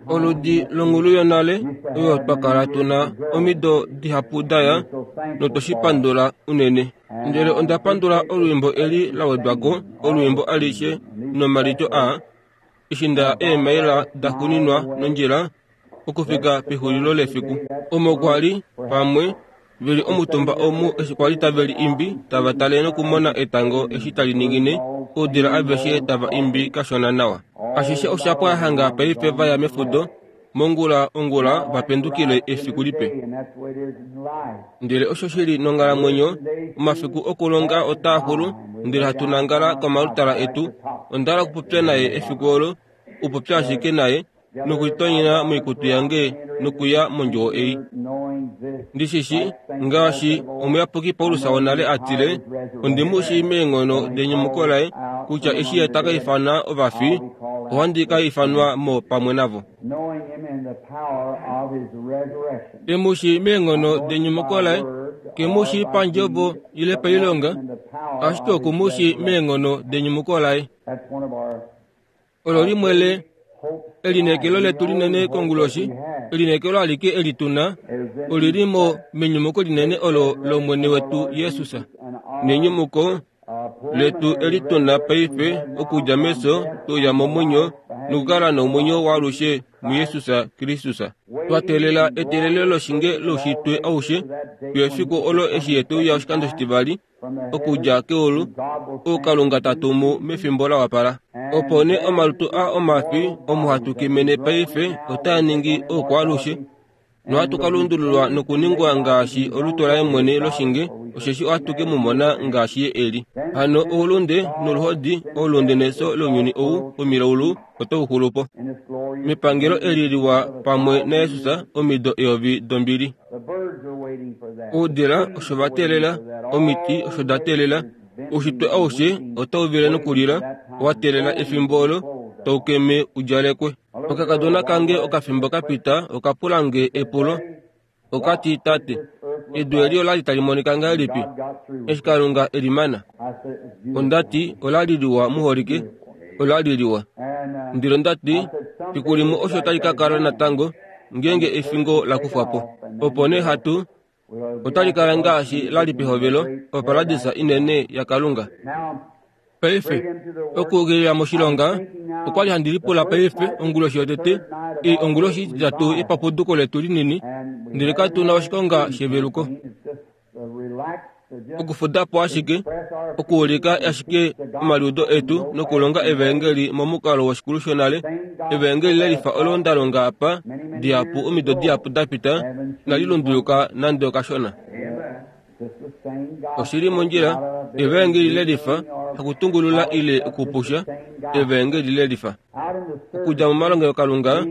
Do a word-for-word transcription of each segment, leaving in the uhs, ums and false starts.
Oludi longulu yonale oyo twa kala tuna omido dihapu daya, notwe shi pandula unene. Ndele onda pandula olwiimbo eli la wedwa ko, olwiimbo alishe nomalityo aa, eshi nda ya eemaila da xuninwa nondjila okufika pexulilo lefiku. Omo kwa li, pamwe, ve li omutumba omu eshi kwa li tave li imbi, tava tale nokumona etango eshi tali ningine, oudila aveshe tava imbi kashona nawa. Ashishe osha pwa hanga paife va ya mefudo, mongula ongula va pendukile efiku lipe. Ndele osho shi li nonghalamwenyo, omafiku okulonga otaa xulu, ndele hatu nangala komalutala etu. Onda hala okupopya naye efiku olo, okupopya ashike naye, nokulitonyena moikutu yange nokuya mondjuwo ei. Ndi shi shii, ngaashi omuyapuki Paulus wonale a tile, ondi mu shii meenghono denyumuko laye, kutya eshi ye ta ka ifana ovafi, ohandi ka ifanwa mo pamwe navo. E mu shii meenghono denyumuko laye, ke mu shii pandjovo ile pailonga, ashike oku mu shii meenghono denyumuko laye. Olo limwe le elineekelo letu linene konguloshi, elineekelo alike eli tuna, oli li mo menyumuko linene olo lOmwene wetu Jesus. Nenyumuko letu eli tuna paife okudja mefyo tuya momwenyo nokukala nomwenyo waalushe muJesus Kristus. Twa teelela eteelelo loshinge loushitwe aushe fiyo efiku olo eshi ye uya oshikando shitivali okudja keulu, ou Kalunga ta tumu mefimbo la wapala. Opo nee omalutu a omafi omo hatu kemene paife otaa ningi oukwaalushe, nohatu ka lundululwa nokuningwa ngaashi olutu laye mwene loshinge, osheshi ohatu ke mu mona ngaashi ye e li. Hano oulunde noluhodi, oulunde nefyo lounyuni ou womilaulu otau xulu po. Mepangelo eli liwa pamwe naJesus omido eyovi dombili. Oudila osho va teelela, omiti osho da teelela, oushitwe aushe otau vile nokulila, wa teelela efimbo olo tau keme u djalekwe. Okakadona kange okafimbo ka pita oka pula nge epulo, oka ti, Tate, edu eli ola li tali monika ngahelipi eshi Kalunga e li mana? Onda ti, Ola li liwa muholike, ola li liwa. Ndele onda ti, Fiku limwe osho tali ka kala natango, ngeenge efingo la kufwa po. Opo nee hatu, otali kala ngaashi la li pehovelo, oparadisa inene yaKalunga. Paife, okuukilila moshilonga, okwa li handi lipula paife onguloshi yotete, ei onguloshi ititatu yepapuduko letu linini, ndele katu na oshikonga sheveluko. Okufuda po ashike, okuulika ashike omaliudo etu nokulonga evaengeli momukalo woshikulu shonale, evaengeli lelifa olo nda longa apa dihapu omido dihapu da pita, inali lunduluka nande okashona. Oshi li mondjila, evaengeli lelifa, hakutungulula ile okupusha, evaengeli lelifa. Okudja momalongelokalunga,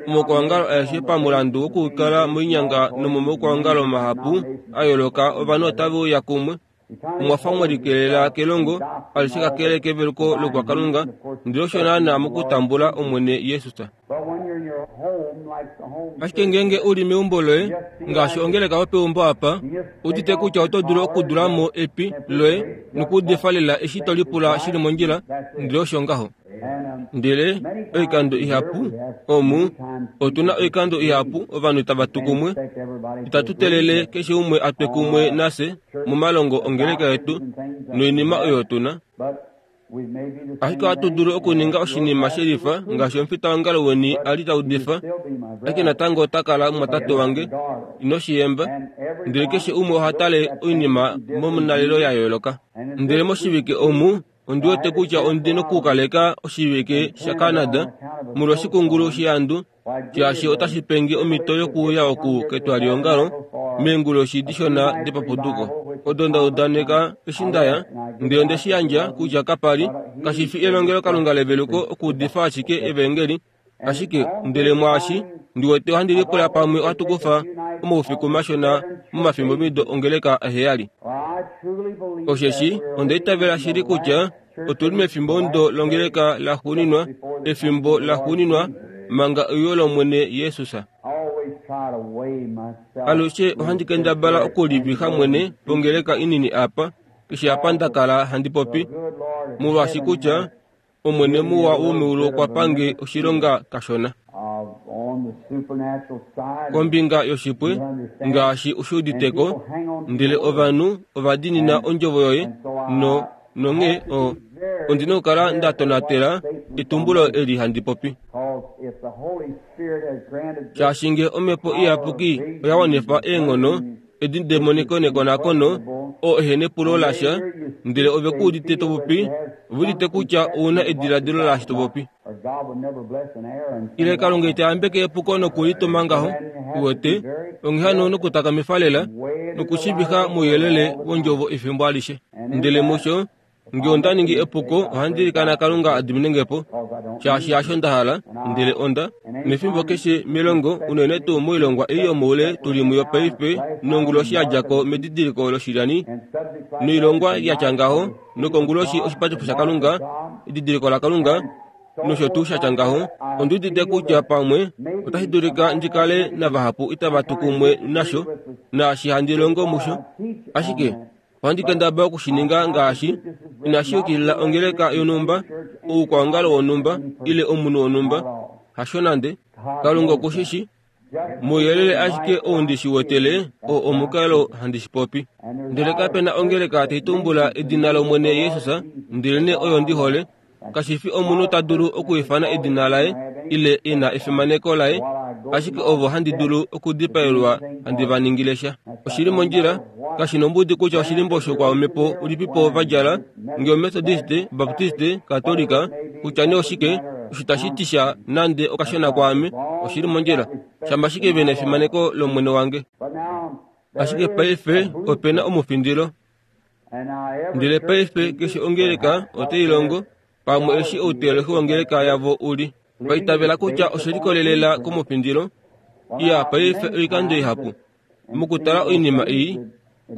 omaukwaongalo aeshe pamulandu wokukala moinyanga nomomaukwaongalo mahapu a yooloka ovanhu otave uya kumwe, omwa fa mwe likelela kelongo alishe kakele keveluko loukwakalunga, ndele osho naanaa mokutambula Omwene Jesus. Ashike ngeenge u li meumbo loye, ngaashi ongeleka yopeumbo apa, udite kutya oto dulu okudula mo epi loye nokuudifa lela eshi to lipula shi li mondjila, ndele osho ngaho. Ndele oikando ihapu omu otu na oikando ihapu ovanhu tava tu kumwe, itatu teelele keshe umwe a twe kumwe nafye momalongo ongeleka yetu noinima oyo tu na. Ashike ohatu dulu okuninga oshinima shelifa ngaashi omufitaongalo weni a li ta udifa, ashike natango ota kala mumwatate wange, ino shi yemba. Ndele keshe umwe oha tale oinima momunalelo ya yooloka. Ndele moshivike omu ondi wete kutya ondi nokukaleka oshivike shaCanada molwa oshikungulu shehandu, shaashi otashi penge omhito yokuuya oku ketwaliongalo meenguloshi dishona depapuduko odo nda udaneka eshi nda ya, ndele onde shi yandja kutya kapa li, kashi fi elongelokalunga leveluko okuudifa ashike evaengeli, ashike ndele mwaashi ndi wete ohandi lipula pamwe ohatu kufa omaufiku mashona momafimbomido ongeleka aheyali. Osheshi onda itavela shili kutya otu li mefimbomudo longeleka laxuuninwa, efimbo laxuuninwa manga euyo lOmwene Jesus. Alushe ohandi kendabala okulivixa mwene pongeleka inini apa, keshe apa nda kala handi popi, molwaashi kutya Omwene muwa womeulu okwa pange oshilonga kashona kombinga yoshipwe ngaashi ushuuditeko, ndele ovanhu ovadiinina ondjovo yoye no nonghee o ondina okukala nda tonatela etumbulo eli handi popi. Shaashi nge omhepo iyapuki oya wanifa eenghono edi demoniko nekonakono oo ehene epulo lasha, ndele ove ku udite to popi, ove udite kutya ouna ediladilo laashi to popi. Ile Kalunga ita yambeke epuko nokulituma ngaho, uwete, onghee hano nokutakamifa lela nokushivixa mouyelele wondjovo efimbo alishe. Ndele musho nge onda ningi epuko, ohandi ilikana Kalunga a diminenge po, shaashi hasho nda hala, ndele onda nefimbo keshe melongo, unene tuu moilongwa ei yomoule tuli muyo paife nonguloshi ya djako medidiliko loshilyani noilongwa ya tya ngaho, nokonguloshi oshipatifo shaKalunga, edidiliko laKalunga nosho tuu sha tya ngaho, ondi udite kutya pamwe otashi dulika ndi kale navahapu itava tu kumwe nasho naashi handi longo musho, ashike ohandi kendabala okushininga ngaashi inashi yukilila ongeleka yonhumba, oukwaongalo wonhumba ile omunhu wonhumba, hasho nande. Kalunga okushishi mouyelele ashike ou ndi shi wetele oo omukalo handi shi popi. Ndele kapena ongeleka tai tumbula edina lOmwene Jesus, ndelenee oyo ndi hole. Kashi fi omunhu ta dulu okwiifana edina laye ile e na efimaneko laye, ashike ovo handi dulu okudipaelwa handi va ningile sha. Oshili mondjila, kashi nombudi kutya oshilimbo shokwaomhepo ulipipo va djala, nge Methodiste, Baptiste, Katolika, kutya nee oshike, osho tashi ti sha nande okashona kwaame, oshili mondjila, shama ashike ve na efimaneko lOmwene wange. Ashike paife ope na omufindilo. Ndele paife keshe ongeleka otai longo pamwe eshi outeolohi wongeleka yavo uli. Vaitavela kutya oshe likolelela komufindilo. Iya, paife oikando ihapu mokutala oinima ei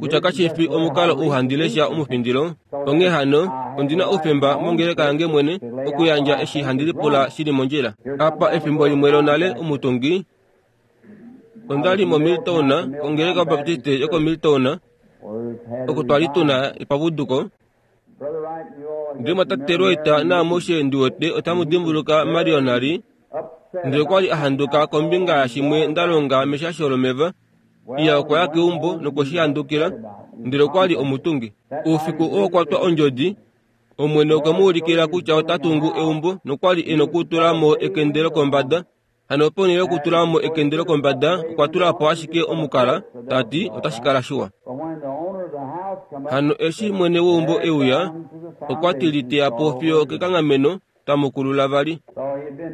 kutya kashi fi omukalo ou handi lesha omufindilo, onghee hano ondina oufemba mongeleka yange mwene okuyandja eshi handi lipula shili mondjila. Apa efimbo limwe lonale omutungi onda li moMilton, kongeleka Baptiste yokoMilton, oko twali tuna epavuduko. Ndele mwatate Wright naamushe ndi wete otamu dimbuluka Marion ali, ndele okwali a handuka kombinga yashimwe nda longa meshasho lomeva. Iya, okwa ya keumbo nokweshi handukila, ndele okwali omutungi. Oufiku oo kwatwa ondjodi, Omwene okwe mu ulikila kutya ota tungu eumbo nokwali e nokutula mo ekende lokombada. Hano ponhele yokutula mo ekende lokombada, okwa tula po ashike omukala, ta ti otashi kala shiwa. Hano eshi mwene weumbo e uya, okwa ti liteya po fiyo okekanghameno, tamukulula vali.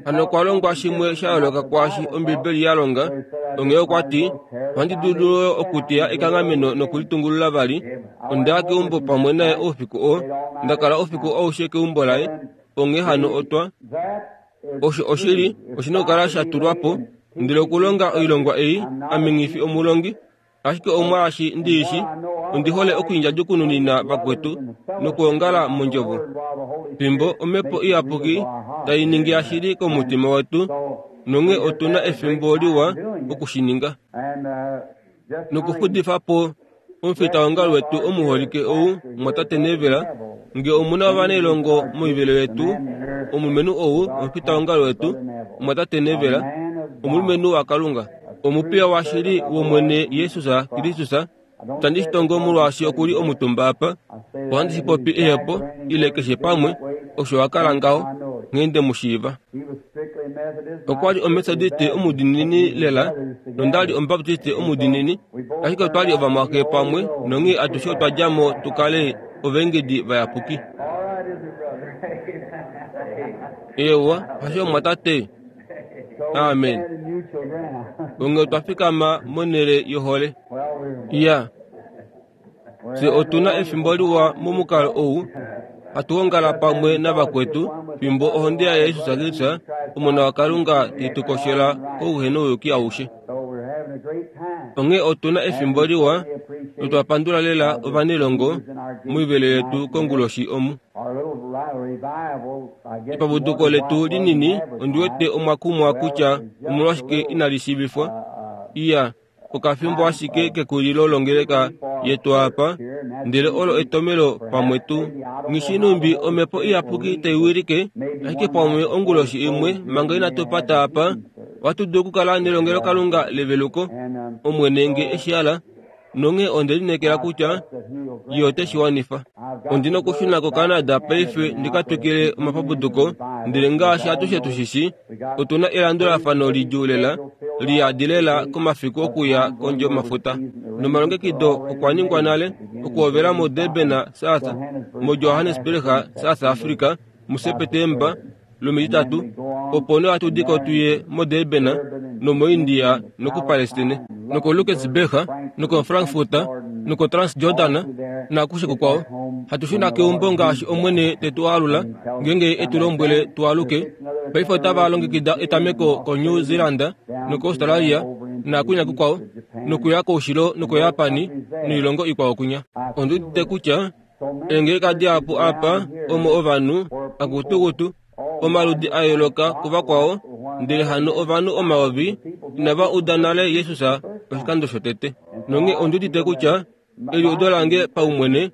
Hano okwa longwa shimwe sha yooloka kwaashi Ombibeli ya longa, onghee okwa ti ohandi dulu okuteya ekanghameno nokulitungulula vali. Onda ya keumbo pamwe naye oufiku oo, nda kala oufiku aushe keumbo laye, onghee hano otwa osho oshili oshina okukala sha tulwa po. Ndele okulonga oilongwa ei, ame nghi fi omulongi, ashike omwaashi ndiishi, ondi hole okwiindjadjukununina vakwetu nokuongala mondjovo. Fimbo omhepo iyapuki tai ningi yashili komutima wetu, nonghee otuna efimbo liwa okushininga. Nokufudifa po omufitaongalo wetu omuholike ou mwatate Neville, nge omuna ovanailongo moivelo yetu, omulumenhu ou omufitaongalo wetu mwatate Neville, omulumenhu waKalunga, omupiya washili wOmwene Jesus Kristus. Itandi shi tongo molwaashi okuli omutumba apa, ohandi shi popi ehepo ile keshe pamwe, osho wa kala ngaho, nghee nde mu shiiva. Okwa li Omethodiste omudiinini lela, nonda li Omubaptiste omudiinini, ashike otwa li ovamwaxe pamwe, nonghee atushe otwa dja mo tu kale ovaengedi vayapuki. Eewa, hasho mwatate? Amen. Onghee otwa fikama monhele yohole. Iya, fye otuna efimbo liwa momukalo ou, hatu ongala pamwe navakwetu fimbo ohonde yaJesus Kristus, Omona waKalunga, tai tu koshela kouhenouyuki aushe. Onghee otuna efimbo liwa notwa pandula lela ovanailongo moivelo yetu konguloshi omu. Epavuduko letu linini ondi wete omwa kumwa kutya omolwashike inali shiivifwa. Iya, Okafimbo ashike kekulilo longeleka yetu apa, ndele olo etomelo pamwe tu nghishinumbi omhepo iyapuki taiwilike, ashike pamwe onguloshi imwe manga inatu pata apa, ohatu dulu okukala nelongelokalunga leveluko, Omwene nge eshi hala, nonghee onde lineekela kutya ye ote shi wanifa. Ondi na okushuna koCanada paife ndi ka twikile omapapuduko, ndele ngaashi atushe tushishi, otu na elandulafano lidjuu lela, liyadi lela komafiku okuya kondje yomafuta. Nomalongekido okwa ningwa nale okuhovela moDurban, South, moJohannesburg, South Africa, muSepetemba lomititatu, opo nee ohatu di ko tuye moDurban nomoIndia nokuPalestine, nokoLuxembourg, nokoFrankfurt, nokoTransjordan naakushe kukwao. Hatu shuna keumbo ngaashi Omwene te tu alula, ngeenge e tu lombwele tu aluke. Paife otava longekida etameko koNew Zealand nokoAustralia naakunya kukwao, nokuya koushilo nokoJapani noilongo ikwao kunya. Ondi udite kutya eengeleka dihapu apa omo ovanhu akutukutu omaludi a yooloka kuvakwao, ndele hano ovanhu omayovi inava uda nale Jesus oshikando shotete. Nonghee ondi udite kutya eliudo lange paumwene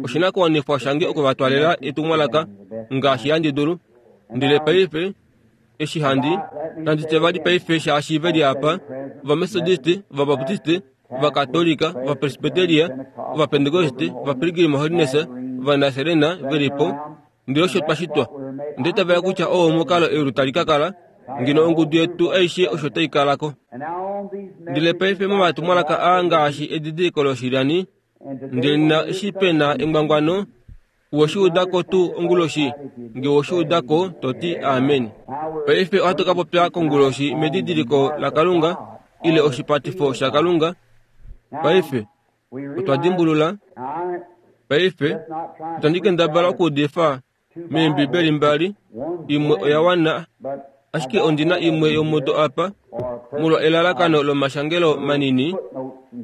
oshinakuwanifwa shange okuvatwalela etumwalaka ngaashi handi dulu. Ndele paife eshi handi nandi tye vali paife shaashi ve li apa, Ovamethodist, Ovabaptist, Ovakatolika, Ovapresbyteria, Ovapentekoste, Ovapilgrim Holiness, Ovanazarene ve li po, ndele osho twa shitwa. Ndele tava kutya oo omukalo eulu tali ka kala, ngeno ongudu yetu aishe osho tai kala ko. Ndele paife momatumwalaka aa ngaashi edidiliko loshilyani, ndele na eshi pe na engwangwano, uwe shi uda ko tuu onguloshi, nge we shi uda ko, to ti amen. Paife ohatu ka popya konguloshi medidiliko laKalunga, ile oshipatifo shaKalunga. Paife otwa dimbulula. Paife itandi kendabala okuudifa meembibeli mbali, imwe oya wana, ashike ondi na imwe yomudo apa, molwa elalakano lomashangelo manini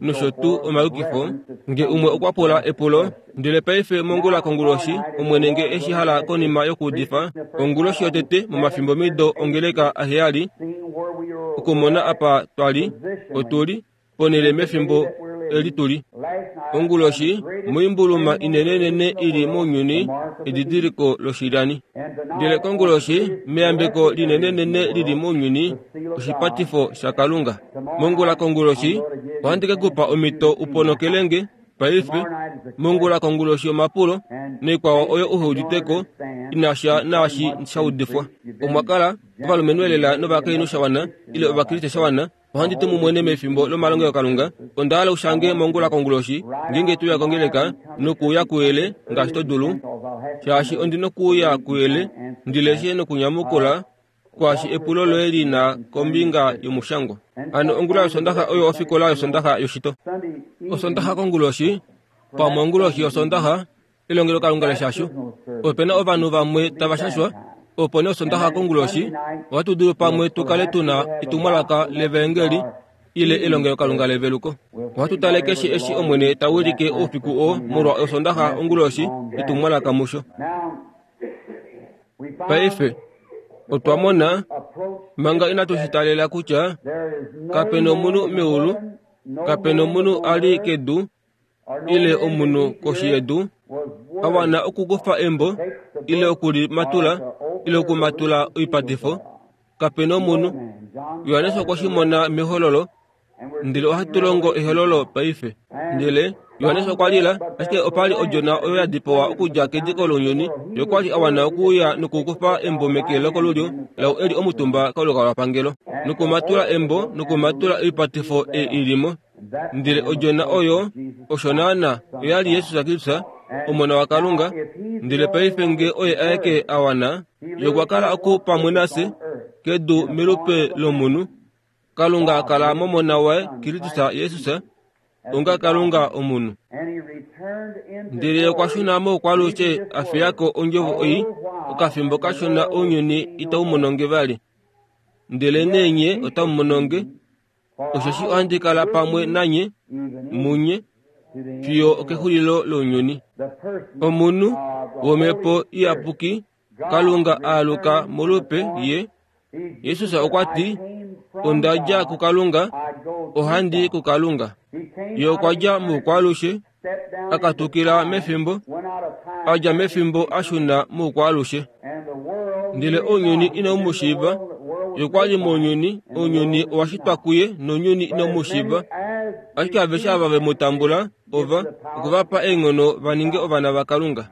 nosho tuu omayukifo, nge umwe okwa pula epulo. Ndele paife mongula konguloshi, Omwene nge eshi hala konima yokuudifa onguloshi yotete momafimbo mido ongeleka aheyali, okumona apa twa li, otu li ponhele mefimbo eli tu li. Onguloshi moimbuluma inenenene ili mounyuni, edidiliko loshilyani. Ndele konguloshi meyambeko linenenene lili mounyuni, oshipatifo shaKalunga. Mongula konguloshi ohandi ke kupa omhito u ponokele nge paife. Mongula konguloshi omapulo noikwao oyo uhe udite ko ina sha naashi sha udifwa. Omwa kala ovalumenhu elela novakainhu shawana ile Ovakriste shawana. Ohandi tu mumwene mefimbo lomalongelokalunga. Onda hala ushange mongula konguloshi ngeenge tuya kongeleka nokuuya kuyele ngaashi to dulu, shaashi ondi nokuuya kuyele ndi leshe nokunyamukula kwaashi epulo loye li na kombinga yomushangwa. Hano ongula yosondaxa oyo ofikola yosondaxa yoshito. Osondaxa konguloshi, pamwe onguloshi yosondaxa, elongelokalunga leshasho. Ope na ovanhu vamwe tava shashwa, opo nee osondaxa konguloshi ohatu dulu pamwe tu kale tu na etumwalaka levaengeli ile elongelokalunga leveluko. Ohatu tale keshe eshi Omwene ta wilike oufiku oo molwa osondaxa onguloshi etumwalaka musho. Paife otwa mona manga inatu shi talela kutya kape nomunhu meulu, kape nomunhu a li kedu ile omunhu koshi yedu a wana okukufa embo ile okulimatula ile okumatula oipatifo. Kape nomunhu. Johannes okwa shi mona mehololo, ndele ohatu longo ehololo paife. Ndele Johannes okwa lila, ashike opa li odjona oyo ya dipawa okudja kediko lounyuni, ye okwa li a wana okuuya nokukufa embo meke lokolulyo lau eli omutumba kolukalwapangelo, nokumatula embo nokumatula oipatifo ei i li mo. Ndele odjona oyo osho naana oya li Jesus Kristus, Omona waKalunga. Ndele paife nge oye aeke a wana, ye okwa kala oku pamwe nafye kedu melupe lomunhu. Kalunga a kala momona waye Kristus Jesus, onga Kalunga omunhu. Ndele okwa shuna moukwalushe a fiya ko ondjovo ei, okafimbo kashona ounyuni itau mono nge vali, ndele nee nye otamu mono nge, osheshi ohandi kala pamwe nanye munye fiyo okexulilo lounyuni. Omunhu womhepo iyapuki, Kalunga a aluka molupe ye. Jesus okwa ti, onda dja kuKalunga, Ohandi kuKalunga. Ye okwa dja muukwaalushe, a katukila mefimbo, a dja mefimbo a shuna muukwaalushe. Ndele ounyuni inau mu shiiva, ye okwa li mounyuni, ounyuni owa shitwa kuye nounyuni inau mu shiiva. Ashike aveshe ava ve mu tambula, ova, okwe va pa eenghono va ninge ovana vaKalunga.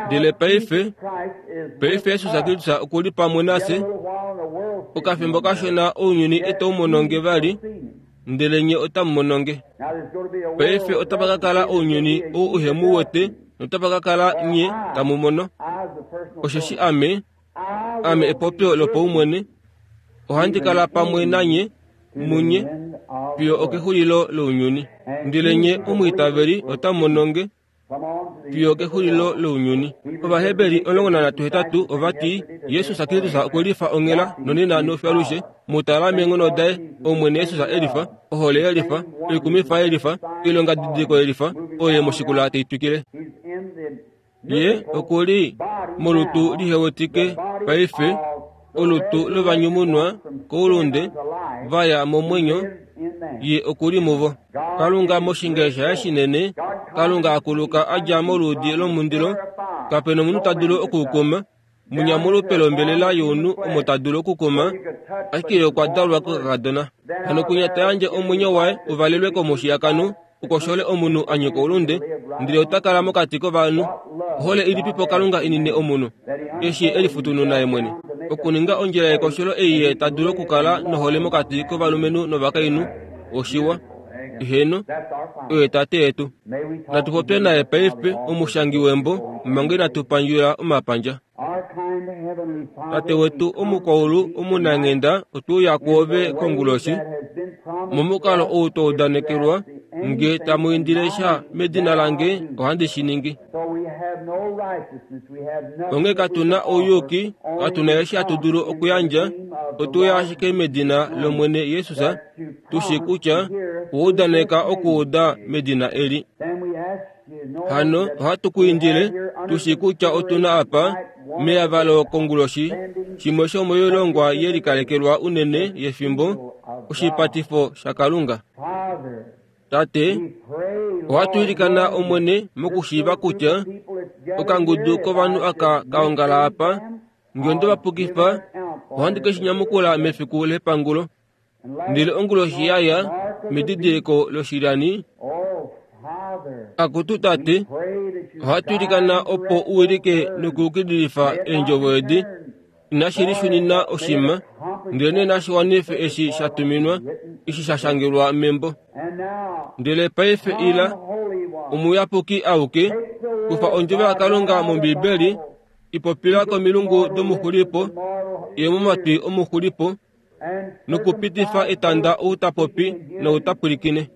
Ndele paife, paife Jesus Kristus oku li pamwe nafye, okafimbo kashona ounyuni itau mononge vali, ndele nye otamu mononge. Paife otapa ka kala ounyuni ou uhe mu wete, notapa ka kala nye tamu mono. Osheshi ame, ame epopyo lopaumwene, ohandi kala pamwe nanye, munye, fiyo okexulilo lounyuni. Ndele nye omwiitaveli otamu mononge, fiyo okexulilo lounyuni. Ovaheberi omulongo nanhatu hetatu ova ti Jesus Kristus okwe lifa onghela nonena nofiyo mutala meenghono daye, Omwene Jesus elifa, ohole yelifa, oikumifa yelifa, oilongadidiliko yelifa, oyo moshikula tai twikile. Ye oku li molutu lihewetike paife, olutu lovanyumunwa koulunde va ya momwenyo, ye oku li muvo. Kalunga moshinge shaye shinene, Kalunga akuluka a dja moluudi lomundilo, kape nomunhu ta dulu okukuma, munyamulupe lombelela younhu omo ta dulu okukuma, ashike ye okwa dalwa kokakadona. Hano kwinya ta yandje omwenyo waye uvalelwe komushiyakano, ukoshole omunhu a nyika oulunde, ndele ota kala mokati kovanhu. Ohole ilipipo Kalunga inine omunhu, eshi e lifutununa ye mwene, okuninga ondjila yekosholo ei ye ta dulu okukala nohole mokati kovalumenhu novakainhu. Oshiwa. Eheno, oye Tate yetu. Natu popye naye paife, omushangi wembo, manga inatu pandjula omapandja. Tate wetu omukwaulu omunanghenda, otwe uya kwoove konguloshi, momukalo ou twa udanekelwa, nge tamu indile sha medina lange, ohandi shi ningi. Onghee katu na ouyuki, katu na eshi hatu dulu okuyandja, otwe uya ashike medina lOmwene Jesus, tu shi kutya owa udaneka okuuda medina eli. Hano ohatu ku indile, tu shi kutya otu na apa, meyavalo konguloshi, shimwe shomoilongwa ye likalekelwa unene yefimbo, oshipatifo shaKalunga. Tate, ohatu ilikana Omwene mokushiiva kutya okangudu kovanhu aka ka ongala apa, nge onde va pukifa, ohandi ke shi nyamukula mefiku lepangulo. Ndele onguloshi yaya medidiliko loshilyani, akutu Tate, ohatu ilikana opo u wilike nokuyukililifa eendjovo edi, inashi lishunina oshima, ndele nashi wanife eshi sha tuminwa, eshi sha shangelwa membo. Ndele paife ila, omuyapuki auke, kufa ondjovo yaKalunga mOmbibeli, ipopila komilungu domuxulipo, ye momatwi omuxulipo, nokupitifa etanda ou ta popi nou ta pwilikine,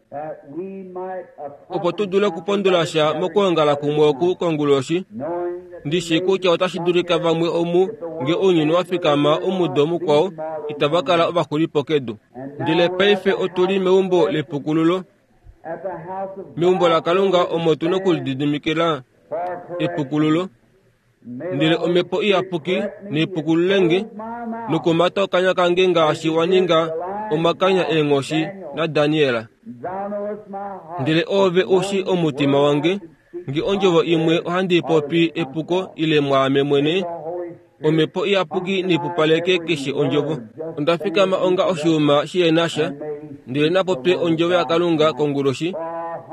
opo tu dule okupondola sha mokwoongala kumwe oku konguloshi. Ndi shii kutya otashi dulika vamwe omu, nge ounyuni wa fikama omudo mukwao, itava kala ovaxulipo kedu. Ndele paife otu li meumbo lepukululo, meumbo laKalunga omo tu nokulididimikila epukululo. Ndele Omhepo Iyapuki neipukululenge nokumata okanya kange ngaashi wa ninga omakanya eenghoshi naDaniel. Ndele oove u shi omutima wange, nge ondjovo imwe ohandi popi epuko ile mwaame mwene, Omhepo Iyapuki neipupaleke keshe ondjovo. Onda fikama onga oshiuma shihena sha, ndele napopye ondjovo yaKalunga konguloshi,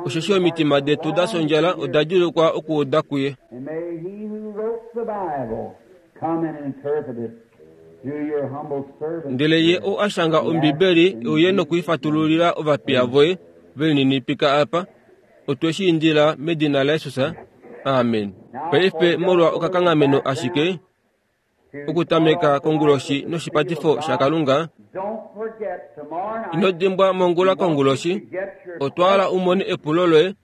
osheshi omitima detu da sondjala oda djuulukwa okuuda kuye. Ndele ye ou a shanga Ombibeli e uye nokuifatululila ovapiya voye ve lininipika apa, otwe shi indila medina laJesus. Amen. Paife molwa okakanghameno ashike, okutameka konguloshi noshipatifo shaKalunga, ino dimbwa mongula konguloshi, otwa hala u mone epulo loye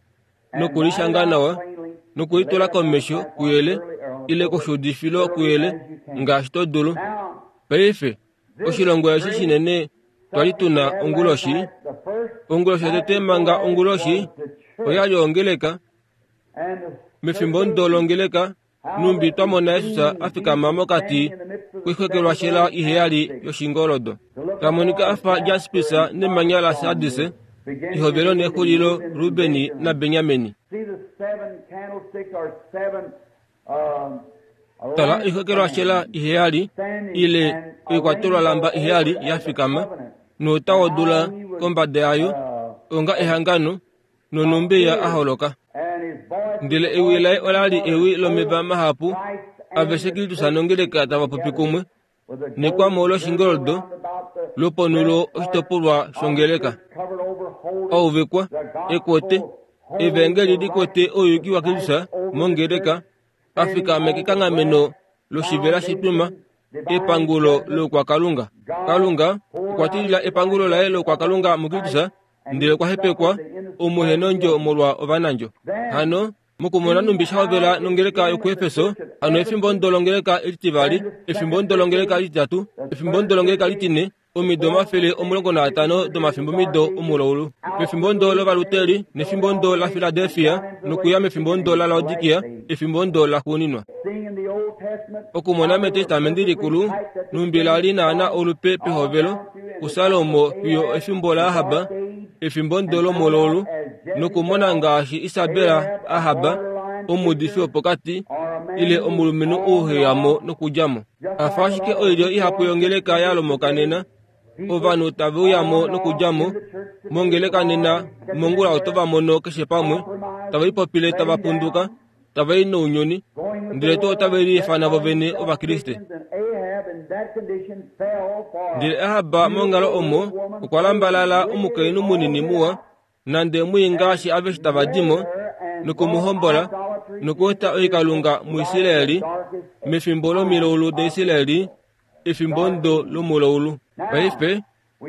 nokulishanga nawa, nokulitula komesho kuyele ile koshuudifilo kuyele ngaashi to dulu. Paife, oshilongo eshi shinene twa li tu na onguloshi, onguloshi yotete manga onguloshi oya li ongeleka, mefimbo omudo longeleka, Numbi twamona Yesus afikama mokati koixwekelwashela iheyali yoshingoldo. Tamonika afa jaspisa nemanya la sardis, ihovelo nexulilo Rubeni naBenyamini. Tala oixwekelwashela iheyali ile oikwatelwalamba iheyali yafikama nouta wodula kombada yayo onga ehangano nonumbi ya aholoka. Ndele ewi laye olali ewi lomeva mahapu aveshe Kristus nongeleka tava popi kumwe nekwamo loshingoldo loponulo oshitopolwa shongeleka. Auvikwa ekwete evangeli likwete ouyuki wa Kristus mongeleka afikame kekanghameno loshivela shitwima epangulo lokwakalunga. Kalunga okwa tilila epangulo laye lokwakalunga muKristus ndele okwa hepekwa omuhenondjo molwa ovanandjo. Hano mokumona numbi shahovela nongeleka yokuefeso, hano efimbo ndo longeleka elitivali, efimbo ndo longeleka elititatu, efimbo ndo longeleka elitine, omido omafele omulongo naatano domafimbo mido omulaulu. Mefimbo ndo lovaluteri, nefimbo ndo la Filadelfia, nokuya mefimbo ndo la Laodikia, efimbo ndo la xuuninwa. Okumona metestamenti likulu, numbi lali naana olupe pehovelo, kuSalomo fiyo efimbo la Ahaba, efimbo ndo lomulaulu, nokumona ngaashi Isabela Ahaba, omuudifi wopokati, ile omulumenhu ouheyamo nokudjamo. Afa ashike oilyo ihapu yongeleka yalomoka nena, ovanhu tave uyamo nokudjamo mongeleka nena, mongula oto va mono keshe pamwe, tava ipopile tava punduka, tava i nounyuni, ndele tuu otave liifana vovene Ovakriste. Ndele Ahaba monghalo omo okwa lambalala omukainhu munini muwa, nande mwii ngaashi aveshe tava dimo, nokumuhombola, nokueta oikalunga muIsraeli mefimbo lomilaulu daIsraeli, efimbo ndo lomulaulu. Paife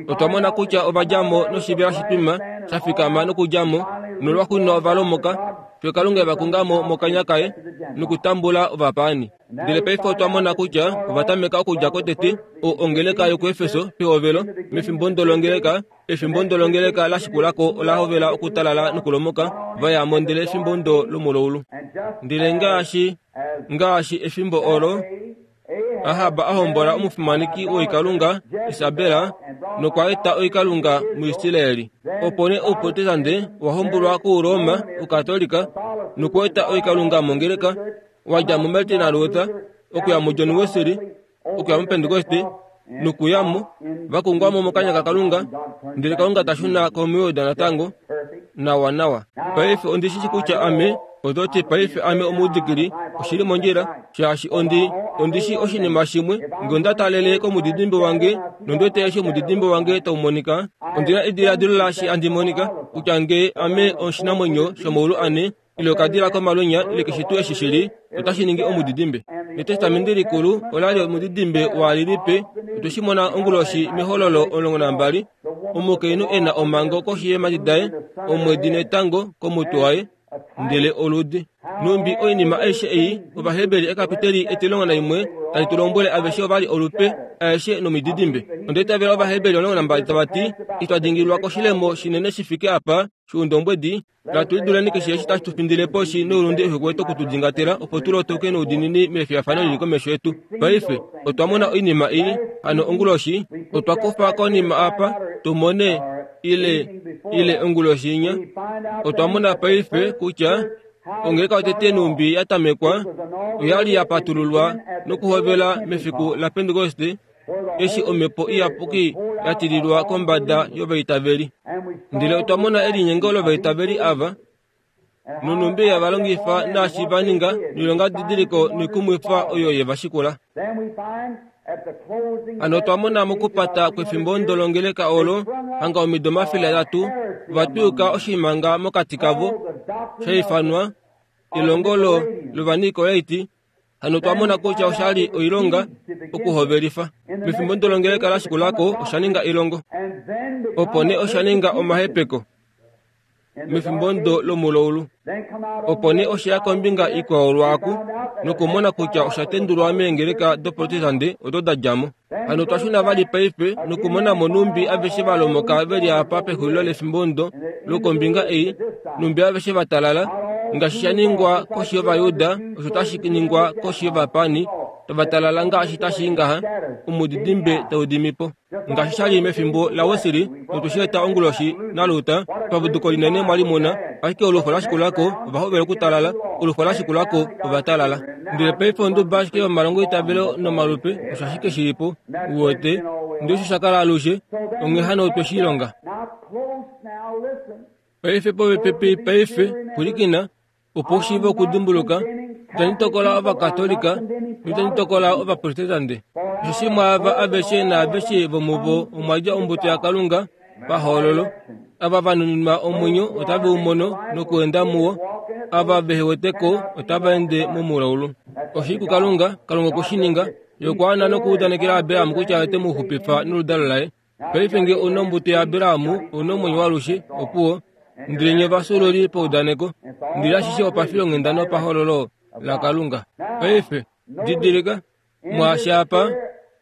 otwa mona kutya ovadjamo noshivela shitwima shafikama nokudjamo, nolwaxuuninwa ovalomoka, fiyo Kalunga evakungamo mokanya kaye nokutambula ovapaani. Ndele paife otwa mona kutya ovatameka okudja kotete o ongeleka yokuefeso pehovelo, mefimbo ndo longeleka, efimbo ndo longeleka la shikulako ola hovela okutalala nokulomoka, vayamo ndele efimbo ndo lomulaulu. Ndele ngaashi ngaashi efimbo olo Ahaba ahombola omufimaneki woikalunga Isabela nokwa eta oikalunga muIsraeli. Opo nee ouprotestante wahombolwa kuRoma ukatolika nokueta oikalunga mongeleka, wadja muMartin Luther okuya muJohn Wesley okuya muPentecoste nokuyamo vakungwamo mokanya kaKalunga, ndele Kalunga tashuna komuYuda natango nawa nawa. Paife ondishishi kutya ame ototi paife ame omuudikili oshili mondjila, shaashi ondi ondishi oshinima shimwe nge onda talele komudidimbe wange nondwete eshi omudidimbe wange tau monika, ondina ediladilo laashi andi monika kutya nge ame oshinamwenyo shomaulu ane ile okadila komalwenya ile keshe tuu eshi shili otashi ningi omudidimbe. Netestamenti likulu olali omudidimbe waalilipe, otwe shi mona onguloshi mehololo omulongo nambali, omukainhu e na omhango koshi yeemhadi daye, omwedi netango komutwe waye, ndele oludi. Numbi oinima aishe ei Ovaheberi ekapiteli etilongo naimwe tali tu lombwele aveshe ovali olupe aeshe nomididimbe. Onda itavela Ovaheberi omulongo nambali tava ti, itwa dingililwa koshilemo shinene shi fike apa shoundombwedi, natu liduleni keshe eshi tashi tu findile poshi noulunde uhe kwete okutudingatela, opo tu lotoke noudiinini mefiyafano lili komesho yetu. Paife otwa mona oinima ei hano onguloshi, otwa kufa konima apa tu mone ile ile onguloshi inya. Otwa mona paife kutya ongeleka yotete numbi yatamekwa oyali yapatululwa nokuhovela mefiku la Pentekoste, eshi omhepo iyapuki yatililwa kombada yovaitaveli. Ndele otwa mona elinyengo lovaitaveli ava nonumbi yavalongifa naashi va ninga noilonga didiliko noikumwifa oyo yevashikula. Hano otwa mona mokupata kwefimbo ndo longeleka olo hanga omido omafele atatu vatwiyuka oshimanga mokati kavo shaifanwa elongo lovanikolaiti. Hano otwa mona kutya oshali oilonga okuhovelifa. Mefimbo ndo longeleka la shikulako osha ninga elongo, opo nee osha ninga omahepeko mefimbo ndo lomulaulu. Opo nee osheya kombinga ikwao lwaaku nokumona kutya osha tendulwa meengeleka doprotestante odo da djamo. Hano otwa shuna vali paife nokumona mo numbi aveshe valomoka veli apa pexulilo lefimbo ndo lokombinga ei, numbi aveshe vatalala Ngaashi sha ningwa koshi yOvayuda, osho tashi ningwa koshi yOvapani, tava talala ngaashi tashi ngaha, omudidimbe tau dimi po. Ngaashi sha li mefimbo laWesley, notu shi eta onguloshi naLuther, papuduko linene mwa li muna, ashike olufo lashikulako ova hovela okutalala, olufo lashikulako ova talala. Ndele paife onduba ashike yomalongoitavelo nomalupe, osho ashike shili po, uwete, ndele osho sha kala alushe, onghee hano otwe shi ilonga. Paife popepi paife, pwilikina, opo u shiive okudimbuluka, itandi tokola Ovakatolika, noitandi tokola Ovaprotestante. Osheshi mwaava aveshe naaveshe vomuvo omwa dja ombuto yaKalunga pahoololo. Ava va nuninwa omwenyo otave u mono nokweenda muwo, ava vehe wete ko otava ende momulaulu. Oshili kuKalunga, Kalunga okwe shi ninga, Ye okwa ana nokuudanekela Abraham kutya ote mu xupifa noludalo laye. Paife ngee ou na ombuto yaAbraham, ou na omwenyo waalushe, opuwo. Ndele nye ovafyuululi paudaneko, ndele ashishe opafilonghenda nopahoololo laKalunga. Paife, didilika, mwaashi apa,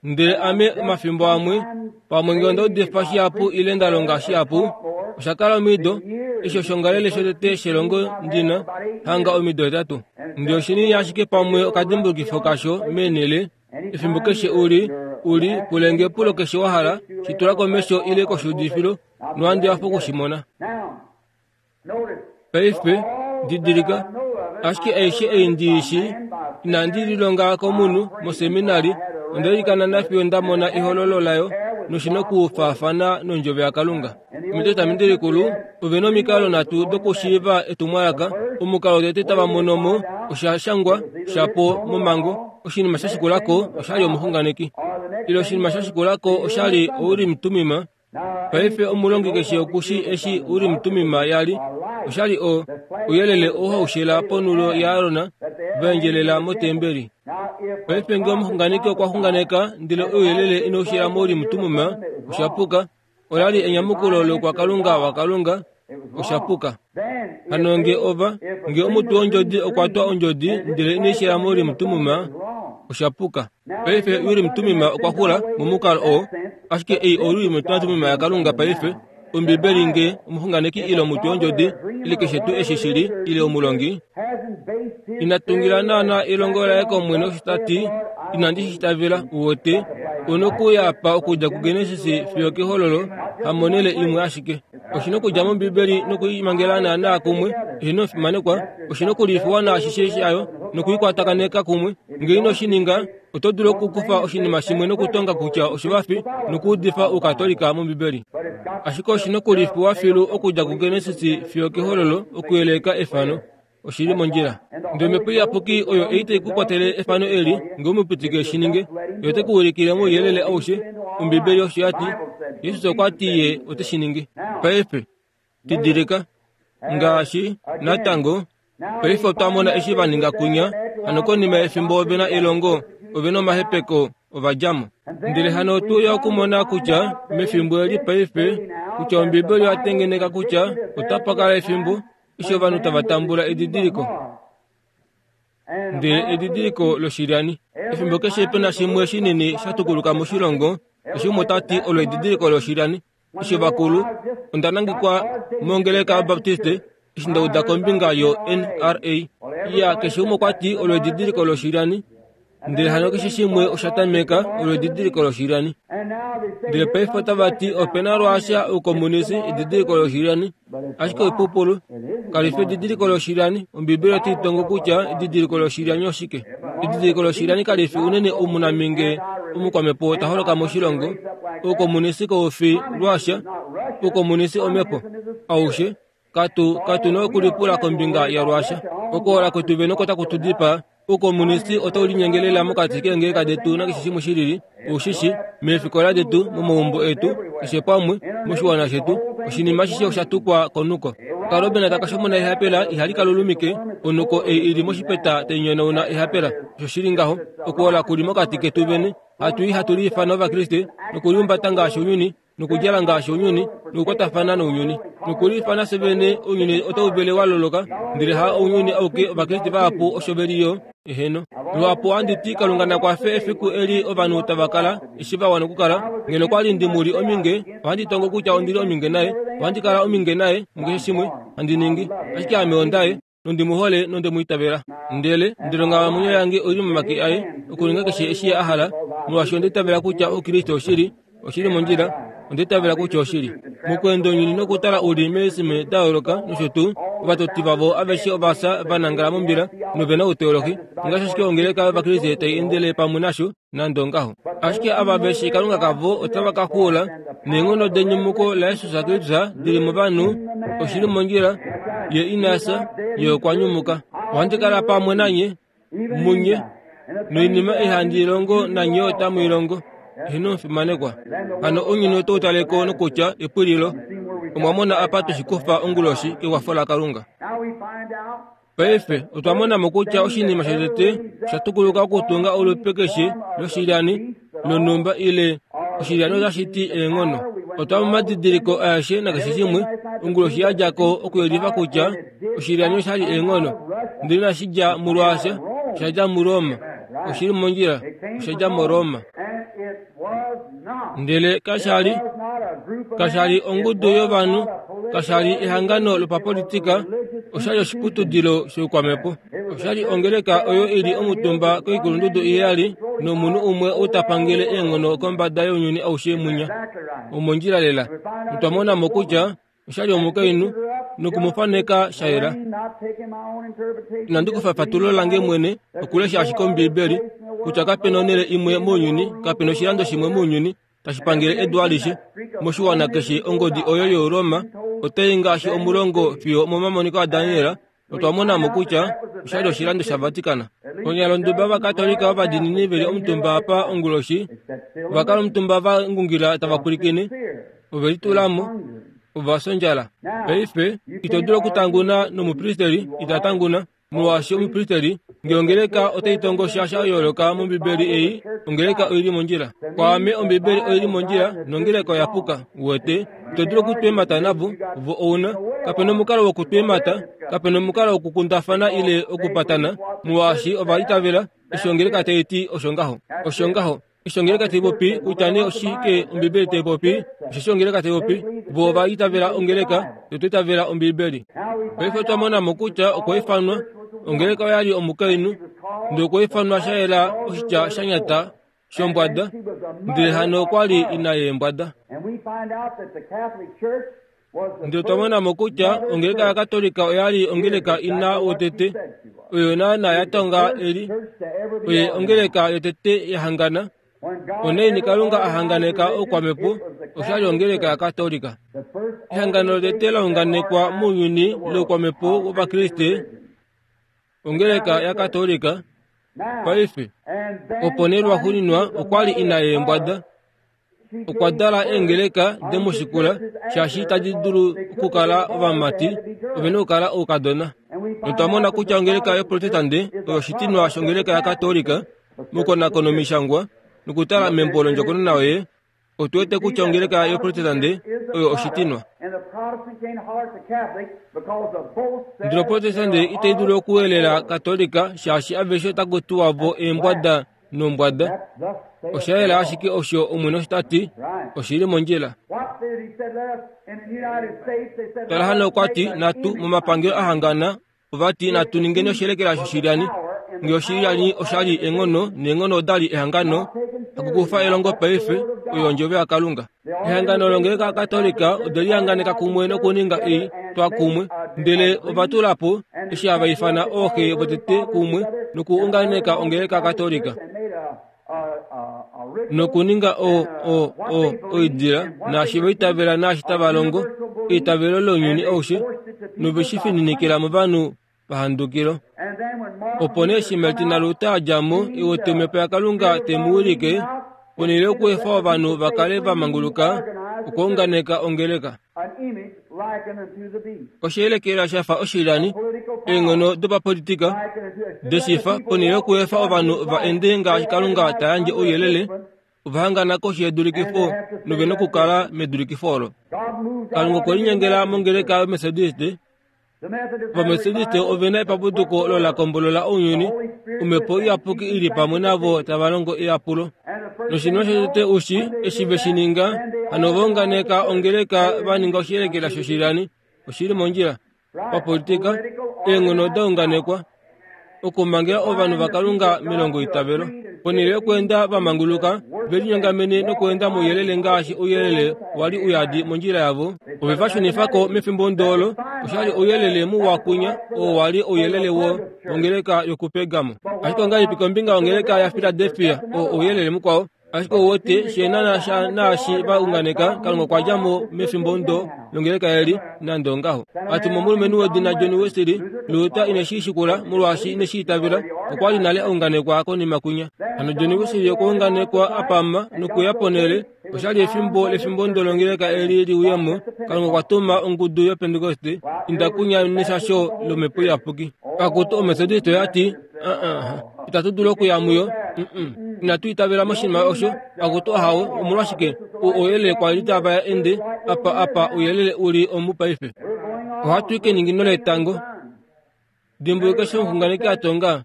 ndele ame omafimbo amwe, pamwe ngee onda udifa shihapu ile nda longa shihapu, osha kala omido, eshi oshongalele shotete shelongo ndina, hanga omido hetatu. Ndele oshinini ashike pamwe okadimbulukifo kasho meenhele, efimbo keshe uli, uli, pulenge epulo keshe wa hala, shi tula komesho ile koshuudifilo, nohandi hafa oku shi mona. Paife, didilika, ashike aishe ei ndi shi, inandi lilonga komunhu moseminari, onda ilikana nafiyo nda mona ehololo layo, noshi nokufaafana nondjovo yaKalunga. Metestamenti likulu, ove na omikalo nhatu dokushiiva etumwalaka. Omukalo wotete tava mono mo osha shangwa shapo momhango, oshinima sha shikulako oshali omuxunganeki. Ile oshinima sha shikulako oshali Urim Tumim. Paife omulongi keshe okushi eshi Urim Tumim yali, oshali o ouyelele oo haushela ponulo yaAron vaendjelela motembeli. Paife ngee omuxunganeki okwa xunganeka ndele ouyelele inaushela moUrim Tumim, osha puka. Ola li enyamukulo loukwakalunga waKalunga, osha puka. Hano ngee ova, ngee omutwe wondjodi okwa twa ondjodi ndele inaishela moUrim Tumim, osha puka. Paife Urim Tumim okwa xula momukalo oo, ashike ei oUrim Tumim yaKalunga paife, Ombibeli ngee omuxunganeki ile omutwe wondjodi ile keshe tuu eshi shili ile omulongi, ina tungila naana elongo laye kOmwene osho ta ti, inandi shi itavela, uwete, onokuya apa okudja kuGenesis fiyo kehololo, hamonhele imwe ashike. Oshi nokudja mOmbibeli nokuimangela naana kumwe, eheno omufimanekwa, oshi nokulifiwa naashishe shayo nokuikwatakaneka kumwe. Ngee ino shi ninga, oto dulu okukufa oshinima shimwe nokutonga kutya oshivafi nokuudifa Oukatolika mOmbibeli. Ashike oshi nokulifiwa filu okudja kuGenesis fiyo kehololo okuyeleka efano. Oshili mondjila. Ndele Omhepo Iyapuki oyo ei tai ku kwatele efano eli, ngee umupitike shi ninge, Ye ote ku ulikile mouyelele aushe. Ombibeli osho ya ti. Jesus okwa ti Ye ote shi ningi. Paife, didilika, ngaashi, natango, paife otwa mona eshi va ninga kunya, hano konima yefimbo ove na elongo, ove na omahepeko, ova dja mo. Ndele hano otu uya okumona kutya, mefimbo eli paife, kutya Ombibeli oya tengeneka kutya otapa kala efimbo eshi ovanhu tava tambula edidiliko. Ndele edidiliko loshilyani. Efimbo keshe pe na shimwe shinini sha tukuluka moshilongo, eshi umwe ota ti olo edidiliko loshilyani. Eshi ovakulu, onda nangekwa mongeleka yaBaptiste, eshi nda uda kombinga yo-N R A. Ya, keshe umwe okwa ti olo edidiliko loshilyani. Ndele hano keshe shimwe osha tameka olo edidiliko loshilyani. Ndele paife otava ti ope na lwaasha oukomunisi edidiliko loshilyani. Ashike oipupulu, kali fi edidiliko loshilyani. Ombibeli otai tongo kutya edidiliko loshilyani oshike. Edidiliko loshilyani kali fi unene omunaminge omukwamhepo ta holoka moshilongo. Oukomunisi kau fi lwaasha, oukomunisi omhepo. Aushe, katu, katu na okulipula kombinga yalwaasha. Okuhola kwetu vene oko taku tu dipaa. Oukomunisi otau linyengelela mokati keengeleka detu nakeshe shimwe shilili, oushishi, meefikola detu, momaumbo etu, keshe pamwe, moshiwana shetu, oshinima ashishe osha tukwa konuko. Kalobena taka shomona ehapela ihali kalulumike, onuko ei ili moshipeta tai nyonauna ehapela. Osho shili ngaho, okuhola kuli mokati ketu vene, hatu i hatu liifana Ovakriste, nokuliumbata ngaashi ounyuni, nokudjala ngaashi ounyuni, nokukwatafana nounyuni, nokuliifana fye vene. Ounyuni otau vele wa loloka, ndele ha ounyuni auke, Ovakriste vahapu osho ve li yo. Eheno. Luhapu ohandi ti Kalunga na kwafe efiku eli ovanhu tava kala eshi va wana okukala. Ngeno kwa li ndi mu li ominge, ohandi tongo kutya ondi li ominge naye. Ohandi kala ominge naye mukeshe shimwe handi ningi. Ashike ame ondaye. Nondi mu hole nonde mu itavela. Ndele ndele onghalamwenyo yange oi li momake aye okuninga keshe eshi a hala, molwaashi onda itavela kutya Oukriste oshili, oshili mondjila, onda itavela kutya oshili. Mokweenda ounyuni nokutala uli meesime da yooloka nosho tuu, ovatoti vavo aveshe ova fya va nangala mombila nove na outeolohi, ongaashi ashike ongeleka yOvakriste tai endele pamwe nasho nande ongaho. Ashike ava veshi Kalunga kavo otava ka xuula neenghono denyumuko laJesus Kristus dili movanhu, oshili mondjila, ye ina fya, ye okwa nyumuka. Ohandi kala pamwe nanye, munye, noinima ei handi ilongo nanye otamu ilongo. Eheno omufimanekwa. Hano ounyuni otau taleko nokutya epwililo. Omwa mona apa tweshikufa onguloshi kekwafo laKalunga. Paife otwa mona mo kutya oshinima shotete osha tukuluka okutunga olupe keshe loshilyani lonhumba ile oshilyani otashi ti eenghono. Otwa mona omadidiliko aeshe nakeshe shimwe onguloshi ya dja ko okuyelifa kutya oshilyani osha li eenghono, ndele inashi dja muRuasia, osha dja muRoma. Oshili mondjila, osha dja muRoma. Ndele kasha li kasha li ongudu yovanhu, kasha li ehangano lopapolitika, osha li oshiputudilo shoukwamhepo. Osha li ongeleka oyo i li omutumba koikulundudu iheyali nomunhu umwe ou ta pangele eenghono kombada younyuni aushe munya. Omondjila lela. Otwa mona mo kutya osha li omukainhu nokumufaneka sha yela. Inandi kufa efatululo lange mwene okulesha ashike Ombiibeli kutya kapena onhele imwe mounyuni, kapena oshilando shimwe mounyuni tashi pangele edu alishe moshiwana keshe. Ongodi oyo yoRoma otai ngaashi omulongo fiyo momamoniko aDaniel. Otwa mona mo kutya osha li oshilando shaVatican. Onyalonduba Ovakatolika ovadiinini ve li omutumba apa onguloshi, ova kala omutumba va ngungila tava pwilikine, ove litula mo, ova fya ondjala. Paife ito dulu okutanguna nomupristeli ita tanguna, molwaashi omupristeli ngee ongeleka otai tongo sha sha yooloka mOmbibeli ei, ongeleka oi li mondjila. Kwaame Ombibeli oi li mondjila nongeleka oya puka. Uwete, ito dulu okutweemata navo, vo ouna. Kapena omukalo wokutweemata, kapena omukalo wokukundafana ile okupatana, molwaashi ova itavela eshi ongeleka tai ti osho ngaho. Osho ngaho. Eshi ongeleka tai popi kutya nee oshike Ombibeli tai popi, osheshi ongeleka tai popi, vo ova itavela ongeleka, otwa itavela Ombibeli. Paife otwa mona mo kutya okwa ifanwa ongeleka oya li omukainhu, ndele okwa ifanwa sha yela oshitya sha nyata shombwada, ndele hano okwa li ina yeembwada. Ndele otwa mona mo kutya ongeleka yaKatolika oya li ongeleka ina wotete, oyo naana ya tonga eli, oye ongeleka yotete ya hangana. Onaini Kalunga a hanganeka oukwamhepo, osha li ongeleka yaKatolika. Ehangano lotete la unganekwa mounyuni loukwamhepo wOvakriste, ongeleka yaKatolika. Paife opo nee lwaxuuninwa okwa li ina yeembwada, okwa dala eengeleka demushikula, shaashi itadi dulu okukala ovamati, ove na okukala oukadona. Notwa mona kutya ongeleka yoProtestante oyo oshitinwa shongeleka yaKatolika mokukonakona omishangwa nokutala membo londjokonona yoye, otu wete kutya ongeleka yoProtestante oyo oshitinwa. Ndele Oprotestante itai dulu okuwelela Katolika shaashi aveshe otaku tiwa vo eembwada nombwada. Osha yela ashike osho Omwene osho ta ti, oshi li mondjila. Tala hano okwa ti natu momapangelo a hangana ova ti natu ningeni oshelekela shoshilyani. Ngee oshilyani osha li eenghono neenghono oda li ehangano, hakukufa elongo paife, oyo ondjovo yaKalunga. Ehangano longeleka yaKatolika ode lihanganeka kumwe nokuninga ei twa kumwe, ndele ova tula po eshi hava ifana ooxe votete kumwe nokuunganeka ongeleka yaKatolika. Nokuninga o o o oidila naashi va itavela naashi tava longo eitavelo lounyuni aushe, nove shi fininikila movanhu pahandukilo. Opo nee eshi Martin Luther a dja mo e wete omhepo yaKalunga te mu wilike, ponhele yokuefa ovanhu va kale va manguluka, okwa unganeka ongeleka. Oshelekela sha fa oshilyani, eenghono dopapolitika deshifa, ponhele yokuefa ovanhu va ende ngaashi Kalunga ta yandje ouyelele, ova hangana koshi yedulikifo nove nokukala medulikifo olo. Kalunga okwe linyengela mongeleka yoMethodist. Ovamethodist ove na epapuduko olo la kombolola ounyuni, omhepo iyapuki i li pamwe navo tava longo eyapulo. Noshinima shotete ushi eshi ve shi ninga, hano ova unganeka ongeleka va ninga oshelekela shoshilyani. Oshi li mondjila. Papolitika, eenghono daunganekwa okumangela ovanhu vaKalunga melongo itavelo. Ponhele yokweenda vamanguluka, velinyongamene nokweenda mouyelele ngaashi ouyelele wali uyadi mondjila yavo. Ove va shunifako mefimbo ndoolo, oshali ouyelele muwa kunya, oo wali ouyelele wo wongeleka yokuPergamo. Ashike ongahelipi kombinga yongeleka yaFiladelfia, oo ouyelele mukwao? Ashike ouwete shenana sha naashi va unganeka, Kalunga okwa dja mo mefimbo ndo longeleka eli, nande ongaho. Atuma omulumenhu wedina John Wesley, Luther ine shi shikula molwaashi ine shi itavela, okwa li nale a unganekwa konima kunya. Hano John Wesley okwa unganekwa apama nokuya ponhele, oshali efimbo lefimbo ndo longeleka eli liuyemo, Kalunga okwa tuma ongudu yoPentecoste, inda kunya neshasho lomhepo iyapuki. Akutu oMethodist oyati, uh-uh, itatu dulu okuya muyo, mm-mm. Inatu itavela moshinima osho, akutu ahawe, omolwashike ouyelele kwa li tava ende apa apa ouyelele uli omu paife. Ohatu i keningino letango. Dimbuluka eshi omuxunganeki a tonga,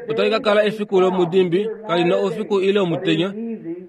otali ka kala efiku lomudimbi, kali na oufiku ile omutenya,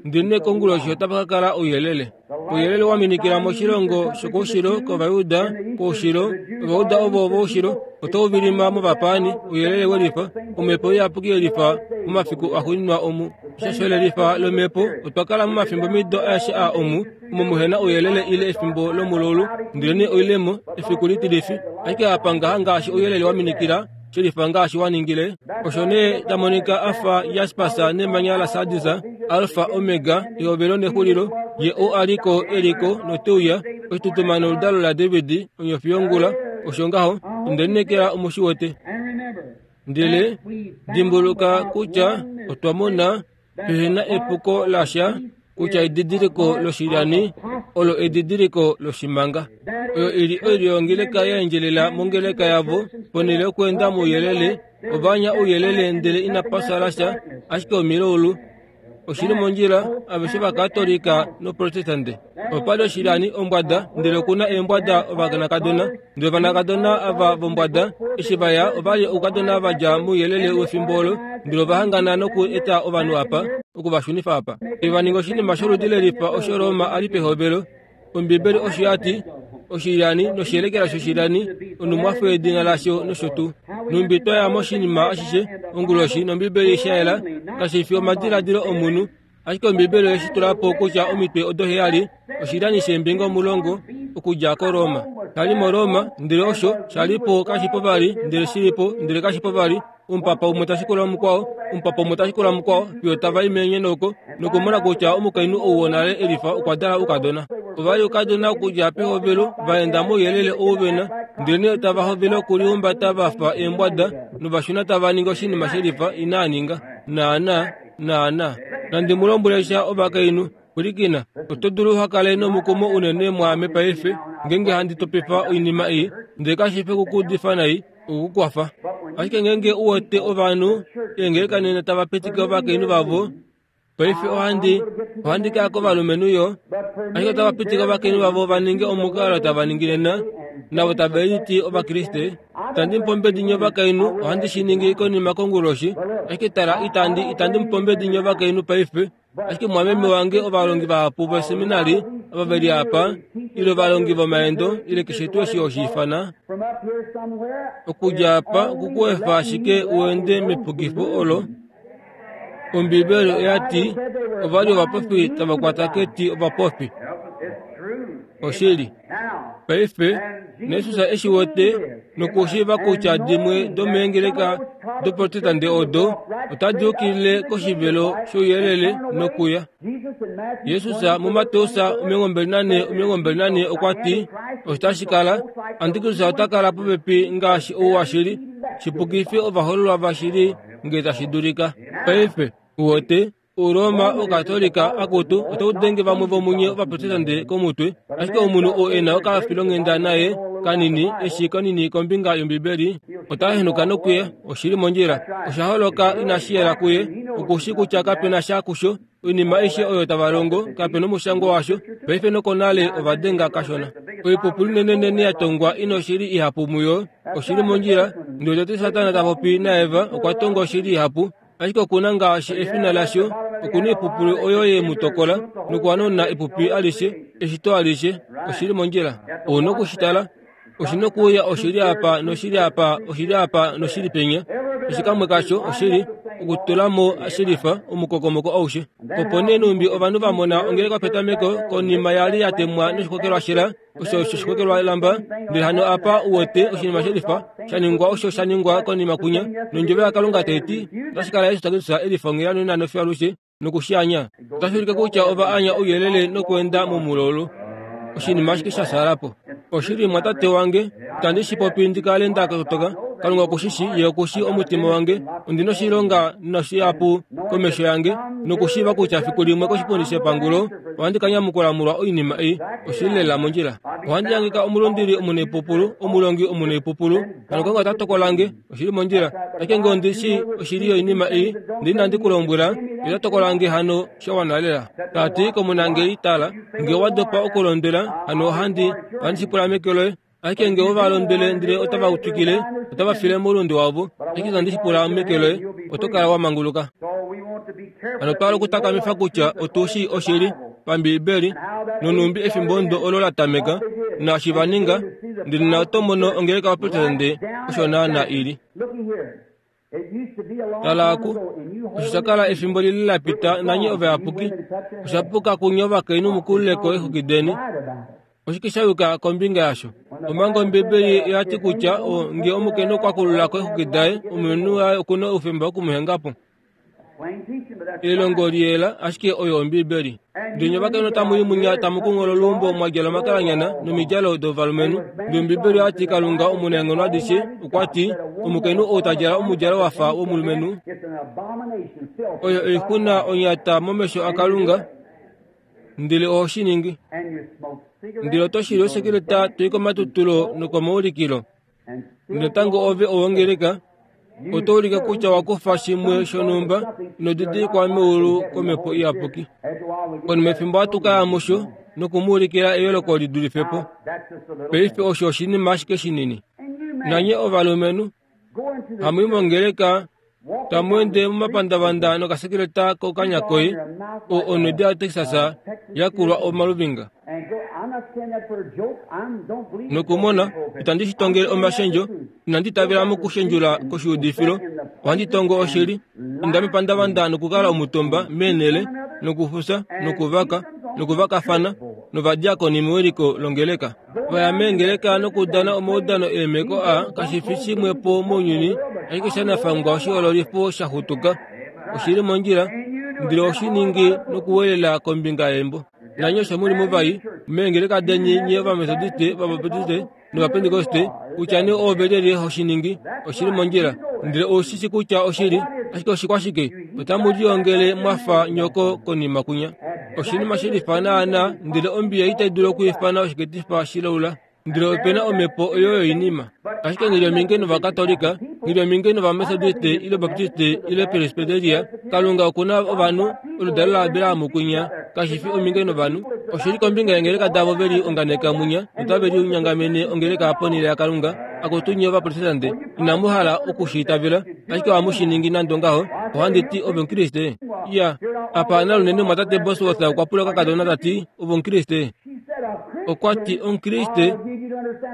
ndele konguloshi otapa ka kala ouyelele. Ouyelele wa minikila moshilongo shokoushilo kOvayuda, koushilo, Ovayuda ovo voushilo, otau vilima movapaani, ouyelele welifa, omhepo iyapuki yelifa momafiku axuuninwa omu. Eshasho lelifa lomhepo, otwa kala momafimbo mido aeshe a omu, omo muhena ouyelele ile efimbo lomululu, ndelenee oilemo, efiku litilifi, ashike apa ngaha ngaashi ouyelele wa minikila, shelifa ngaashi wa ningile. Osho nee ta monika afa jaspasa nemanya la sardisa, Alfa Omega, ehovelo nexulilo, ye ou aliko eliko noteuya, oshitutumano oludalo laDavid, onyofi yongula, osho ngaho, onde lineekela omushi wete. Ndele dimbuluka kutya otwa mona pehena epuko lasha kutya edidiliko loshilyani olo edidiliko loshimanga. Oyo ili oilyo yongeleka ya endjelela mongeleka yavo, ponhele yokweenda mouyelele, ova anya ouyelele ndele inapa sala sha, ashike omilaulu. Oshili mondjila, aveshe vakatolika noprotestante. Opali oshilyani ombwada, ndele okuna eembwada ovanakadona. Ndele ovanakadona ava vombwada, eshi vaya ovali oukadona va dja mouyelele wefimbo olo, ndele ova hangana noku eta ovanhu apa, oku va shunifa apa. Eva ninga oshinima sholudi lelifa osho Roma a li pehovelo. Ombibeli osho ya ti, oshilyani noshiyelekela shoshilyani, onumwafo yedina lasho nosho tuu. Numbi twaya moshinima ashishe onguloshi nOmbibeli sha yela, kashi fi omadiladilo omunhu, ashike Ombibeli oye shi tula po kutya omitwe odo heyali, oshilyani sheembinga omulongo okudja koRoma. Shali moRoma, ndele osho sha li po kashipo vali, ndele shilipo, ndele kashipo vali, omupapa umwe tashikula mukwao, omupapa umwe tashikula mukwao, fiyo tava i menyenoko nokumona kutya omukainhu ou wonale elifa okwa dala oukadona. Ova li oukadona okudja pehovelo, va enda mouyelele ou vena, ndele tava hovele okulihumbata va fa eembwada, novashuna tava ningi oshinima shelifa inaa ninga. Naana, naana. Nandi mu lombwele sha ovakainhu, pwilikina, oto dulu uha kale nomukumo unene mwaame paife, ngeenge handi topifa oinima ei, ndele kashi fi okukuudifa nai, okukukwafa. Ashike ngeenge u wete ovanhu eengeleka nena tava pitike ovakainhu vavo, paife ohandi ohandi kaya kovalumenhu yo, ashike otava pitike ovakainhu vavo va ninge omukalo tava ningi nena, navo tave liti Ovakriste. Itandi mupombedi nye ovakainhu, ohandi shi ningi konima konguloshi, ashike tala itandi itandi mupombedi nye ovakainhu paife, ashike mwameme wange ovalongi vahapu voseminari ava veli apa, ile ovalongi vomaendo, ile keshe tuu eshi oshiifana, okudja apa okukuefa ashike uende mepukifo olo. Ombibeli oya ti ova li ovapofi tava kwata keti ovapofi. Oshili. Paife, naJesus eshi wete nokushiiva kutya dimwe domeengeleka doprotestante odo otadi yukilile koshivelo shouyelele nokuya. Jesus muMateus omilongo mbali nane omilongo mbali nane okwa ti osho tashi kala, Antikristus ota kala popepi ngaashi ou washili, shipukife ovahoololwa vashili ngee tashi dulika. Paife, uwete, Uroma Okatolika akutu otau denge vamwe vomunye ovaprotestante komutwe, ashike omunhu oo e na okafilonghenda naye kanini eshi kanini kombinga yOmbibeli ota henuka nokuya. Oshili mondjila, osha holoka inashi yela kuye, okushi kutya kapena sha kusho. Oinima aishe oyo tava longo kapena omushango washo. Paife nokonale ova denga kashona. Oipupulu inenenene ya tongwa ina oshili ihapu muyo. Oshili mondjila, ndele tete Satana ta popi naEva okwa tonga oshili ihapu, ashike okuna ngaashi efina lasho, okuna oipupulu oyo ye mu tokola nokuhanona epupi alishe, eshito alishe. Oshili mondjila. Ouna okushitala. Oshina okuuya oshili apa noshili apa oshili apa noshili penya. Eshi kamwe kasho oshili okutulamo shilifa omukokomoko aushe. Opo nee numbi ovanhu va mona ongeleka petameko konima yali ya temwa noshikokelwa shela osho oshikokelwa lamba ndele hano apa uwete oshinima shelifa sha ningwa osho sha ningwa konima kunya nondjovo yaKalunga taiti otashi kala Yesu Kristus elifongela nonano fiyo alushe nokushianya. Otashi ulike kutya ova anya ouyelele nokuenda momulolo. Oshinima ashike sha shalapo. Oshili mwatate wange, itandi shi popi ndi kale nda kotoka. Kalunga okushishi, ye okushi omutima wange. Ondina oshilonga noshihapu komesho yange, nokushiiva kutya fiku limwe koshipundi shepangulo ohandi ka nyamukula molwa oinima ei. Oshili lela mondjila. Ohandi hangika omulundili omunaipupulu, omulongi omunaipupulu. Hano Kalunga ota tokola nge. Oshili mondjila. Ashike nge ondi shii oshili yoinima ei, ndele inandi ku lombwela, ye ota tokola nge hano sha wana lela. Tati komunangeli, tala, nge owa dopa okulondwela, hano ohandi ohandi shi pula meke loye. Ashike nge ova londwele ndele otava twikile, otava file moulunde wavo. Ashike itandi shi pula meke loye, oto kala wa manguluka. Hano otwa hala okutakamifa kutya otu shii oshili pambiibeli nonumbi efimbo ndo olo la tameka naashi va ninga, ndele na oto mono ongeleka yopaprotestante osho naana ili. Tala aku, osho sha kala efimbo lile la pita nanye ovayapuki, osha puka kunye ovakainhu mukululeko eexwiki deni. Oshike sha yuka kombinga yasho? Omanga Ombiibeli oya ti kutya nge omukainhu okwa kululako eexwiki daye, omulumenhu waye okuna oufemba wokumuhenga po. Elongo liyela ashike oyo Ombiibeli. Ndele nye ovakainhu otamu i munya tamu kunghola oluumbo mwa djala omakalanyana nomidjalo dovalumenhu. Ndele Ombiibeli oya ti Kalunga omunaenghono adishe okwa ti omukainhu ou ta djala omudjalo wa fa womulumenhu oyo oixuna onyata momesho aKalunga, ndele oho shi ningi. Ndele oto shili osekeleta toi komatutulo nokomaulikilo. Natango ove owongeleka, oto ulike kutya wa kufa shimwe shonhumba ino didilikwa meulu komhepo iyapuki. Konima efimbo ohatu ka ya musho nokumuulikila eyooloko li dulife po. Paife osho oshinima ashike shinini. Nanye ovalumenhu, hamu i mongeleka, tamu ende momapandavanda nokasekeleta kokanya koye, oo onwedi yaTexas ya kulwa omaluvinga. Nokumona, itandi shi tongele omashendjo, inandi itavela mokushendjula koshuudifilo, ohandi tongo oshili. Inda mepandavanda nokukala omutumba meenhele, nokufusa, nokuvaka, nokuvakafana, novadiakoni mewiliko longeleka. Vaya meengeleka nokudana omaudano eemeko a kashi fi shimwe po mounyuni, ashike sha nafangwa oshihoololifo sha xutuka. Oshili mondjila, ndele oshi ningi nokuwelela kombinga yeembo. Nanye osho muli muvai, meengeleka deni nye Ovametodiste, Ovabaptiste nOvapentekoste, kutya nee oove lyelye ho shi ningi, oshili mondjila. Ndele ou shi shi kutya oshili, ashike oshikwashike, otamu liongele mwa fa nyoko konima kunya. Oshinima shelifa naana, ndele ombiya itai dulu okwiifana oshiketifa shilaula. Ndele opena omhepo oyo yoinima. Ashike nghi li ominge nOvakatolika, nghi li ominge nOvametodiste ile Obaptiste ile Presbyteria, Kalunga okuna ovanhu, oludalo laAbraham kunya, kashi fi ominge novanhu. Oshili kombinga yeengeleka davo ve li onganeka munya notave linyangamene ongeleka ponhele yaKalunga. Akutu nye Ovaprotestante, inamu hala oku shi itavela, ashike ohamu shi ningi nande ongaho. Ohandi ti ove Omukriste. Ya, apa nalunene mwatate Bosworth okwa pula okakadona tati, ove Omukriste? Okwa ti Omukriste,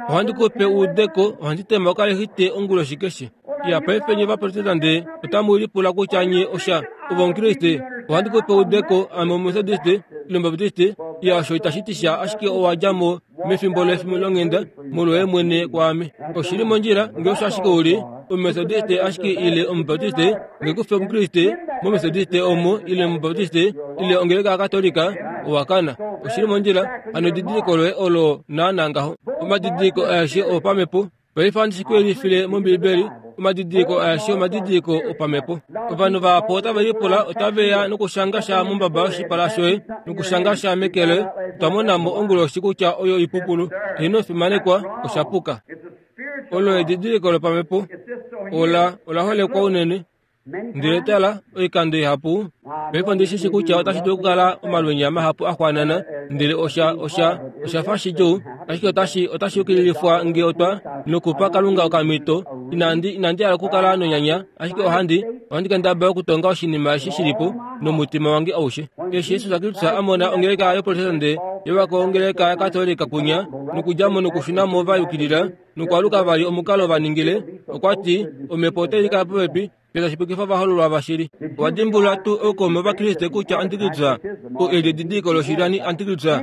ohandi ku pe uudeko, ohandi tema okalexite onguloshi keshe. Ya, paife nye Ovaprotestante otamu lipula kutya nye osha ove Omukriste, ohandi ku pe uudeko, ame Omumetodiste ile Omubaptiste. Ya, osho itashi ti sha, ashike owa dja mo mefimbo longhenda molwoye mwene kwaame. Oshili mondjila nge osho ashike uli Omumetodiste ashike ile Omubaptiste, nge kufi Omukriste mOmetodiste omo ile Omubaptiste ile ongeleka yaKatolika, owa kana. Oshili mondjila, hano edidiliko loye olo naana ngaho. Omadidiliko aeshe oopamhepo. Paife ohandi shi ku yelifile mOmbiibeli. Omadidiliko aeshe omadidiliko opamhepo. Ovanhu vahapu otave lipula, otave ya nokushanga sha mombaba yoshipala shoye nokushanga sha meke loye. Otwa mona mo onguloshi kutya oyo oipupulu. Heeno fimanekwa, osha puka. Olo edidiliko lopamhepo. Ola ola holekwa unene. Ndele tala, oikando ihapu. Paife ondi shi shi kutya otashi dulu okukala omalwenya mahapu a xwanana, ndele osha osha osha fa shidjuu. Ashike otashi otashi yukililifwa nge otwa nokupa Kalunga okamhito. Inandi inandi hala okukala nonyanya, ashike ohandi ohandi kendabala okutonga oshinima eshi shilipo nomutima wange aushe. Eshi Jesus Kristus a mona ongeleka yoProtestante yewako ongeleka yaKatolika kunya nokudjamo nokushunamo va yukilila nokwaluka vali omukalo va ningile, okwa ti omhepo otai kala popepi petashi vahololwa vashili. Owadimbulula tuu oukaume wovakriste kutya Antikristus oo eli edidiliko loshilyani Antikristus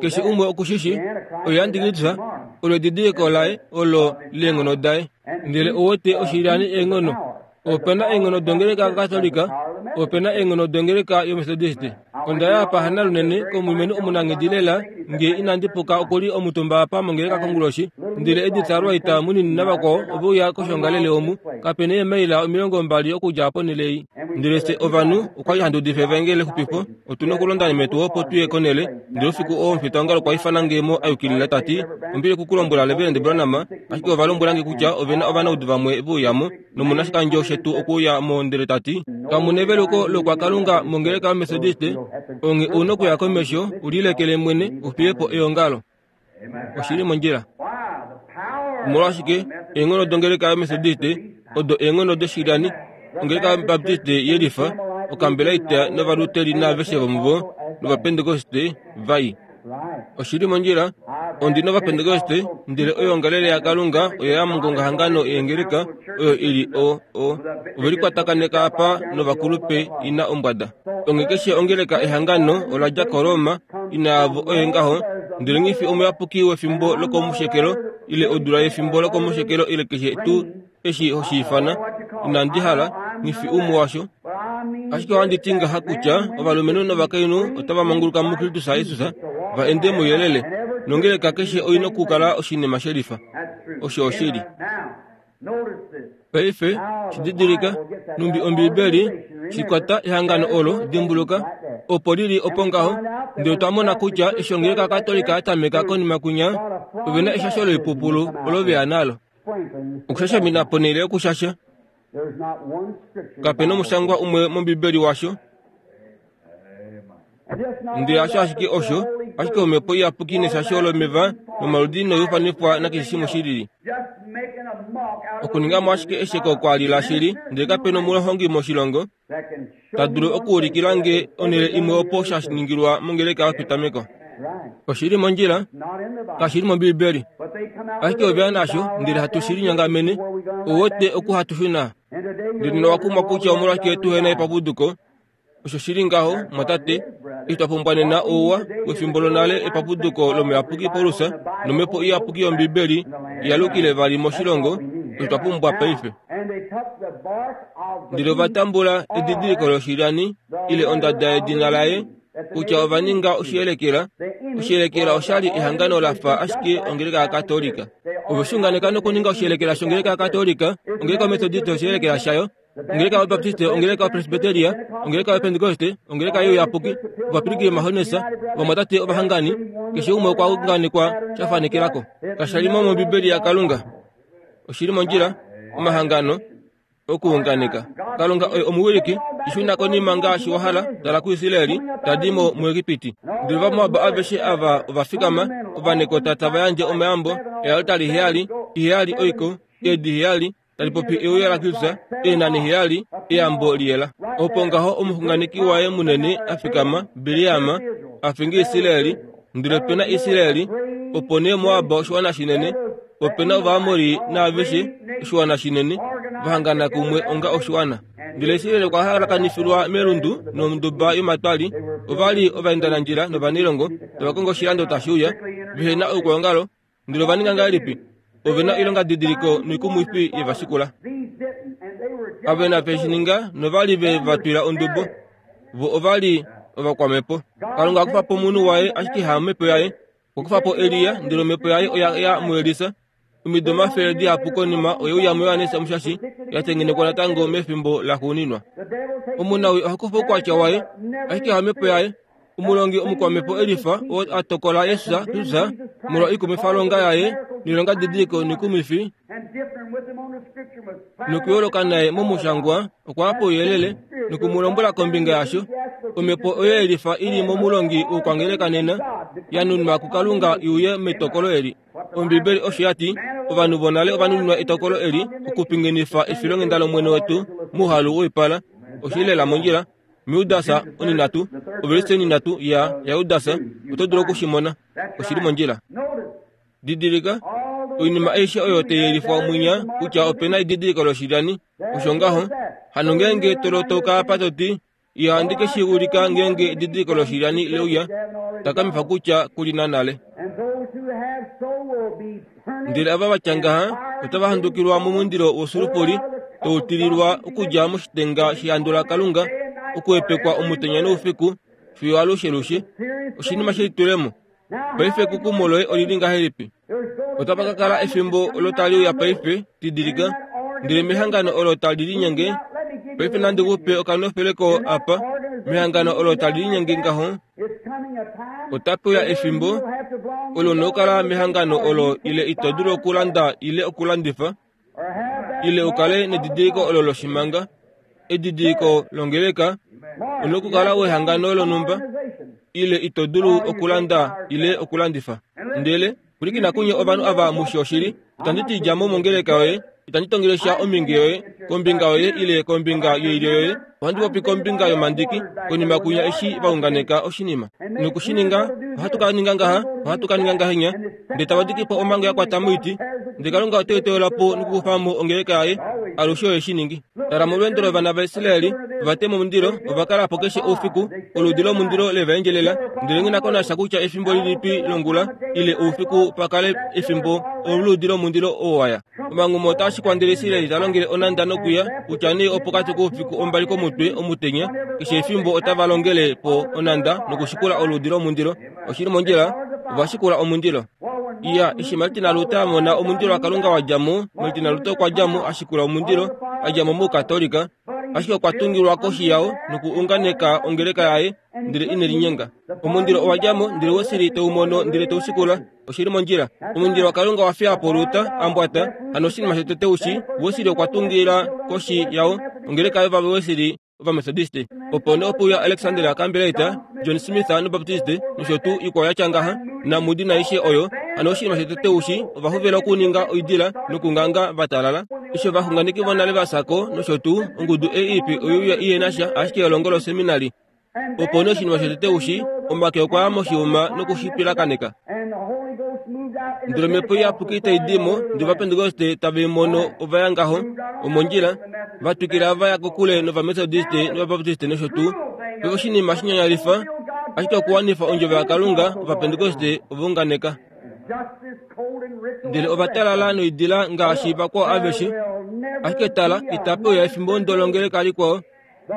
keshe umwe okushishi oye Antikristus olo edidiliko laye olo leenghono daye. Ndele owete oshilyani eenghono. Opena eenghono dongeleka yaKatolika, opena eenghono dongeleka yoMethodist. Onda ya apa hana lunene komulumenhu omunanghedi lela nge inandi puka okuli omutumba apa mongeleka konguloshi. Ndele Edith Wright munini navakwao ove uya koshongalele omu kapena eemaila omilongo mbali okudja ponhele ei. Ndele fye ovanhu okwali handi udifa evangeli lexupifo, otuna okulonda metu opo tuye konhele. Ndele oufiku oo omufitaongalo okwa ifana nge mo ayukilila tati ombili okukulombwela Reverend Branham, ashike ova lombwela nge kutya ovena ovanaudu vamwe ve uyamo nomunashikandjo shetu okuuya mo. Ndele tati kamuna eveluko lokwakalunga mongeleka yoMethodist, onge ouna okuya komesho ulilekele mwene ufiyepo eongalo. Oshili mondjila. Omolwashike eenghono dongeleka yoMethodist odo eenghono doshilyani, ongeleka yoBaptist yelifa, okambelaita novaluteli naaveshe vomuvo novapentekoste vai. Oshili mondjila. Ondi novapentekoste, ndele oyoongalele yaKalunga oyo ya mongongahangano yeengeleka oyo ili o o ovelikwatakaneka apa novakulupe ina ombwada. Onge keshe ongeleka ehangano ola dja koRoma ina yavo oye ngaho, ndele ngifi omuyapuki wefimbo lokomushekelo ile odula yefimbo lokomushekelo ile keshe tuu eshi hoshiifana, inandi hala ngifi umwe washo. Ashike ohandi ti ngaha kutya ovalumenhu novakainhu otava manguluka muKristus Jesus va ende mouyelele, nongeleka keshe oina okukala oshinima shelifa. Osho oshili. Paife shididilika numbi Ombibeli shikwata ehangano olo dimbuluka opo lili opo ngaho. Ndele otwa mona kutya eshi ongeleka Katolika ya tameka konima kunya ovena eshasho loipupulu olo veya nalo. Okushashamina ponhele yokushasha. Kapena omushangwa umwe mOmbibeli washo. Ndele hasho ashike osho, ashike omhepo iyapuki neshasho lomeva nomaludi noyufanifwa nakeshe shimwe shilili. Okuningamo ashike esheko kwali lashili, ndele kapena omulongi moshilongo ta dulu okuulikila nge onhele imwe opo sha ningilwa mongeleka yopetameko. Oshili mondjila, kashili mOmbibeli. Ashike oveya nasho, ndele hatu shi linyongamene, owote oku hatu shuna. Ndele nowakumwa kutya omolwashike tuhena epapuduko. Osho shili ngaho, mwatate, eshi twa pumbwa nena ouwa wefimbo lonale epapuduko lomuyapuki Paulus nomhepo iyapuki yOmbibeli yalukile vali moshilongo, osho twa pumbwa paife. Ndele ova tambula edidiliko loshilyani ile ondada yedina laye kutya ova ninga oshiyelekela. Oshiyelekela oshali ehangano lafa ashike ongeleka yaKatolika. Ove xunganeka nokuninga oshiyelekela shongeleka yaKatolika, ongeleka yoMethodist oshiyelekela shayo, ongeleka yoBaptiste, ongeleka yoPresbyteria, ongeleka yoPentekoste, ongeleka youyapuki, ovapiliki vomahonesa, ovamwatate ovahangani, keshe umwe okwa unganekwa sha fanekelako. Kashalimo mOmbibeli yaKalunga. Oshili mondjila, omahangano okuunganeka. Kalunga oye omuwiliki, ishuna konima ngaashi wahala, tala kuIsraeli, tadi mo muEgipiti. Ndele Ovamoab aveshe ava ovafikama, ovanekota tava yandje omayambo, ealtari heyali, iheyali oiko, eedi heyali, tali popi euya laKristus, eenani heyali, eyambo liyela. Opo ngaho omuxunganeki waye munene a fikama, Biliam, a finga Israeli, ndele pena Israeli, opo nee Moab oshiwana shinene, opena Ovaamori naaveshe oshiwana shinene, vahangana kumwe onga oshiwana. Ndele Israeli okwa halakanifilwa melundu nomonduba yomatwali, ovali ovaendanandjila novanilongo, tava kongo oshilando tashi uya, vehena oukwaongalo. Ndele ova ninga ngahelipi? Ovena oilonga didiliko noikumwifi yevashikula. Avena veshininga novali ve va twila ondubo. Vo ovali ovakwamhepo. Kalunga akufa po omunhu waye ashike hamhepo yaye. Okufa po Elia, ndele omhepo yaye oya ya muElisa. Omido omafele dihapu konima oye uya muJohannes Omushashi, ya tengenekwa natango mefimbo laxuuninwa. Omunawi oha kufa oukwatya waye, ashike hamhepo yaye. Omulongi omukwamhepo Elifa oo a tokola Jesus Kristus molwa oikumwifalonga yaye noilonga didiliko noikumwifi nokuyooloka naye momushangwa, okwa ya pouyelele nokumulombwela kombinga yasho. Omhepo oyo Elifa ili momulongi wokwangeleka nena, Ya nunwa kuKalunga i uye metokolo eli. Ombibeli osho ya ti, ovanhu vonale ova nuninwa etokolo eli okupingenifa efilonghenda lOmwene wetu mouhalu woipala. Oshi lela mondjila. MuJudas oninatu, ovelise oninatu ya yaJudas, oto dulu okushimona. Oshi li mondjila. Didilika, oinima aishe oyo tai yelifwa mwinya kutya opena edidiliko loshilyani. Osho ngaho, hano ngeenge to lotoka apa to ti, ihandi ke shi ulika ngeenge edidiliko loshilyani leuya, takamifa kutya kuli na nale. Ndele ava vatya ngaha otava handukilwa momundilo wosulufuli, tau tililwa okudja moshitenga shehandu laKalunga, okuhepekwa omutenya noufiku fiyo alushe lushe. Oshinima shelitulemo. Paife ekukumo loye olili ngahelipi? Otapa ka kala efimbo olo tali uya paife, didilika, ndele mehangano olo tali linyenge. Paife nandi kupe okanofeleko apa, mehangano olo tali linyenge ngaho, otape uya efimbo olo nokukala mehangano olo ile ito dulu okulanda ile okulandifa, ile ukale nedidiliko olo loshimanga, edidiliko longeleka, onokukala wehangano lonhumba, ile ito dulu okulanda ile okulandifa. Ndele pwilikina kunye ovanhu ava mushi oshili, itandi ti dja mo mongeleka yoye, itandi tongele sha ominge yoye, kombinga yoye ile kombinga yoilyo yoye, ohandi popi kombinga yomandiki, konima kunya eshi vaunganeka oshinima. Nokushininga, ohatu ka ninga ngaha, ohatu ka ninga ngahenya, ndele tava diki po omhango ya kwata moiti, ndele Kalunga ote itola po nokukufa mo ongeleka yaye, alushe oye shi ningi. Tala molweendo lovana vaIsraeli, ova tema omundilo, ova kala po keshe oufiku, oludi lomundilo le va endjelela, ndele nghi na ko nasha kutya efimbo lilipi longula ile oufiku pa kale efimbo oludi lomundilo oo waya. Omangumo otaa shikwa ndele Israeli ta longele onanda nokuya, kutya nee opokati koufiku ombali komutwe omutenya, keshe efimbo otava longele po onanda nokushikula oludi lomundilo. Oshili mondjila, ova shikula omundilo. Iya, eshi Martin Luther a mona omundilo waKalunga wa dja mo, Martin Luther okwa dja mo a shikula omundilo, a dja mo mOukatolika, ashike okwa tungilwa koshi yao nokuunganeka ongeleka yaye, ndele ine linyenga. Omundilo owa dja mo, ndele Wesley teu mono ndele teu shikula. Oshili mondjila. Omundilo waKalunga wa fiya po Luther a mbwata, hano oshinima shotete ushi, Wesley okwa tungila koshi yao ongeleka yOvawesley Ovamethodiste. Opo nee ope uya Alexander Campbellite, John Smith nObaptiste, nosho tuu ikwao ya tya ngaha, naMoody naaishe oyo. Hano oshinima shotete ushi, ova hovela okuninga oidila nokunganga va talala. Eshi ovaxunganeki vonale va fya ko nosho tuu, ongudu ei ipe oye uya ihe na sha ashike elongo loseminari. Opo nee oshinima shotete ushi, omake okwa ya moshiuma nokushipilakaneka. Ndele omhepo iyapuki tai di mo, ndele Ovapentekoste tave i mono ova ya ngaho, omondjila, va twikila va ya kokule nOvamethodiste nOvabaptiste nosho tuu. Paife oshinima shinyanyalifa, ashike okuwanifa ondjovo yaKalunga, Ovapentekoste ova unganeka. Ndele ova talala noidila ngaashi vakwao aveshe. Ashike tala, itape uya efimbo ndolongeleka likwao.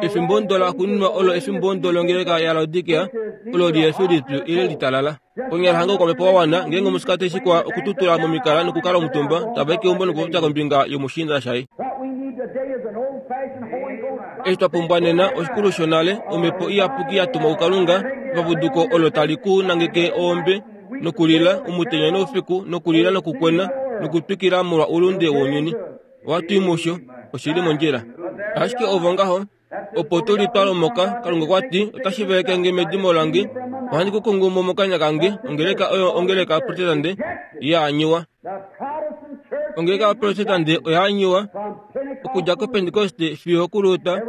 Efimbo ndola kuninwa olo efimbo ndolongeleka yaLaodikea, olo lihe fi lipyu ile litalala. Konyala hange okwamhepo wa wana, ngeenge omusikati shikwa okututula momikala nokukala omutumba, tava i keumbo nokupopya kombinga yomushiinda shaye. Eshi twa pumbwa nena oshikulu shonale, omhepo iyapuki ya tumwa kuKalunga, epapuduko olo tali ku nangeke oombe nokulila omutenya noufiku nokulila nokukwena nokutwikila molwa oulunde wounyuni. Ohatu i musho, oshi li mondjila. Ashike ovo ngaho, opo tu li twa lomoka, Kalunga okwa ti, otashi veleke nge medimo lange, ohandi ku kungu mo mokanya kange. Ongeleka oyo ongeleka yaProtestante ya anyiwa. Ongeleka yaProtestante oya anyiwa okudja kOpentekoste fiyo okuLuther,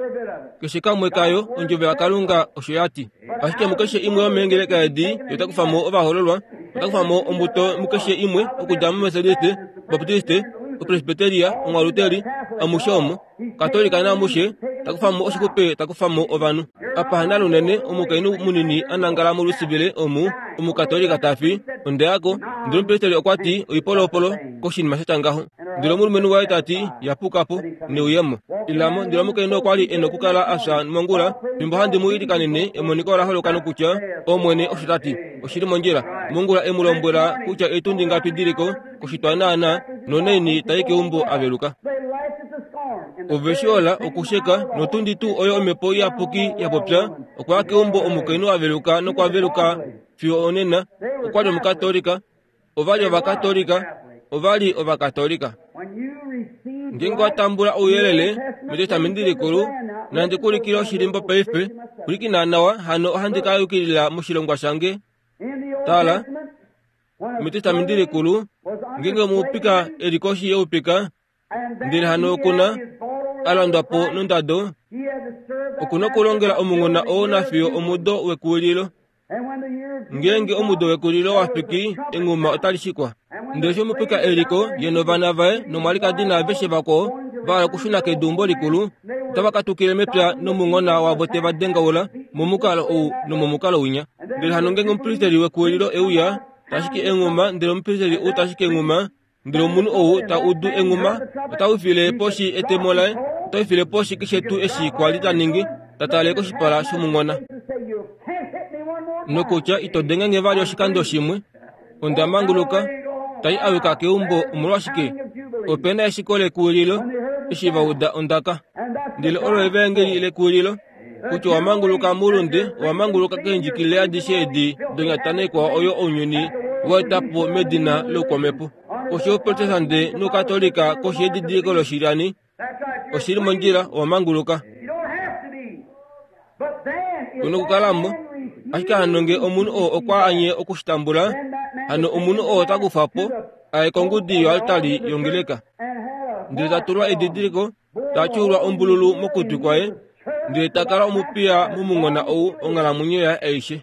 keshe kamwe kayo, ondjovo yaKalunga osho ya ti. Ashike mukeshe imwe yomeengeleka edi, ye ota kufa mo ovahoololwa, ota kufa mo ombuto mukeshe imwe, okudja moMethodiste, Baptiste, Opresbyteria, Omwaluteri, amushe omo, Katolika naamushe, ta kufa mo oshixupe, ta kufa mo ovanhu. Apa hanalunene omukainhu munini a nangala molusivile omu, Omukatolika ta fi, onde yako, ndele omupristeli okwa ti oipolopolo koshinima sha tya ngaho. Ndele omulumenhu waye ta ti, yapuka po, neuyemo. Ilamo, ndele omukainhu okwa li e nokukala a fya mongula, fimbo handi mu ilikanene, emoniko ola holoka nokutya, Omwene osho ta ti, oshi li mondjila. Mongula e mu lombwela kutya eetundi ngapi di li ko, koshitwa naana, nonaini ta i keumbo a veluka. Ove shi ola okusheka, notundi tuu oyo omhepo iyapuki ya popya, okwa ya keumbo omukainhu a veluka nokwa veluka fiyo onena. Okwa li Omukatolika, ova li Ovakatolika, ova li Ovakatolika. Ngeenge wa tambula ouyelele mEtestamenti Likulu, nandi ku ulikile oshilimbo paife, pwilikina nawa, hano ohandi ka yukilila moshilongwa shange. Tala, metestamenti likulu, ngeenge omupika e li koshi youpika, ndele hano okuna a landwa po nondado, okuna okulongela omunghona oo nafiyo omudo wekuwililo. Ngeenge omudo wekulilo wa fiki, enghuma otali shikwa. Ndele eshi omupika e liko, ye novana vaye nomwalikadi naaveshe vakwao va hala okushuna keduumbo likulu, otava katukile mepya nomunghona wavo te va dengaula momukalo ou nomomukalo winya. Ndele hano ngeenge omupristeli wekuwililo e uya, ta shiki enghuma, ndele omupristeli ou ta shiki enghuma, ndele omunhu ou ta udu enghuma ota wifile poshi etemo laye, ota wifile poshi keshe tuu eshi kwa li ta ningi, ta tale koshipala shomunghona. Nokutya ito denge nge vali oshikando shimwe, onda manguluka, tai awika keumbo. Omolwashike? Ope na eshiko lekuwililo eshi va uda ondaka. Ndele olo evaengeli lekuwililo, kutya owa manguluka moulunde, owa manguluka keendjikilile adishe edi donyata naikwao oyo ounyuni wa eta po medina loukwamhepo. Koshi youprotestante noukatolika, koshi yedidiliko loshilyani, oshili mondjila, owa manguluka. Kuna okukalamo. Ashike hano nge omunhu oo okwa anye okushitambula, hano omunhu oo ota kufa po aye kongudi yoaltari yongeleka. Ndele ta tulwa edidiliko, ta tyuulwa ombululu mokutwi kwaye, ndele ta kala omupiya momunghona ou onghalamwenyo yaye aishe.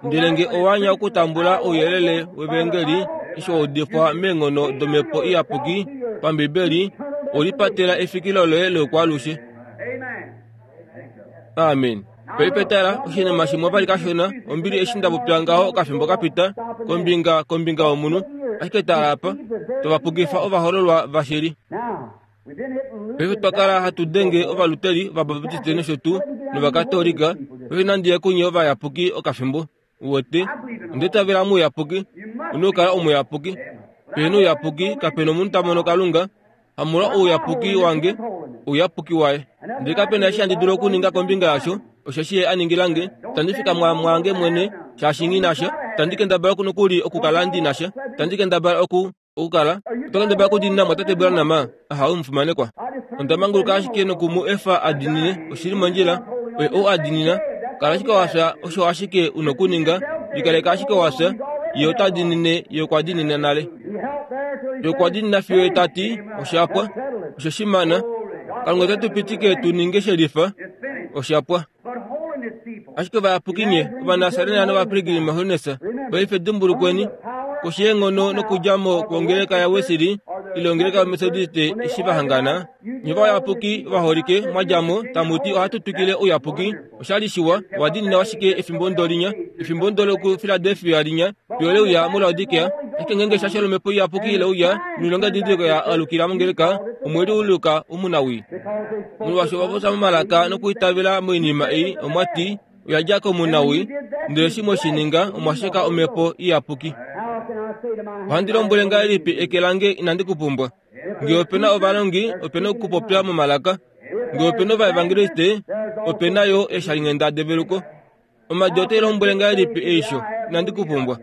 Ndele nge owa anya okutambula ouyelele wevangeli eshi wa udifwa meenghono domhepo iyapuki pambibeli, olipatela efikilo loye loukwaalushe. Amen. Paife tala, oshinima shimwe vali kashona, ombili eshi nda popya ngaho okafimbo kapita, kombinga kombinga yomunhu, ashike tala apa, tovapukifa ovahololwa vashili. Paife twa kala hatu denge ovaluteri, ovabaptiste nosho tuu, novakatolika, paife nandi ye kunye ovayapuki okafimbo. Uwete, onda itavela mouyapuki, una okukala omuyapuki. Pehena ouyapuki, kapena omunhu ta mono Kalunga. Hamolwa ouyapuki wange, ouyapuki waye. Ndele kapena eshi handi dulu okuninga kombinga yasho, osheshi ye a ningila nge. Tandi fikama mwange mwene, shaashi nghi na sha. Tandi kendabala nokuli okukala ndi na sha. Tandi kendabala oku okukala. Oto kendabala okudiinina mwatate Branham, ahawe omufimanekwa. Onda manguluka ashike noku mu efa a diinine, oshili mondjila, oye ou a diinina. Kala ashike wa fya, osho ashike u nokuninga, likaleka ashike wa fya, ye ota diinine, ye okwa diinina nale. Ye okwa diinina fiyo ye ta ti, osha pwa, osho shimana. Kalunga ote tu pitike tu ninge shelifa, osha pwa. Ashike ovayapuki nye, Ovanasarena nOvapilgrim Holiness, paife dimbulukweni, koshi yeenghono nokudja mo kwongeleka yaWesley, ile ongeleka yoMethodist eshi va hangana, nye ovayapuki ovaholike mwa dja mo, tamu ti ohatu twikile ouyapuki, oshali shiwa, owa diinina ashike efimbo ndo linya, efimbo ndo lokuFiladelfia linya, fiyo leuya muLaodikea, ashike ngeenge eshasho lomhepo iyapuki leuya, noilonga yedidiliko ya alukila mongeleka, omwe liuluka omunawii. Molwaashi ova popya momalaka nokwiitavela moinima ei, omwa ti, oya dja komunawii, ndele eshi mwe shi ninga, omwa sheka omhepo iyapuki. Ohandi lombwele ngahelipi eke lange inandi ku pumbwa? Nge ope na ovalongi, ope na okupopya momalaka. Nge ope na ovaevangeliste, ope na yo eeshalinghenda develuko. Omadi otai lombwele ngahelipi eisho, inandi ku pumbwa?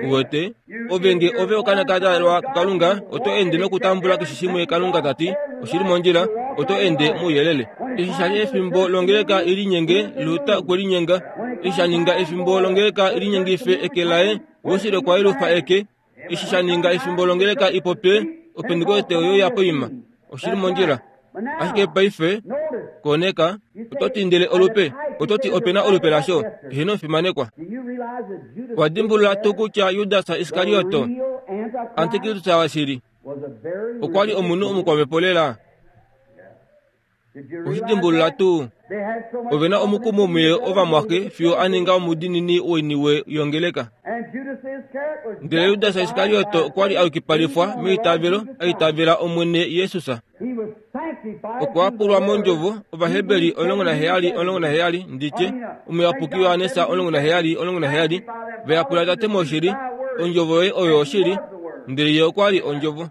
Uwete, ove nge ove okaana ka dalwa kuKalunga, oto ende nokutambula keshe shimwe Kalunga ta ti, oshili mondjila, oto ende mouyelele. Eshi sha li efimbo longeleka i linyenge, Luther okwe linyenga. Eshi sha ninga efimbo longeleka i linyengife eke laye, Wesley okwa yelufa eke. Eshi sha ninga efimbo longeleka i popye, Opentekoste oyo ya poima. Oshili mondjila. Ashike paife, koneka, oto ti ndele olupe, oto ti ope na olupe lasho, eheno omufimanekwa. Owa dimbulula tuu kutya Judas Iskarioto, antikristus washili, okwa li omunhu omukwamhepo lela? Oshi dimbulula tuu? Ove na omukumo muye ovamwaxe fiyo a ninga omudiinini woiniwe yongeleka. Ndele Judas Iskarioto okwa li a yukipalifwa meitavelo, a itavela Omwene Jesus. Okwa pulwa mondjovo, Ovaheberi omulongo naheyali omulongo naheyali, nditye, omuyapuki Johannes omulongo naheyali omulongo naheyali, va yapula Tate moshili, ondjovo yoye oyo oshili, ndele ye okwa li ondjovo.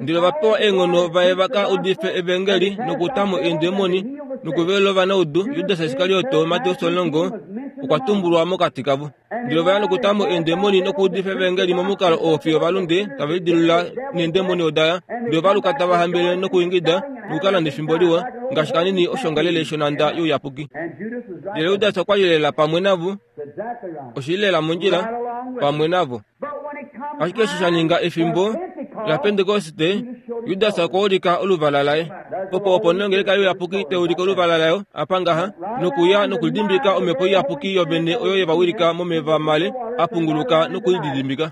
Ndele ova pewa eenghono vaye va ka udife evangeli nokuta mo eendemoni nokuvelula ovanaudu. Judas Iskarioto, Mateus omulongo, okwa tumbulwa mokati kavo. Ndele ova ya nokuta mo eendemoni nokuudifa evangeli momukalo oo fiyo ovalunde tave lidilula neendemoni oda ya. Ndele ova luka tava hambelele nokuingida, nokukala nefimbo liwa ngaashi kanini oshongalele shonanda youyapuki. Ndele Judas okwa li lela pamwe navo, oshili lela mondjila pamwe navo. Ashike eshi sha ninga efimbo laPentekoste, Judas okwa ulika oluvala laye. Opo opo nongeleka youyapuki taulika oluvala layo apa ngaha nokuya nokulidimbika omhepo iyapuki yovene oyo yevawilika momeva male apunguluka nokulididimbika.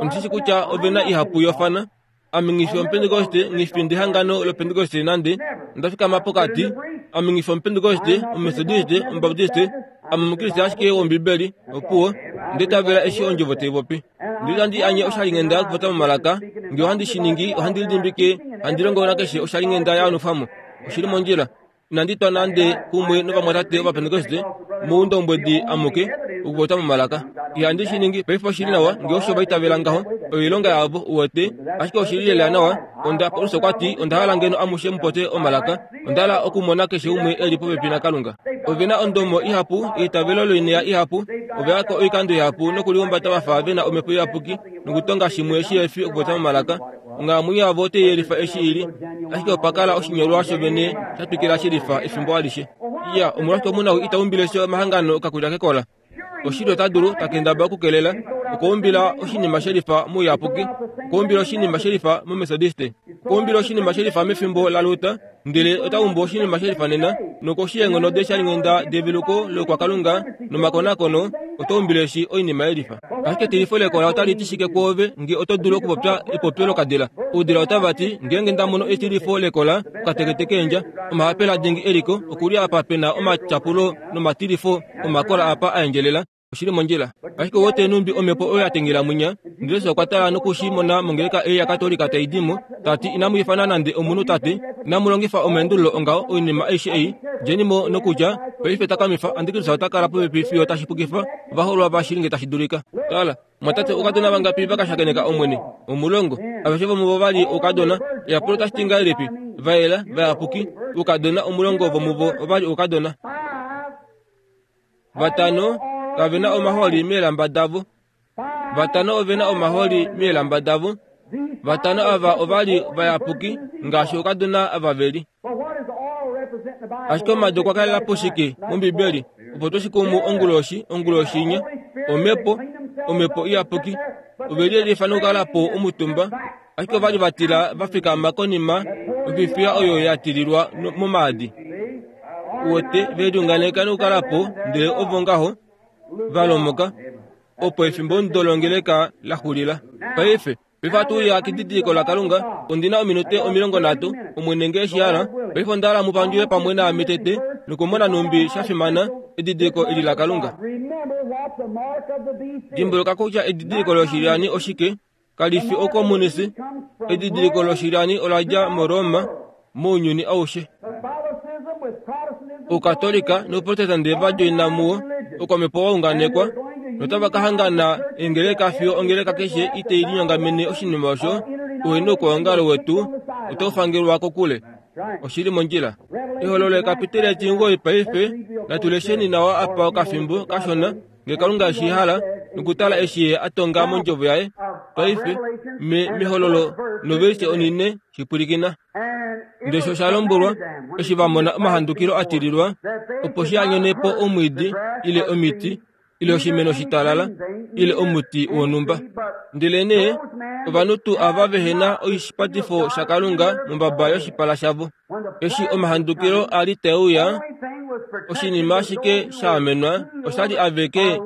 Omushishi kutya ovena ihapu yofana. Ame ngifi omupentekoste ngifi ndehangano lopentekoste nande ndafikama pokati. Ame ngifi omupentekoste, omumetodiste, omubaptiste, ame omukriste ashike wombibeli opuwo ndetavela eshi ondjovo taipopi. Ndele handi anye oshalinghenda okupopya momalaka, ngee ohandi shi ningi ohandi lidimbike handi longo nakeshe oshalinghenda yaanufwamo. Oshili mondjila. Inandi twa nande kumwe novamwatate ovapentekoste moundombwedi amuke okupopya momalaka. Ihandi shi ningi paife oshili nawa ngee osho vaitavela ngaho oilonga yavo uwete, ashike oshili lela nawa. Onda Paulus okwa ti onda hala ngeno amushe mupopye omalaka, onda hala okumona keshe umwe eli popepi naKalunga. Ovena ondomo ihapu, eitavelo loinea ihapu, oveyako oikando ihapu nokulihumbata vafa vena omhepo iyapuki nokutonga shimwe shihefi okupopya momalaka. Onghalamwenyo yavo otai yelifa eshi ili, ashike opa kala oshinyolwa shovene sha twikila shelifa efimbo alishe. Iya, omolwashike omunhu ita umbile she omahangano okakulya kekola? Oshili ota dulu takendaba okukelela okuumbila oshinima shelifa mouyapuki, okuumbila oshinima shelifa mometodiste, okuumbila oshinima shelifa mefimbo laLuther, ndele ota umbu oshinima shelifa nena nokoshi yeenghono deshalinghenda develuko lokwakalunga nomakonakono oto umbile eshi oinima yelifa. Ashike etilifo lekola otali ti shike kwoove ngee oto dulu okupopya epopyo lokadila? Oudila otava ti ngeenge nda mono etilifo lekola okatekete keendja, omahapela dingi eliko okuli apa pena omatyapulo nomatilifo omakola apa a endjelela. Oshili mondjila. Ashike wote numbi omhepo oyo ya tengela mwinya. Ndele Jesus okwa tala nokushi mona mongeleka ei yaKatolika tai di mo, tati inamu ifana nande omunhu tate, inamu longifa omaendululo ongaho oinima aishe ei, djeni mo nokutya paife takamifa antikristus ota kala popepi fiyo tashi pukifa ovaholwa vashili nge tashi dulika. Tala, mwatate oukadona vangapi vakashakeneka Omwene? Omulongo. Aveshe vomuvo vali oukadona. Eyapulo otashi ti ngahelipi? Vayela, vayapuki, oukadona omulongo vomuvo ovali oukadona. Vatano kavena omahooli meelamba davo. Vatano ovena omahooli meelamba davo. Vatano ava ovali vayapuki ngaashi oukadona ava veli. Ashike omadu okwa kalela po shike mOmbibeli opo toshikumu onguloshi onguloshi inya? Omhepo, omhepo iyapuki. Ove liyelifa nokukala po omutumba, ashike ovali vatila va fikama konima ofifiya oyo ya tililwa momaadi. Uwete ve liunganeka nokukala po, ndele ovo ngaho va lomoka opo efimbo ndolongeleka la xulila. Paife paife ohatu uya kedidiliko laKalunga. Ondina ominute omilongo nhatu, Omwene ngee shi hala. Paife onda hala mu pandjule pamwe naame tete nokumona nhumbi sha fimana edidiliko eli laKalunga. Dimbuluka kutya edidiliko loshilyani oshike? Kali fi okomunisi. Edidiliko loshilyani ola dja moRoma mounyuni aushe. Oukatolika nouprotestante va djoina muwo okwamhepo wa unganekwa notava ka hangana eengeleka fiyo ongeleka keshe itei linyongamene oshinima osho. Ouhenoukwaongalo wetu otau fangelwa kokule. Oshili mondjila. Ehololo ekapiteli etimugoi paife. Natu lesheni nawa apa okafimbo kashona ngee Kalunga eshi hala nokutala eshi ye a tonga mondjovo yaye. Paife me mehololo novelishe onine shipwilikina. Ndele sho sha lombwelwa eshi va mona omahandukilo a tililwa opo shi anyone po omwiidi ile omiti ile oshimeno shitalala ile omuti wonhumba. Ndelenee ovanhu tuu ava vehena oshipatifo shaKalunga mombaba yoshipala shavo. Eshi omahandukilo a li tae uya, oshinima ashike sha amenwa oshali aveke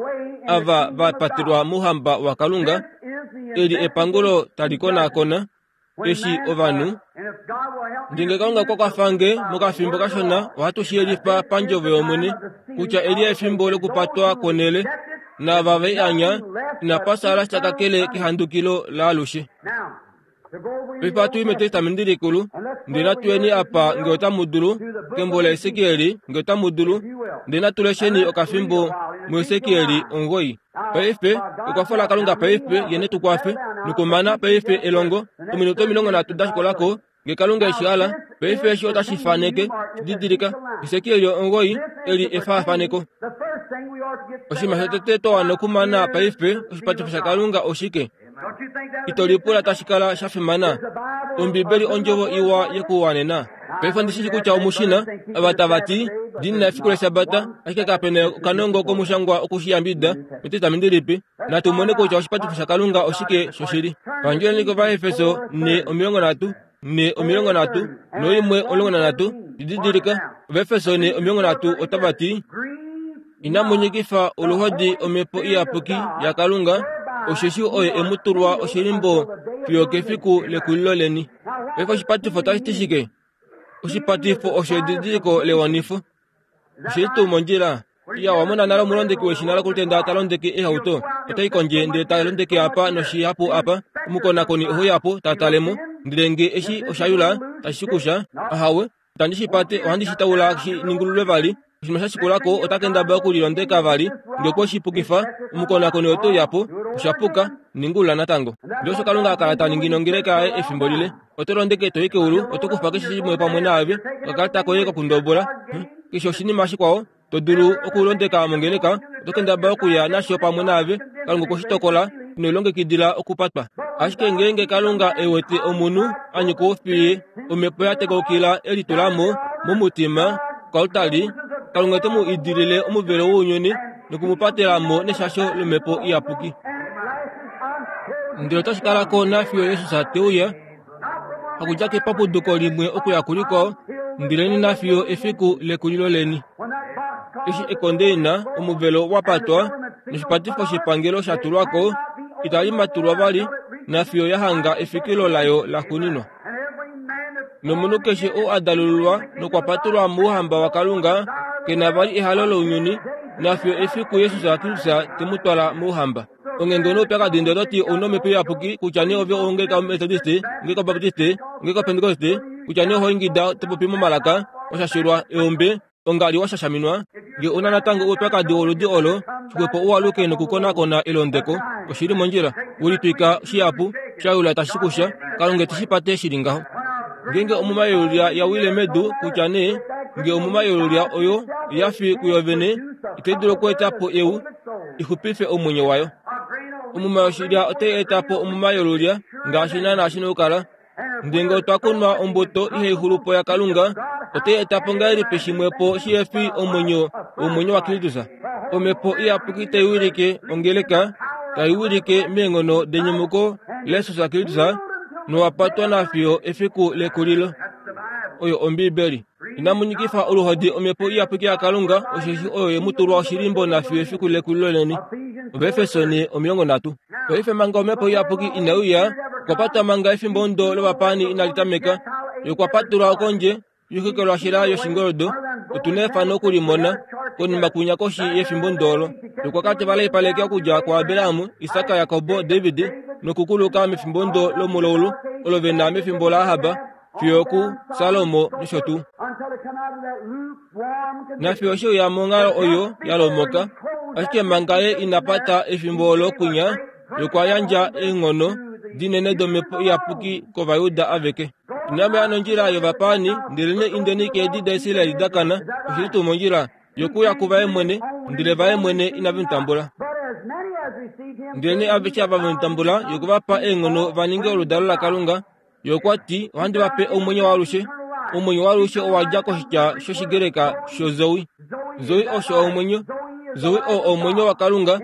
ava va patelwa mouhamba waKalunga. Eli epangulo tali konakona eshi ovanhu. Ndele Kalunga okwa kwafa nge mokafimbo kashona ohatu shi yelifa pandjovo yOmwene kutya eli efimbo lokupatwa kwonhele naava ve i anya inapa sala sha kakele kehandukilo laalushe. Paife ohatu i mEtestamenti Likulu, ndele natu yeni apa ngee otamu dulu, kembo laEsekiel ngee otamu dulu, ndele natu lesheni okafimbo muEsekiel omugoi. Paife ekwafo laKalunga paife ye netu kwafe nokumana paife elongo ominute omilongo nhatu da shikolako ngee Kalunga eshi hala. Paife eshi otashi faneke shididilika Esekiel omugoi eli efaafaneko. Oshinima shotete twa wana okumana paife oshipatifo shaKalunga oshike? Ito lipula tashi kala sha fimana. Ombibeli ondjovo iwa yekuwanena. Paife ndishi kutya omushina ava tava ti dina efiku lesabata ashike kapena okanongo komushangwa okushiyambida metestamenti lipi. Natu mone kutya oshipatifo shaKalunga oshike shoshili. Pandjoleni kOvaefeso ne omilongo nhatu ne omilongo nhatu noimwe omulongo nanhatu. Didilika Ovaefeso ne omilongo nhatu otava ti inamu nyikifa oluhodi omhepo iyapuki yaKalunga, osheshi oye emu tulwa oshilimbo fiyo kefiku lekulilo leni. Paife oshipatifo tashi ti shike? Oshipatifo osho edidiliko lewanifo. Oshili tuu mondjila? Iya, wamona nale omulondeki weshina lokulutenda ta londeke ehauto. Otai kondje ndele ta londeke apa noshihapu apa. Omukonakoni ohuyapo ta talemo ndele nge eshi oshayula tashi shikusha. Ahawe, itandi shi pate, ohandi shi taula shi ningululwe vali. Oshinima sha shikulako ota kendabala okulilondeka vali. Nge okwe shi pukifa, omukonakoni ote uyapo, oshapuka, ningulula natango. Ndele osho Kalunga a kala ta ningi nongeleka yaye efimbo lile. Oto londeke to i keulu, oto kufa keshe shimwe pamwe naave, okakalata koye kokundobola, keshe oshinima shikwao to dulu okulondeka mongeleka, oto kendabala okuya nasho pamwe naave. Kalunga okwe shi tokola, ino lilongekidila okupatwa. Ashike ngeenge Kalunga e wete omunhu a nyika oufiye, omhepo ya tekaukila e litulamo momutima koaltari, Kalunga ote mu idilile omuvelo wounyuni noku mu patela mo neshasho lomhepo iyapuki. Ndele otashi kala ko nafiyo Jesus te uya, hakudja kepapuduko limwe okuya kulikwao, ndele nafiyo efiku lekulilo leni. Eshi ekondeina omuvelo wa patwa noshipatifo shepangelo sha tulwa ko, itali matulwa vali nafiyo ya hanga efikilo layo la xuuninwa. Nomunhu keshe oo a dalululwa nokwa patulwa mouhamba waKalunga ke na vali ehalo lounyuni nafiyo efiku Jesus Kristus te mu twala mouhamba. Onghenge noupyakadi ndele ototi ouna omhepo iyapuki kutya nee ove ongeleka Methodist, ongeleka Baptist, ongeleka Pentecost, kutya nee oho ingida to popi momalaka, washashilwa eombe, ongali washashaminwa. Nge una natango oupyakadi woludi olo, xwepo uwaluke nokukonakona elondeko. Oshili mondjila, ulitwika shihapu, shayula tashi kusha, Kalunga te shi pate shili ngaho. Ngeenge omuma yolulya ya wile medu, kutya nee nge omuma yolulya oyo ya fi kuyo vene, itai dulu okweeta po eu ixupife omwenyo wayo. Omuma yoshilya otai eta po omuma yolulya ngaashi naanaa shi na okukala. Ndele ngee otwa kunwa ombuto ihai xulu po yaKalunga, otai eta po ngahelipi shimwe po shihe fi omwenyo womwenyo waKristus? Omhepo iyapuki tai wilike ongeleka, tai wilike meenghono denyumuko laJesus Kristus, nowapatwa nafiyo efiku lekulilo. Oyo Ombibeli. Inamu nyikifa oluhodi omhepo iyapuki yaKalunga, osheshi oyo ye mu tulwa oshilimbo nafiyo efiku lekulilo leni. Ovaefeso omilongo nhatu. Paife manga omhepo iyapuki inai uya, okwa patwa manga efimbo ndo lovapaani inali tameka. Ye okwa patulwa kondje yoikekelwashila yoshingoldo. Otu na efano okulimona konima kwinya koshi yefimbo ndolo. Okwa kala teva laipaleke okudja kuAbraham, Isak, Jakob, David nokukuluka mefimbo ndo lomulaulu olo ve na mefimbo laAhab fiyo kuSalomo nosho tuu. Nafiyo she uya monghalo oyo ya lomoka, ashike manga ye ina pata efimbo olo kwinya, ye okwa yandja eenghono dinene domhepo iyapuki kOvajuda aveke. Inamu ya nondjila yovapaani, ndelenee indeni keedi daIsrael da kana. Oshili tuu mondjila yokuya kuvaye mwene, ndele vaye mwene inave mu tambula. Ndelenee aveshe ava ve mu tambula, ye okwe va pa eenghono va ninge oludalo laKalunga. Ye okwa ti, ohandi va pe omwenyo waalushe. Omwenyo waalushe owa dja koshitya shOshigreka shozoe. Zoe osho omwenyo. Zoe oo omwenyo waKalunga.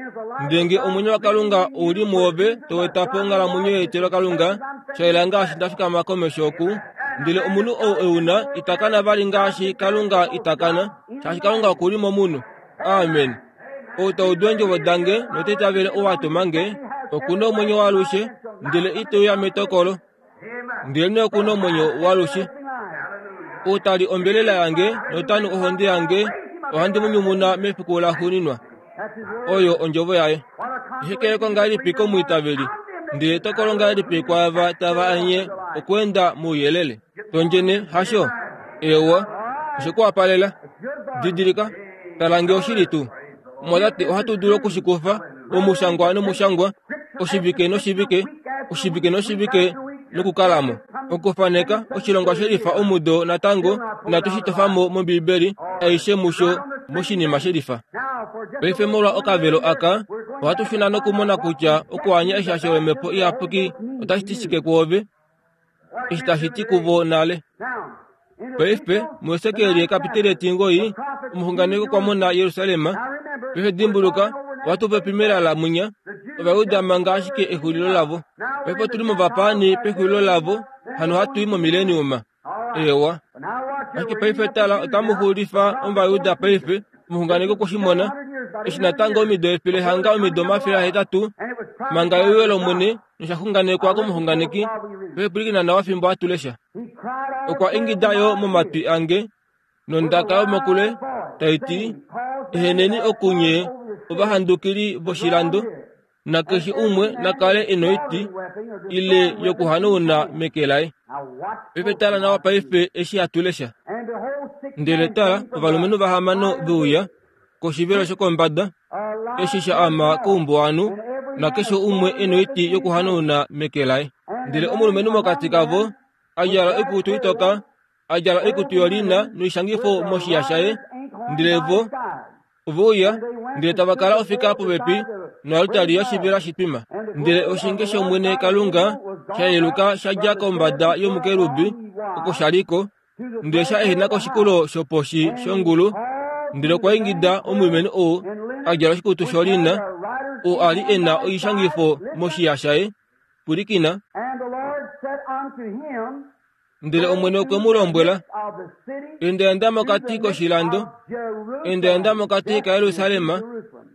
Ndele ngee omwenyo waKalunga ou li muove, to eta po onghalamwenyo yeetelo Kalunga, sha yela ngaashi nda fikama komesho oku. Ndele omunhu ou e u na ita kana vali ngaashi Kalunga ita kana, shaashi Kalunga oku li momunhu. Amen. Ou ta udu eendjovo dange nota itavele ou a tuma nge, oku na omwenyo waalushe, ndele ite uya metokolo, ndelenee oku na omwenyo waalushe. Ou ta li ombelela yange nota nu ohonde yange, ohandi mu nyumuna mefiku laxuuninwa. Oyo ondjovo yaye. Ehekeleko ngahelipi komwiitaveli, ndele etokolo ngahelipi kwaava tava anye okweenda mouyelele. Tondjene hasho? Eewa, oshe ku wapalela. Didilika, tala nge oshili tuu. Omwatate, ohatu dulu okushikufa omushangwa nomushangwa, oshivike noshivike, oshivike noshivike nokukalamo. Okufaneka oshilongwa shelifa omudo natango inatu shi tofa mo mOmbibeli aishe musho moshinima shelifa. Paife molwa okavelo aka, ohatu shuna nokumona kutya okuanya eshasho lomhepo iyapuki otashi ti shike kwoove, eshi tashi ti kuvo nale. Paife muHesekiel ekapiteli etingoi, omuxunganeki okwa mona Jerusalem. Paife dimbuluka, ohatu popi melala munya, Ovajuda manga ashike exulilo lavo. Paife otuli movapaani pexulilo lavo, hano hatu i momileniuma. Ewa. Ashike paife tala, otamu xulifa Ovajuda paife, omuxunganeki okwe shi mona, eshi natango omido efele hanga omido omafele ahetatu, manga euyo lOmwene nosha xunganekwa komuxunganeki. Paife pwilikina nawa fimbo hatu lesha. Okwa ingida yo momatwi ange nondaka yomokule tai ti, eheneni okunye ovahandukili voshilando, nakeshe umwe nakale e noiti ile yokuhanauna meke laye. Paife tala nawa paife eshi hatu lesha. Ndele tala, ovalumenhu vahamano ve uya koshivelo shokombada, eshi sha ama koumbuwanhu, nakeshe umwe e noiti yokuhanauna meke laye. Ndele omulumenhu mokati kavo a djala oikutu itoka, a djala oikutu yolina noishangifo moshiya shaye. Ndele vo ove uya, ndele tava kala ofika popepi noaltari yoshivela shitwima. Ndele oshinge shOmwene Kalunga sha yeluka sha dja kombada yomukerubi oko sha liko, ndele sha ehena koshikulo shoposhi shongulu. Ndele okwa ingida omulumenhu ou a djala oshikutu sholina, oo a li e na oishangifo moshiya shaye. Pwilikina. Ndele Omwene okwe mu lombwela, endaenda mokati koshilando, endaenda mokati kaJerusalem,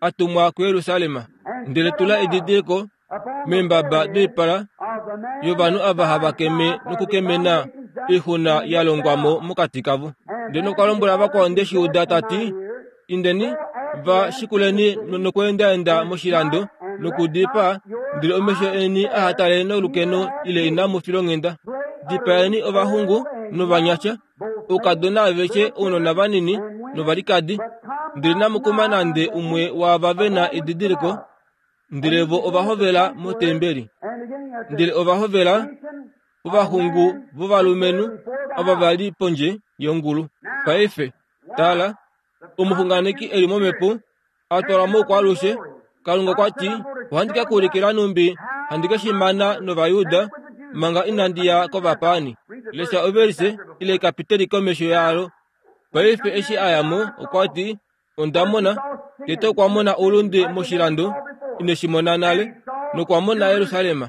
a tumwa kuJerusalem. Ndele tula edidiliko meembaba doipala yovanhu ava hava keme nokukemena oixuna ya longwa mo mokati kavo. Ndele nokwa lombwela vakwao ndeshi uda ta ti, indeni va shikuleni nokweendaenda moshilando nokudipaa, ndele omesho eni aha tale nolukeno ile inamu filonghenda. Dipaeni ovaxungu novanyasha, oukadona aveshe, ounona vanini novalikadi, ndele inamu kuma nande umwe waava ve na edidiliko. Ndele vo ova hovela motembeli. Ndele ova hovela ovaxungu vovalumenhu ava va li pondje yongulu. Paife, tala, omuxunganeki e li momhepo, a twalwa moukwaalushe. Kalunga okwa ti, ohandi ka kuulikila numbi handi ke shi mana nOvayuda manga inandi ya kovapaani. Lesha ovelise ile ekapiteli komesho yalo. Paife eshi a ya mo, okwa ti, onda mona, tete okwa mona oulunde moshilando, ine shi mona nale, nokwa mona Jerusalem.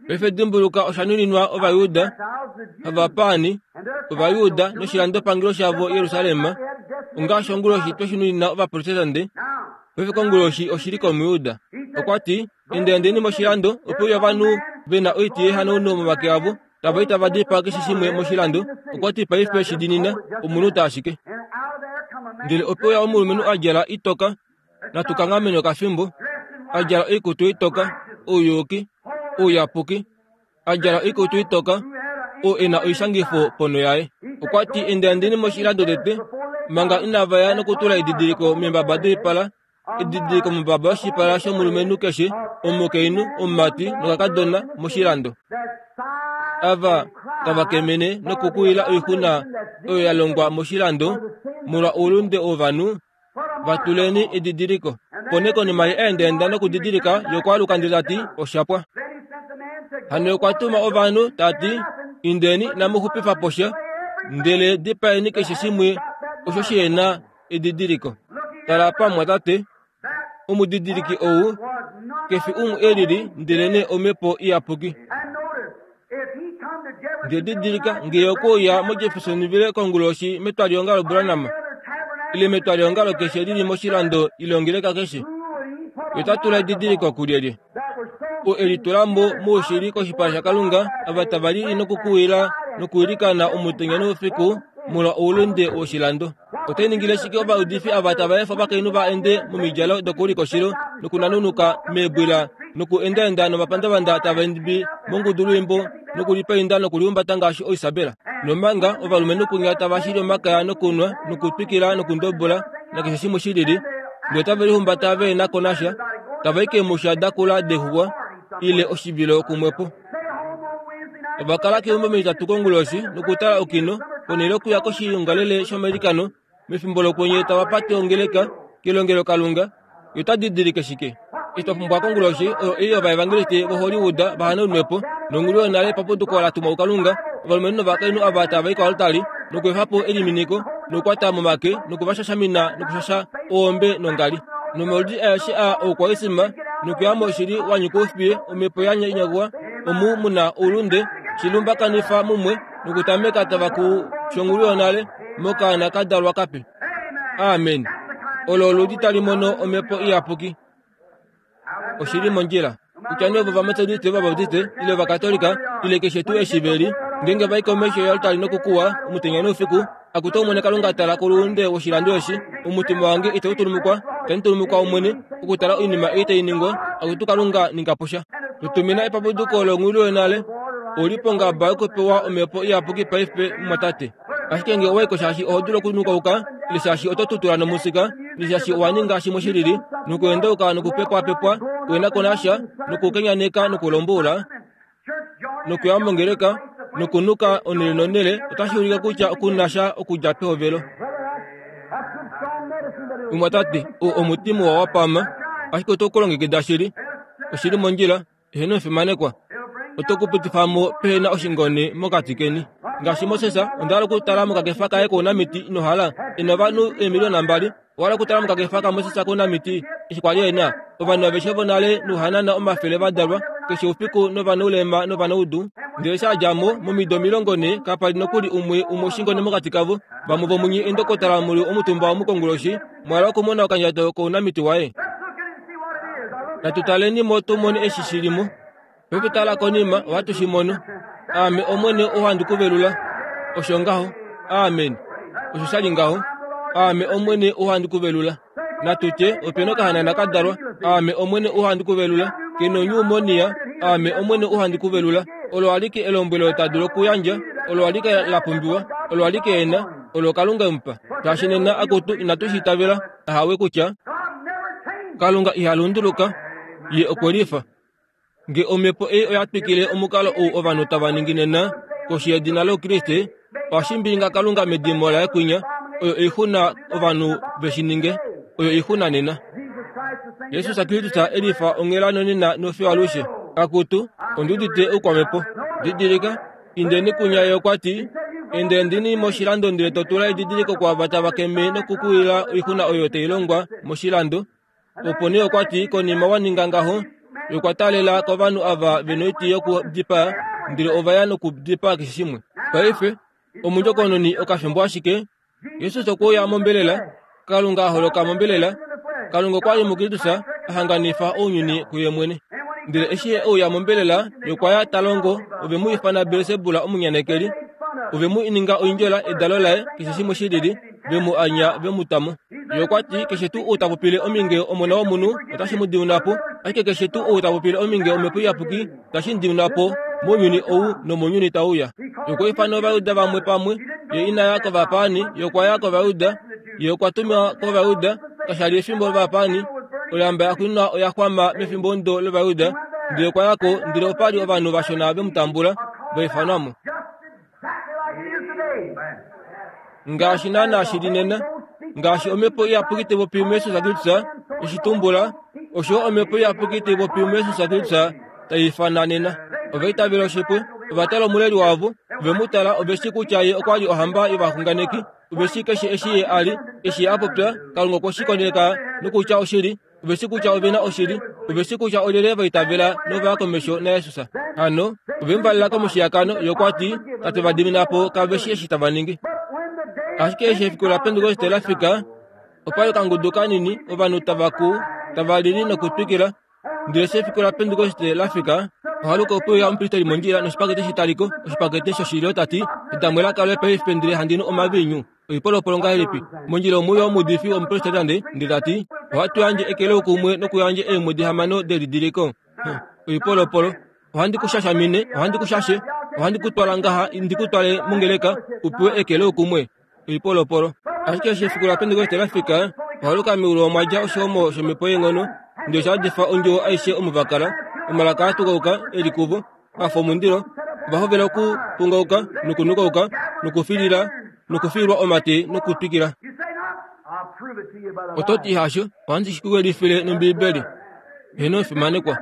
Paife dimbuluka osha nuninwa Ovayuda, ovapaani, Ovayuda noshilandopangelo shavo Jerusalem, ongaashi onguloshi twe shi nunina Ovaprotestante. Paife konguloshi oshi li kOmuyuda. Okwa ti, endaendeni moshilando, opo uya ovanhu ve na oiti yehanauno momake avo, tava i tava dipaa keshe shimwe moshilando. Okwa ti paife shi dinina, omunhu ta ashike. Ndele ope uya omulumenhu a djala itoka, natu kanghamene okafimbo, a djala oikutu itoka, ouyuki, ouyapuki, a djala oikutu itoka, oo e na oishangifo ponho yaye. Okwa ti endaendeni moshilando tete, manga inava ya nokutula edidiliko meembaba doipala, edidiliko mombaba yoshipala shomulumenhu keshe, omukainhu, omumati nokakadona moshilando. Ava tava kemene nokukuwila oixuna oyo ya longwa moshilando molwa oulunde wovanhu, va tuleni edidiliko. Opo nee konima ye endaenda nokudidilika, ye okwa aluka ndele ta ti, osha pwa. Hano okwa tuma ovanhu ta ti, indeni inamu xupifa po sha, ndele dipaeni keshe shimwe osho shi na edidiliko. Tala pamwatate, omudidiliki ou kefi umwe e lili ndelenee Omhepo Iyapuki. Ndele didilika ngee okwe uya moJeffersonville konguloshi metwalihongalo Branham, ile metwalihongalo keshe lili moshilando ile ongeleka keshe, ye ota tula edidiliko kulyelye? Oo e litula mo moushili koshipala shaKalunga, ava tava lili nokukuwila nokuilikana omutenya noufiku molwa oulunde woshilando. Otai ningile shike ovaudifi ava tava efa ovakainhu va ende momidjalo dokuulika nokunanunuka meebwila nokuendaenda nomapandavanda tava imbi mongudulwiimbo nokulipainda nokulihumbata ngaashi oIsabela. Nomanga ovalumenhu kunya tava shili omakaya nokunwa nokutwikila nokundobola nakeshe shimwe shi lili, ndele otave lihumbata ve na ko nasha, tava i keemusha dakula dexuwa ile oshivilo kumwepo. Ova kala keumbo metitatu konguloshi nokutala okino Ponhele okuya koshiongalele shomailikano mefimbo lokwenye tava pate ongeleka kelongelokalunga, ye ota didilike shike? Eshi twa pumbwa konguloshi oyo ei ovaevangeliste voHollywood vahanaunwe po nongulu yonale paputuko la tumwa kuKalunga, ovalumenhu novakainhu ava tava i koaltari nokuefa po eliminiko nokukwata momake nokuvashashamina nokushasha owombe nongali nomaudi aeshe a oukwaisima nokuya moshili wa nyika oufiye omhepo ya nyakwa omu muna oulunde shilumbakanifa mumwe nokutameka tava ku shongulu yonale mokaana ka dalwa kape. Amen. Olo oludi tali mono omhepo iyapuki. Oshili mondjila. Kutya nee ovo vametodiste, ovabaptiste ile ovakatolika ile keshe tuu eshi ve li, ngeenge va i komesho yoaltari nokukuwa omutenya noufiku, akutu Omwene Kalunga tala koluunde woshilando eshi, omutima wange itau tulumukwa, itandi tulumukwa Omwene, okutala oinima ei tai ningwa, akutu Kalunga ninga po sha. Tutumina epapuduko longhulu yonale, oli pongaba yokupewa omhepo iyapuki paife mumwatate. Ashike ngee owa i ko shaashi oho dulu okunukauka, ile shaashi oto tutula nomusika, ile shaashi owa ninga shimwe shilili, nokuendauka nokupepwapepwa, kuhena ko nasha, nokukenyaneka nokulomboula, nokuya mongeleka, nokunuka onhele nonhele, otashi ulike kutya oku na sha okudja pehovelo. Mumwatate, oo omuti muwa wa pama, ashike oto kulongekida shili. Oshili mondjila, eheno omufimanekwa. Oto kupitifa mo pehena oshingone mokati keni. Ngaashi Moses, onda hala okutala mokakefa kaye kounamiti ino hala, e na ovanhu eemiliona mbali. Owa hala okutala mokakefa kaMoses kounamiti eshi kwa li e na ovanhu aveshe vonale nouhanana omafele va dalwa keshe oufiku novanaulema novanaudu. Ndele sha dja mo momido omilongo nhee kapa li nokuli umwe umwe oshingone mokati kavo. Vamwe vomunye eendokotala muli omutumba omukonguloshi mwa hala okumona okandjato kounamiti waye. Natu taleni mo tu mone eshi shi li mo. Paife tala konima ohatu shi mono. Aame Omwene ou handi ku velula. Osho ngaho. Amen. Osho sha li ngaho. Aame Omwene ou handi ku velula. Natu tye ope na okahanana ka dalwa. Aame Omwene ou handi ku velula. Ke nonyuumonia. Aame Omwene ou handi ku velula. Olo alike elombwelo ta dulu okuyandja, olo alike la pumbiwa, olo alike e na, olo Kalunga e mu pa. Shaashi nena akutu inatu shi itavela, ahawe kutya Kalunga iha lunduluka, ye okwe lifa. Nge omhepo ei oya twikile omukalo ou ovanhu tava ningi nena koshi yedina lOukriste, ohashi mbilinga Kalunga medimo laye kwinya, oyo oixuna ovanhu ve shi ninge, oyo oixuna nena. Jesus Kristus e lifa onghela nonena nofiyo alushe. Akutu, ondi udite oukwamhepo. Didilika, indeni kunya ye okwa ti, Endendeni moshilando ndele to tula edidiliko kwaava tava keme nokukuwila oixuna oyo tai longwa moshilando. Opo nee okwa ti, konima wa ninga ngaho, ye okwa taalela kovanhu ava ve noiti yokudipaa, ndele ova ya nokudipaa keshe shimwe. Paife, omundjokononi okafimbo ashike, Jesus okwe uya mombelela, Kalunga a holoka mombelela, Kalunga okwa li muKristus a hanganifa ounyuni kuye mwene. Ndele eshi ye uya mombelela, ye okwa ya ta longo, ove mu ifana Belsebul omunyanekeli, ove mu ninga oindjola edalo laye, keshe shimwe shi lili, ve mu anya ve mu ta mo. Ye okwa ti, keshe tuu ou ta popile ominge Omona wOmunhu, otashi mu diuna po, ashike keshe tuu ou ta popile ominge Omhepo Iyapuki, otashi mu diuna po mounyuni ou nomounyuni tau uya. Ye okwa ifana Ovajuda vamwe pamwe, ye ina ya kovapaani, ye okwa ya kOvajuda, ye okwa tumwa kOvajuda, kasha li efimbo lovapaani, olamba ya xwinwa oya xwama mefimbo ondo lOvajuda, ndele okwa ya ko, ndele opa li ovanhu vashona ve mu tambula, va ifanwa mo. Ngaashi naanaa shi li nena, ngaashi Omhepo Iyapuki tai popi muJesus Kristus, eshi tumbula, osho Omhepo Iyapuki tai popi muJesus Kristus tai ifana nena. Ova itavela oshipwe, ova tala omuleli wavo, ove mu tala, ove shii kutya ye okwa li ohamba yovaxunganeki, ove shii keshe eshi ye a li, eshi ye a popya, Kalunga okwe shi koneka nokutya oshili, ove shii kutya ove na oshili, ove shii kutya olyelye va itavela nova ya komesho naJesus. Hano, ove mu valela komushiyakano, ye okwa ti, Tate va dimina po, kave shii eshi tava ningi. Ashike eshi efiku laPentekoste la fika, opa li okangudu kanini ovanhu tava ku, tava lili nokutwikila. Ndele eshi efiku laPentekoste la fika, ohaluka ope uya omupristeli mondjila noshipakete shetaliko, oshipakete shoshilyo ta ti, Edamwe la kalwe paife ndele handi nu omaviinyu. Oipolopolo ngahelipi? Mondjila omu uya omuudifi womuprotestante ndele ta ti, Ohatu yandje eke loukumwe nokuyandja eemwedi hamano delidiliko. Oipolopolo. Ohandi ku shashamine, ohandi ku shashe, ohandi ku twala ngaha ndi ku twale mongeleka u pewe eke loukumwe. Oipolopolo. Ashike eshi efiku laPentekoste la fika, ohaluka meulu omwa dja oshihomo shomhepo yeenghono, ndele osha yadifa ondjuwo aishe omo va kala. Omalaka a tukauka e li kuvo, a fa omundilo, ova hovela okupungauka nokunukauka nokufilila nokufilwa omate nokutwikila. Oto ti hasho, ohandi shi kuwelifile nOmbiibeli. Heno fimanekwa.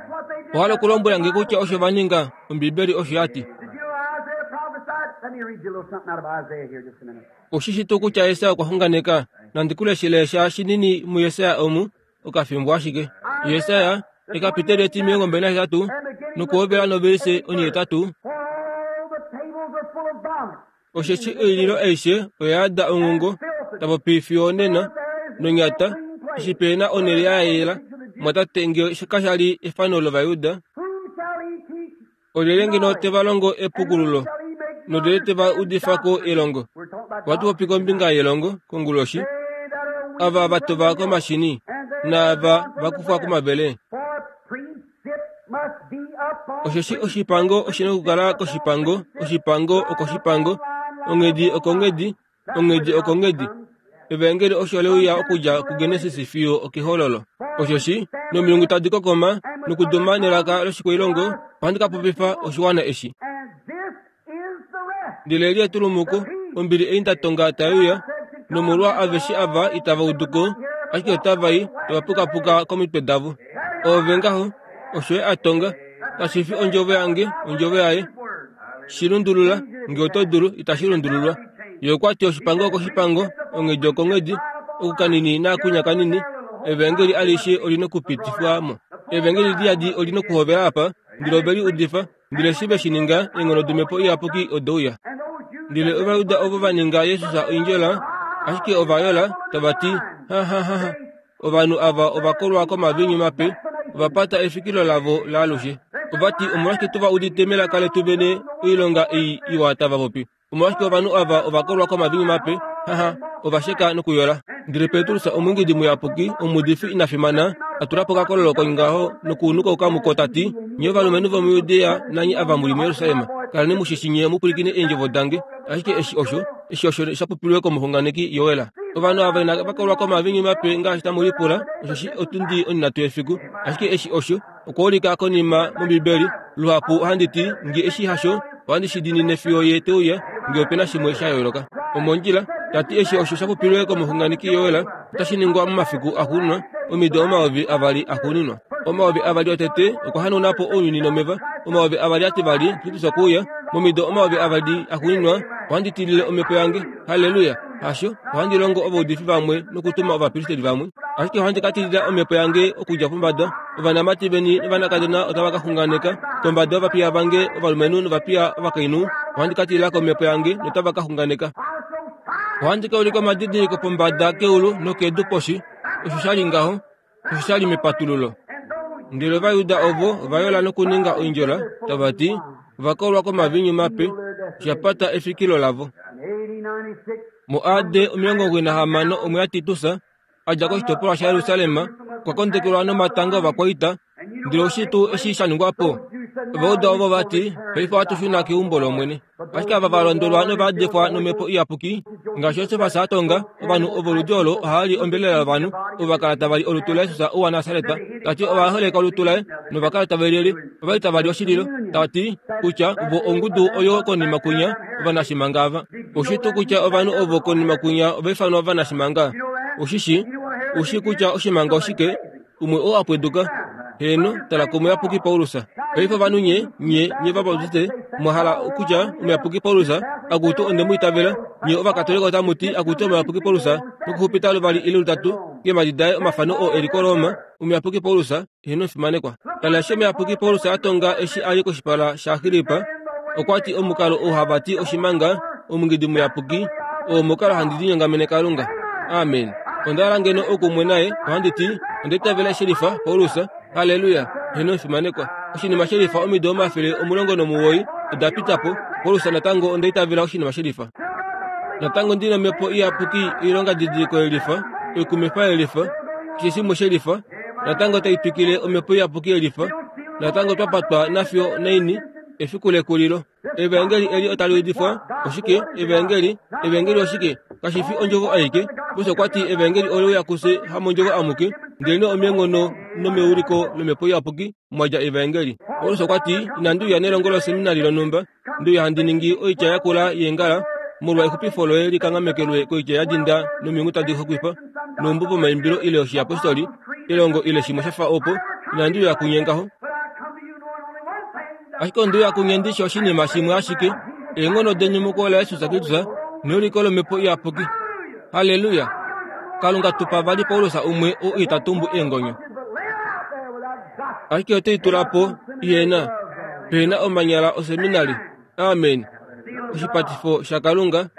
Ohala okulombwela nge kutya osho va ninga, Ombiibeli osho ya ti. Oshishi tuu kutya Jesaja okwa xunganeka, nandi ku leshele sha shinini muJesaja omu, okafimbo ashike. Jesaja, ekapiteli etimilongo mbali nahetatu, nokuhovela novelise onhihetatu. Osheshi oililo aishe oya yada onghongo, tapopi fiyo onena, nonyata, eshi pe na onhele ya yela. Mwatate nge kasha li efano lOvajuda, olyelye ngeno te va longo epukululo, nolyelye te va udifa ko elongo? Ohatu popi kombinga yelongo konguloshi, ava va tova komashini, naava va kufwa komavele. Osheshi oshipango oshi na okukala koshipango, oshipango okoshipango, onghedi okonghedi, onghedi okonghedi. Evangeli osho leuya okudja kuGenesis fiyo okehololo. Osheshi nomilungu tadi kokoma nokuduma nelaka loshikwailongo, ohandi ka popifa oshiwana eshi. Ndele eli etulumuko, ombili ei nda tonga tai uya, nomolwa aveshe ava itava udu ko, ashike otava i tava pukapuka komitwe davo. Oove ngaho, osho ye a tonga, kashi fi ondjovo yange, ondjovo yaye. Shi lundulula, nge oto dulu, itashi lundululwa. Ye okwa ti oshipango okoshipango, onghedi okonghedi, okukanini naakunya kanini, evangeli alishe oli nokupitifwa mo. Evangeli liyadi oli nokuhovela apa, ndele ove li udifa, ndele eshi ve shi ninga, eenghono domhepo iyapuki ode uya. Ndele Ovajuda ovo va ninga Jesus oindjola, ashike ova yola, tava ti, ha ha ha ha, ovanhu ava ova kolwa komaviinyu mape, ova pata efikilo lavo laalushe. Ova ti, omolwashike tuva udite melaka letu vene oilonga ei iwa tava popi? Omolwashike ovanhu ava ova kolwa komaviinyu mape? Haha, ova sheka nokuyola. Ndele Petrus, omwiingidi muyapuki, omuudifi ina fimana, a tula po okakololo kongaho nokuunuka muko ta ti, nye ovalumenhu vomuJudea nanye ava mu li muJerusalem, kaleni mu shi nye mu pwilikine eendjovo dange. Ashike eshi osho, eshi osho sha popilwe komuxunganeki Joel. Ovanhu ava inava kolwa komaviinyu mape ngaashi tamu lipula, osheshi otundi onhinhatu yefiku. Ashike eshi osho, okwa ulika konima mOmbiibeli. Luhapu ohandi ti, nge eshi hasho, ohandi shi diinine fiyo ye te uya, nge ope na shimwe sha yooloka. Omondjila, ta ti eshi osho sha popilwe komuxunganeki Joel, otashi ningwa momafiku axuuninwa, omido omayovi avali axuuninwa. Omayovi avali otete okwa hanauna po ounyuni nomeva, omayovi avali ativali Kristus okwe uya, momido omayovi avali axuuninwa ohandi tilile omhepo yange. Halleluya! Hasho, ohandi longo ovaudifi vamwe nokutuma ovapristeli vamwe, ashike ohandi ka tilila omhepo yange okudja pombada. Ovanamati veni novanakadona otava ka xunganeka, kombada yovapiya vange ovalumenhu novapiya ovakainhu ohandi ka tilila komhepo yange notava ka xunganeka. Ohandi ka ulika omadidiliko pombada keulu nokedu poshi. Osho sha li ngaho, osho sha li mepatululo. Ndele Ovajuda ovo ova yola nokuninga oindjola, tava ti, ova kolwa komaviinyu mape, osha pata efikilo lavo. Mo A D omilongo omugoyi nahamano omwe yaTitus, a dja koshitopolwa shaJerusalem, okwa kondekelwa nomatanga ovakwaita. Ndele oshi tuu eshi sha ningwa po? Ovauda ovo va ti, paife ohatu shuna keumbo lOmwene. Ashike ava va londolwa nova yadekwa nomhepo iyapuki, ngaashi Josefas a tonga, ovanhu ovoludi olo ohava li ombelela yovanhu, ovo va kala tava li olutu laJesus ou waNasaret. Ta ti ova holeka olutu laye nova kala tave lili, ova li tava li oshililo, ta ti kutya vo ongudu oyo konima kwinya ovanashimanga ava. Oshi tuu kutya ovanhu ovo konima kwinya ova ifanwa ovanashimanga? Oshishi, ushi kutya oshimanga oshike? Umwe oo a pweduka. Heeno, tala komuyapuki Paulus. Paife ovanhu nye, nye, nye Vabaptiste, mwa hala kutya omuyapuki Paulus, akutu onde mu itavela. Nye Ovakatolika otamu ti akutu omuyapuki Paulus, nokuxupita luvali ile lutatu keemhadi daye omafano oo e li koRoma. Omuyapuki Paulus, heeno fimanekwa. Tala eshi omuyapuki Paulus a tonga eshi a li koshipala shaAgrippa, okwa ti omukalo oo hava ti oshimanga, omungidi muyapuki, oo omukalo handi linyongamene Kalunga. Amen. Onda hala ngeno okumwe naye, ohandi ti, onda itavela shelifa Paulus. Halleluya! Heeno fimanekwa. Oshinima shelifa omido omafele omulongo nomuwoi oda pita po. Paulus natango onda itavela oshinima shelifa. Natango ndi nomhepo iyapuki oilonga didiliko yelifa, oikumifa yelifa, keshe shimwe shelifa. Natango tai twikile omhepo iyapuki yelifa. Natango twa patwa nafyo naini efiku lekulilo. Evangeli eli otali udifwa oshike? Evangeli, evangeli oshike? Kashi fi ondjovo aike. Moses okwa ti evangeli ole uya kufye hamondjovo amuke, ndelenee omeenghono nomeuliko lomhepo iyapuki mwa dja evangeli. Paulus okwa ti, inandi uya nelongo loseminari lonhumba, ndi uya handi ningi oitya yakula yeengala, Molwa exupifo loye likanghamekelwe koitya ya dinda nomilungu tadi hokwifa, noumbo vomaimbilo ile oshiyapostoli, elongo ile shimwe sha fa opo, inandi uya kunye ngaho. Ashike onde uya kunye ndishi oshinima shimwe ashike, eenghono denyumuko laJesus Kristus neuliko lomhepo iyapuki. Haleluya! Kalunga tupa vali Paulus umwe oo ita tumbu eengonyo. Ashike ote i tula po, ihena, pehena omanyala oseminari. Amen. Oshipatifo shaKalunga.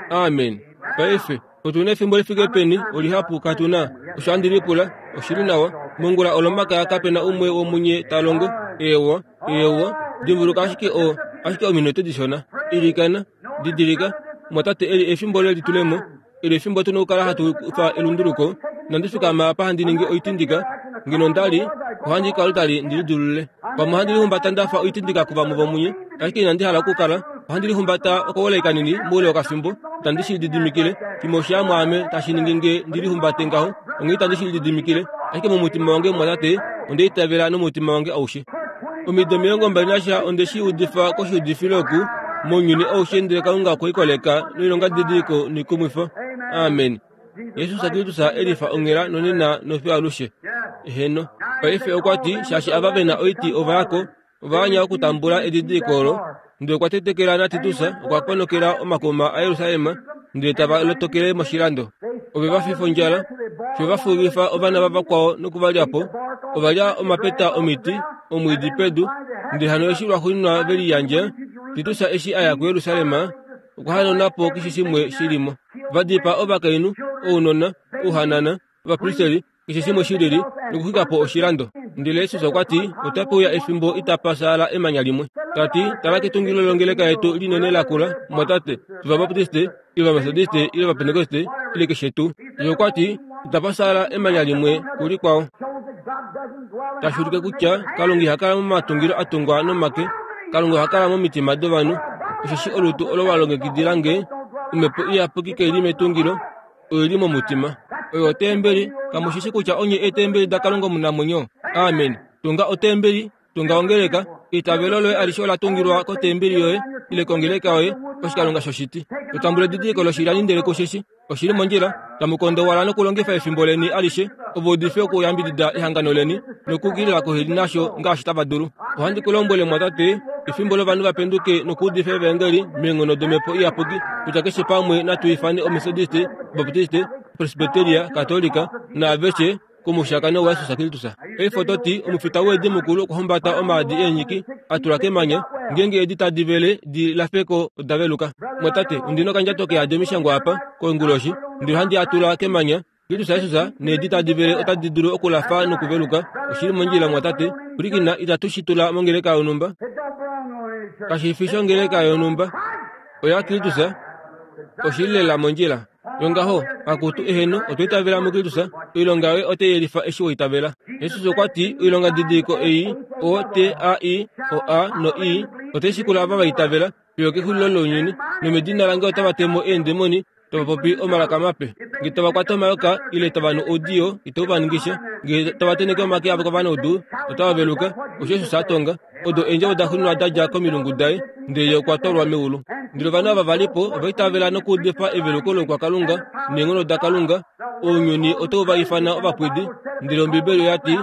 Amen. Paife, otuna efimbo lifike peni olihapu katuna. Osho handi lipula, oshili nawa. Mongula olomaka kapena umwe womunye ta longo. Ewa, ewa, dimbuluka ashike o, ashike ominute dishona. Ilikana, didilika, mwatate eli efimbo lelitulemo, eli efimbo tuna okukala hatu kufa elunduluko. Nandi fikama apa handi ningi oitindika, ngeno ndali, ohandi kala tali ndilidulule. Pamwe ohandi lihumbata ndafa oitindika kuvamwe vomunye, ashike inandi hala okukala. Ohandi lihumbata okawolai kanini moule wokafimbo, itandi shi lididimikile. Shimwe oshamwaame tashi ningi nge ndilihumbate ngaho, onghee itandi shi lididimikile. Ashike momutima wange mwatate, onde itavela nomutima wange aushe. Omido omilongo mbali nasha onde shi udifa koshiudifilo oku, mounyuni aushe, ndele Kalunga okwe i koleka noilonga didiliko noikumwifo. Amen. Jesus Kristus elifa onghela nonena nofiyo alushe. Eheno. Paife okwa ti, shaashi ava vena oiti ova yako, ova anya okutambula edidiliko olo. Ndele okwa tetekela naTitus, okwa ponokela omakuma aJerusalem, ndele tava lotokele moshilando. Ove va fifa ondjala, fiyo va fuulifa ovana vavakwao noku va lya po. Ova lya omapeta omiti, omwiidi pedu, ndele hano eshi lwaxuuninwa ve liyandja, Titus eshi a ya kuJerusalem, okwa hanauna po keshe shimwe shi li mo. Va dipaa ovakainhu, ounona, ouhanana, ovapristeli, keshe shimwe shi lili, nokuxwika po oshilando. Ndele Jesus okwa ti, otape uya efimbo itapa saala emanya limwe. Ta ti, tala ketungilo longeleka yetu linene lakula, mwatate, tuvabaptiste, ile vametodiste, ile vapentekoste, ile keshe tuu. Ye okwa ti, itapa saala emanya limwe kulikwao. Tashi ulike kutya Kalunga iha kala momatungilo a tungwa nomake, Kalunga oha kala momitima dovanhu. Osheshi olutu olo wa longekidila nge, omhepo iyapuki kai li metungilo, oi li momutima. Oyo otembeli, kamu shi shi kutya onye eetembeli daKalunga omunamwenyo? Amen. Tunga otembeli, tunga ongeleka, eitavelo loye alishe ola tungilwa kotembeli yoye, ile kongeleka yoye, koshikalunga shoshiti. Totambula edidiliko loshilyani ndele kushishi, oshili mondjila, tamu kondowala nokulongifa efimbo leni alishe, ovo udife okuyambidida ehangano leni, nokukilila koheli nasho ngaashi tava dulu. Ohandi ku lombwele mwatate, efimbo lovanhu va penduke nokuudifa evangeli meenghono domhepo iyapuki, kutya keshe pamwe natu ifane Ometodiste, Baptiste, Presbyteria, Katolika, naaveshe komushakano waJesus Kristus. Paife oto ti, omufita weedi mukulu okwa humbata omaadi eenyiki, a tula kemanya, ngeenge eedi tadi vele di lafeko oda veluka. Mwatate, ondina okandjato keyadi omishangwa apa, koonguloshi, ndele ohandi a tula kemanya. Kristus Jesus needi tadi vele otadi dulu okulafa nokuveluka. Oshili mondjila mwatate, pwilikina, itatu shi tula mongeleka yonhumba. Kashi fi shongeleka yonhumba. Oya Kristus, oshili lela mondjila. Yongaho, akutu eheno, otwa itavela muKristus, oilonga yoye otai yelifa eshi wa itavela. Jesus okwa ti, oilonga didiliko ei, O T A I O A no I, otai shikula ava va itavela, fiyo kexulilo lounyuni, nomedina lange otava temo eendemoni, tava popi omalaka mape. Nge tava kwata omayoka, ile tava nu oudiyo, itau va ningisha. Nge tava tenheke omake avo kovanaudu, otava veluka. Osho Jesus a tonga. Odo eendjovo da xuuninwa da dja komilungu daye, ndele ye okwa twalwa meulu. Ndele ovanhu ava va li po, ova itavela nokuudifa eveluko loukwakalunga neenghono daKalunga. Ounyuni otau va ifana ovapwidi. Ndele Ombibeli oya ti,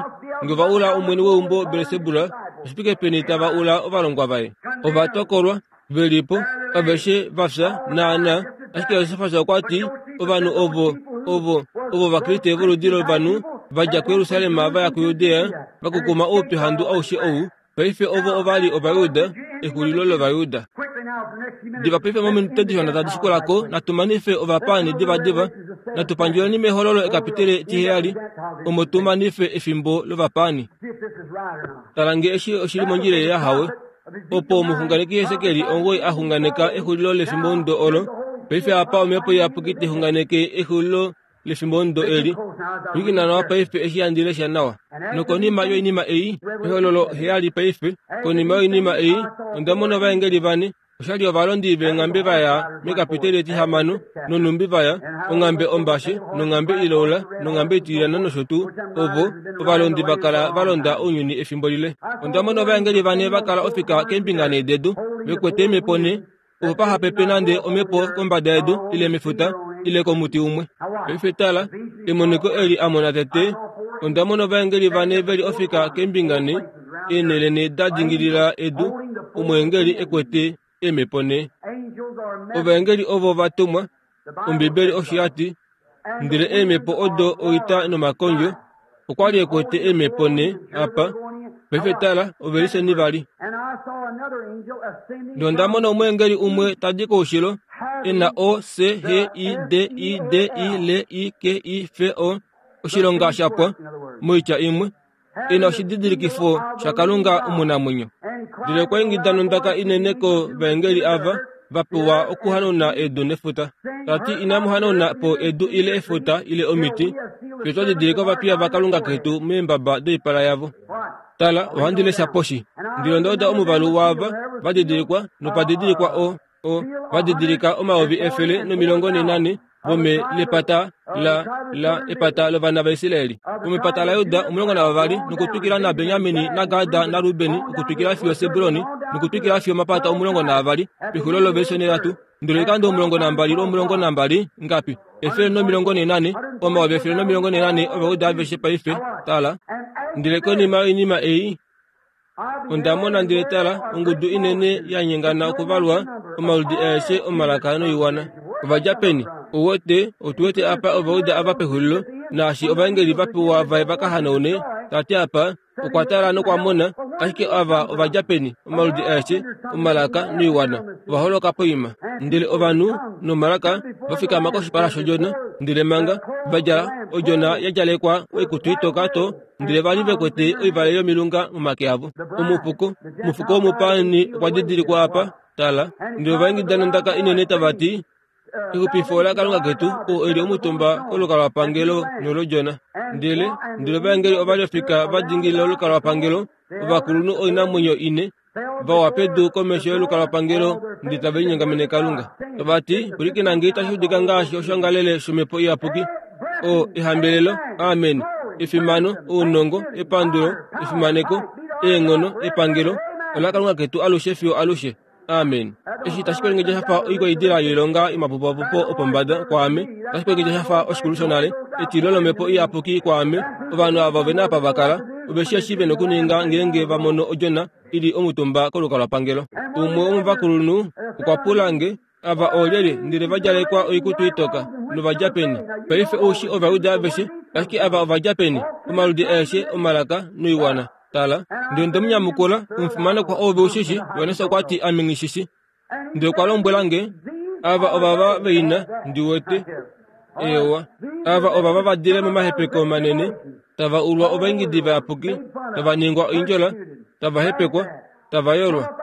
nge ova ula omwene weumbo Belsebul, oshifike peni tava ula ovalongwa vaye. Ova tokolwa, ve li po, aveshe va fya naana. Ashike Josefas okwa ti, ovanhu ovo, ovo, ovo Ovakriste voludi lovanhu, va dja kuJerusalem va ya kuJudea, va kukuma oupyuhandu aushe ou. Paife ovo ova li Ovajuda, exulilo lOvajuda. Diva paife mominute dishona tadi shikulako, natu manife ovapaani divadiva, natu pandjuleni mehololo ekapitele tiheyali, omo tu manife efimbo lovapaani. Tala nge eshi oshili mondjila yahawe, opo omuxunganeki Hesekiel ongoi a xunganeka exulilo lefimbomudo olo. Paife apa omhepo iyapuki tai xunganeke exulilo lefimbomudo eli. Pwilikina nawa paife eshi handi lesha nawa. Nokonima yoinima ei, ehololo heyali paife, konima yoinima ei, onda mona ovaengeli vane, oshali ovalondi veenghambe va ya mekapiteli etihamano, nonhumbi va ya, onghambe ombashe, nonghambe iloula, nonghambe itilyana nosho tuu, ovo ovalondi va kala va londa ounyuni efimbo lile. Onda mona ovaengeli vane va kala ofika keembinga nhee dedu, ve kwete eemhepo nhee, Opo paha pepe nande omhepo kombada yedu ile mefuta ile komuti umwe. Paife tala, emoniko eli a mona tete, onda mona ovaengeli vane veli ofika keembinga ne, eenhele ne da dingilila edu, omweengeli e kwete eemhepo ne. Ovaengeli ovo va tumwa, Ombibeli osho ya ti, ndele eemhepo odo oita nomakondjo, okwa li e kwete eemhepo ne apa. Paife tala, oveliseni vali. Nonda mona omweengeli umwe tadi koushilo, e na O C H I D I D I L I K I F O, oshilonga sha pwa, moitya imwe, e na oshididilikifo shaKalunga omunamwenyo. Ndele okwa ingida nondaka inene kovaengeli ava va pewa okuhanauna edu nefuta, ta ti inamu hanauna po edu ile efuta ile omiti, fiyo twa didilika ovapiya vaKalunga ketu meembaba doipala yavo. Tala, ohandi lesha poshi. Ndele onda uda omuvalu waava va didilikwa nopa didilikwa o o va didilika omayovi efele nomilongo nenane vome lepata la la epata lovana vaIsraeli. Vomepata laJuda omulongo navavali, nokutwikila naBenjamini naGada naRubeni, okutwikila fiyo Sebuloni, nokutwikila fiyo omapata omulongo naavali, pexulilo lovelishe nhatu. Ndele oikando omulongo nambali lwomulongo nambali ngapi? Efele nomilongo nenane, omayovi efele nomilongo nenane ovaUda aveshe paife. Tala, ndele konima yoinima ei onda mona ndele tala, ongudu inene ya nyengana okuvalwa, omaludi aeshe omalaka noiwana. Ovadja peni? Ouwete, otu wete apa ovauda ava pexulilo, naashi ovaengeli va pewa vaye va ka hanaune, tati apa, okwa tala nokwa mona, ashike ava ovadja peni, omaludi aeshe, omalaka noiwana, ova holoka poima. Ndele ovanhu nomalaka va fikama koshipala shodjona, ndele manga va djala odjona ya djalekwa oikutu itoka to, ndele vali ve kwete oivale yomilunga momake avo. Omufuko, omufuko womupaani okwa didilikwa apa, tala, ndele ovaingida nondaka inene tava ti, exupifo laKalunga ketu, oo e li omutumba kolukalwapangelo nolodjona. Ndele ndele ovaengeli ova li ofika va dingilila olukalwapangelo, ovakulunhu oinamwenyo ine, va wa pedu komesho yolukalwapangelo ndele tave linyongamene Kalunga. Tava ti, pwilikina nge itashi udika ngaashi oshoongalele shomhepo iyapuki. O ehambelelo, amen, efimano, ounongo, epandulo, efimaneko, eenghono, epangelo, olaKalunga ketu alushe fiyo alushe. Amen. Eshi tashi kwelengedja shafa oikwaidila yoilonga yomapupapupo opombada kwaame, tashi kwelengedja shafa oshikulu shonale, etilo lomhepo iyapuki kwaame. Ovanhu ava ove na apa va kala, ove shi eshi ve nokuninga ngeenge va mono odjona i li omutumba kolukalwapangelo. Umwe womovakulunhu okwa pula nge, ava oolyelye ndele va djalekwa oikutu itoka, novadja peni? Paife oushi Ovajuda aveshe, ashike ava ovadja peni? Omaludi aeshe omalaka noiwana. Tala, ndele nde mu nyamukula, omufimanekwa oove ushishi. Johannes okwa ti ame nghishishi. Ndele okwa lombwela nge, ava ovava veina ndi wete. Eewa, ava ovava va dile momahepeko manene, tava ulwa ovaingidi vayapuki, tava ningwa oindjola, tava hepekwa, tava yolwa.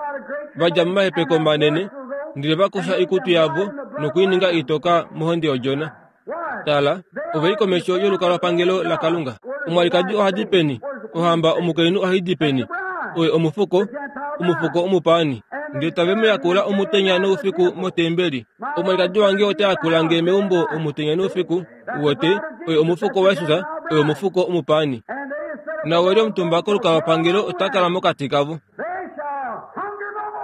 Va dja momahepeko manene, ndele va kosha oikutu yavo nokuininga itoka mohonde yodjona. Tala, ove li komesho yolukalwapangelo laKalunga. Omwalikadi ohadi peni? Ohamba omukainhu ohai di peni? Oye omufuko, omufuko omupaani. Ndele tave mu yakula omutenya noufiku motembeli. Omwalikadi wange ota yakula nge meumbo omutenya noufiku. Uwete, oye omufuko waJesus, oye omufuko omupaani. Nawe li omutumba kolukalwapangelo ota kala mokati kavo.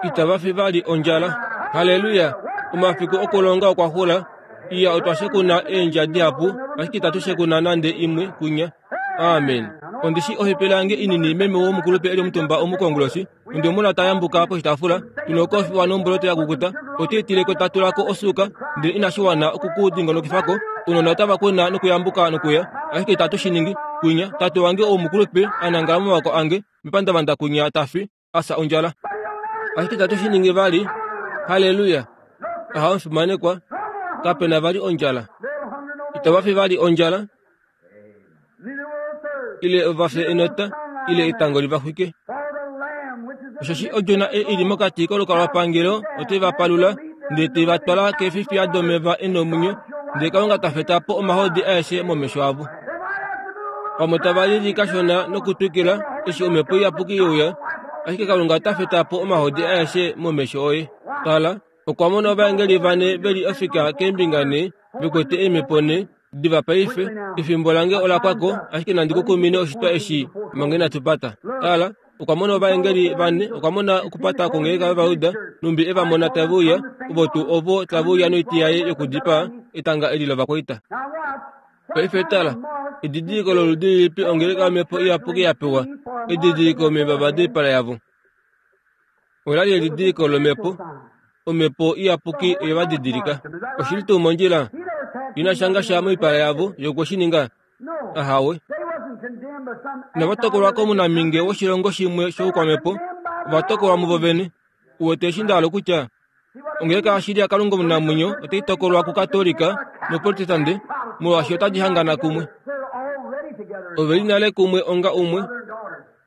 Itava fi vali ondjala. Halleluya! Omafiku okulonga okwa xula. Iya otwa shekuna eendja dihapu, ashike itatu shekuna nande imwe kunya. Amen. Ondi shi ohepele yange inini meme womukulupe eli omutumba omukonguloshi. Onde mona ta yambuka poshitaafula, tuna okofiwa nomboloto ya kukuta. Ote itileko ta tulako osuuka, ndele inashi wana okukudingonokifako. Ounona otava kuna nokuyambuka nokuya, ashike itatu shi ningi. Kunya, tate wange oumukulupe a nangala momavako ange, mepandavanda kunya ta fi, a fya ondjala. Ashike itatu shi ningi vali. Halleluya! Aha omufimanekwa, kape na vali ondjala. Itava fi vali ondjala, ile ova fye enota, ile etango li va xwike. Osheshi odjona ei i li mokati kolukalwapangelo ote va palula, ndele te va twala keefifiya domeva e nomwenyo, ndele Kalunga ta feta po omahodi aeshe momesho avo. Pamwe tava lili kashona nokutwikila eshi omhepo iyapuki ye uya, ashike Kalunga ota feta po omahodi aeshe momesho oye. Tala, okwa mona ovaengeli vane ve li ofika keembinga ne, ve kwete eemhepo ne, diva paife, efimbo lange ola pwa ko, ashike nandi ku kumine oshitwa eshi manga inatu pata. Tala, Okwa mona ovaengeli vane, okwa mona okupata kwongeleka yOvayuda, numbi e va mona tave uya, ovo tuu ovo tave uya noiti yaye yokudipaa, etanga eli lovakwaita. Paife tala, edidiliko loludi lilipi ongeleka yOmhepo Iyapuki ya pewa, edidiliko meembaba doipala yavo. Ola li edidiliko lOmhepo, Omhepo Iyapuki oye va didilika. Oshili tuu mondjila? Ina shanga sha moipala yavo yokwe shi ninga? Ahawe. Inava tokolwa komunaminge woshilongo shimwe shoukwamhepo, ova tokolwa muvo vene. Uwete eshi nda hala kutya ongeleka yashili yaKalunga omunamwenyo otai tokolwa kuKatolika noProtestante molwaashi otadi hangana kumwe. Ove li nale kumwe onga umwe,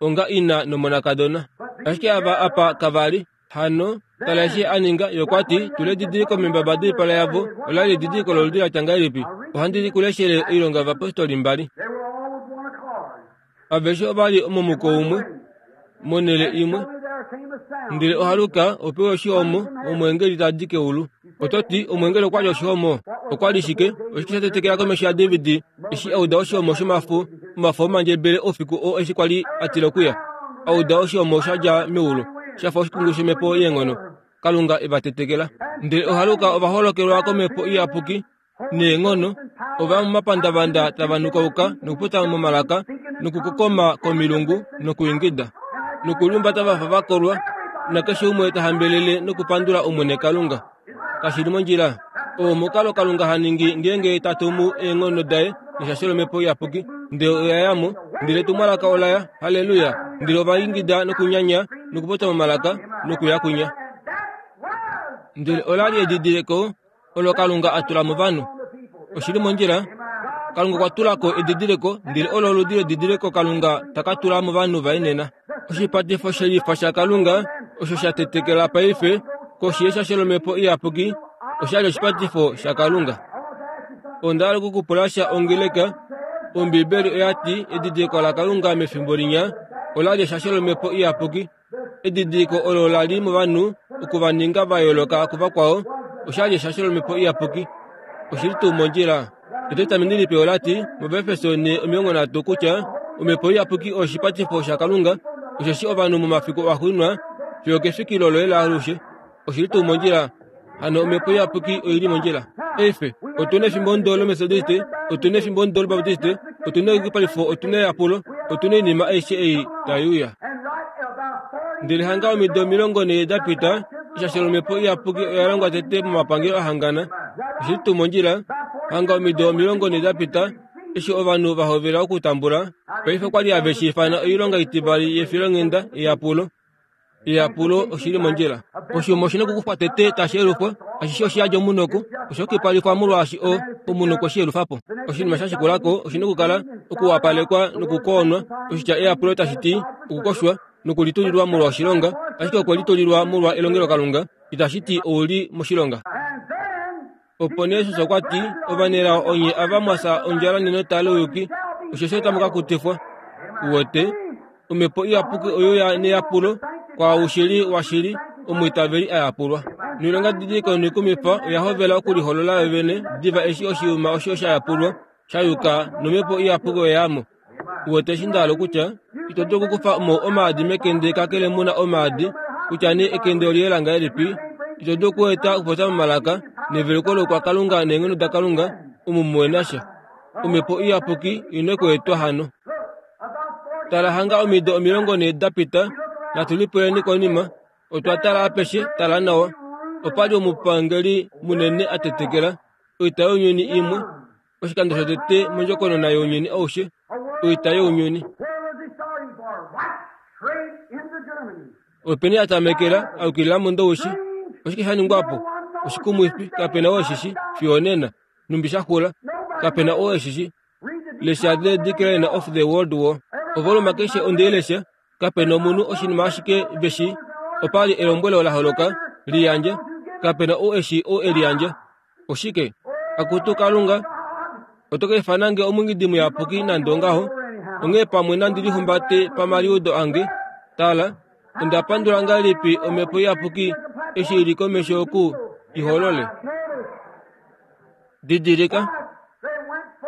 onga ina nomonakadona. Ashike ava apa kava li. Hano, tala eshi a ninga, ye okwa ti, tula edidiliko meembaba doipala yavo. Ola li edidiliko loludi la tya ngahelipi? Ohandi li kuleshele Oilonga yOvapostoli mbali. Aveshe ova li momuko umwe, monhele imwe. Ndele ohaluka opewa oshihomo, omweengeli ta di keulu. Oto ti, omweengeli okwa li oshihomo? Okwa li shike? Oshike sha tetekela komesho yaDavid eshi a uda oshihomo shomafo, omafo omandjebele oufiku oo eshi kwa li a tila okuya? A uda oshihomo sha dja meulu, sha fa oshikungu shomhepo yeenghono. Kalunga e va tetekela. Ndele ohaluka ova holokelwa komhepo iyapuki neenghono, ova ya momapandavanda tava nukauka nokupota momalaka nokukokoma komilungu nokuingida nokuliumbata va fa va kolwa, nakeshe umwe ta hambelele nokupandula Omwene Kalunga. Kashi li mondjila? Oo omukalo Kalunga ha ningi ngeenge ta tumu eenghono daye neshasho lOmhepo Iyapuki. Ndele oya ya mo, ndele etumwalaka ola ya, halleluya, ndele ova ingida nokunyanya nokupota momalaka nokuya kwinya. Ndele ola li edidiliko olo Kalunga a tula movanhu. Oshili mondjila? Kalunga okwa tula ko edidiliko, ndele olo oludi ledidiliko Kalunga ta ka tula movanhu vaye nena. Oshipatifo shelifa shaKalunga osho sha tetekela paife koshi yeshasho lOmhepo Iyapuki osha li oshipatifo shaKalunga. Onda hala okukupula sha ongeleka. Ombibeli oya ti edidiliko laKalunga mefimbo linya ola li eshasho lOmhepo Iyapuki. Edidiliko olo la li movanhu oku va ninga va yooloka kuvakwao osha li eshasho lOmhepo Iyapuki. Oshili tuu mondjila? Etestamenti Lipe ola ti mOvaefeso ne omilongo nhatu kutya Omhepo Iyapuki oshipatifo shaKalunga, osheshi ovanhu momafiku axuuninwa fiyo kefikilo loye laalushe. Oshili tuu mondjila? Hano Omhepo Iyapuki oi li mondjila. Eife, otu na efimbo ndo lOmetodiste, otu na efimbo ndo lObaptiste, otu na eyukipalifo, otu na eyapulo, otu na oinima aishe ei tai uya. Ndele hanga omido omilongo nhee da pita, eshasho lOmhepo Iyapuki oya longwa tete momapangelo a hangana. Oshili tuu mondjila? Hanga omido omilongo nhee da pita, eshi ovanhu va hovela okutambula, paife okwa li have shi ifana oilonga itivali yefilonghenda eyapulo. Eyapulo oshili mondjila. Oshiuma oshi na okukufwa tete tashi yelufwa, ashishe oshi yadi omunoko, osha yukipalifwa molwaashi o omunhu okwe shi yelufa po. Oshinima sha shikula ko oshi na okukala okuwapalekwa nokukoonwa. Oshitya eyapulo tashi ti okukoshwa nokulitulilwa molwa oshilonga, ashike okwe litulilwa molwa elongelokalunga, itashi ti ou li moshilonga. Opo nee Jesus okwa ti, ovanelao onye ava mwa fya ondjala nenota louyuki, osheshi otamu ka kutifwa. Uwete, Omhepo Iyapuki oyo ya neyapulo kwaau shili washili omwiitaveli a yapulwa. Noilonga didiliko noikumifa oya hovela okuliholola yo vene diva eshi oshiuma osho sha yapulwa sha yuka nOmhepo Iyapuki oya ya mo. Uwete eshi nda hala okutya? Ito dulu okukufa mo omaadi mekende kakele mu na omaadi, kutya nee ekende oliyela ngahelipi. Ito dulu okueta okupopya momalaka neveluko loukwakalunga neenghono daKalunga omu muhe na sha. Omhepo Iyapuki ina okuetwa hano. Tala hanga omido omilongo nhee da pita, natu lipuleni konima. Otwa tala apeshe, tala nawa. Opa li omupangeli munene a tetekela oita younyuni imwe, oshikando shotete mondjokonona younyuni aushe, oita younyuni. Openi a tamekela a yukilila muNdowishi? Oshike sha ningwa po? Oshikumwifi, kape na oo eshi shi, fiyo onena. Numbi sha xula, kape na oo eshi shi. Lesha The Decline of the World War. Ovoluma keshe onde i lesha, kape na omunhu oshinima ashike ve shi. Opa li elombwelo la holoka, liyandja, kape na ou eshi ou e liyandja. Oshike? Akutu Kalunga, oto ka ifana nge omungidi muyapuki nande ongaho, onghee pamwe nandi lihumbate pamaliudo ange. Tala, onda pandula ngahelipi Omhepo Iyapuki eshi i li komesho oku i holole. Didilika,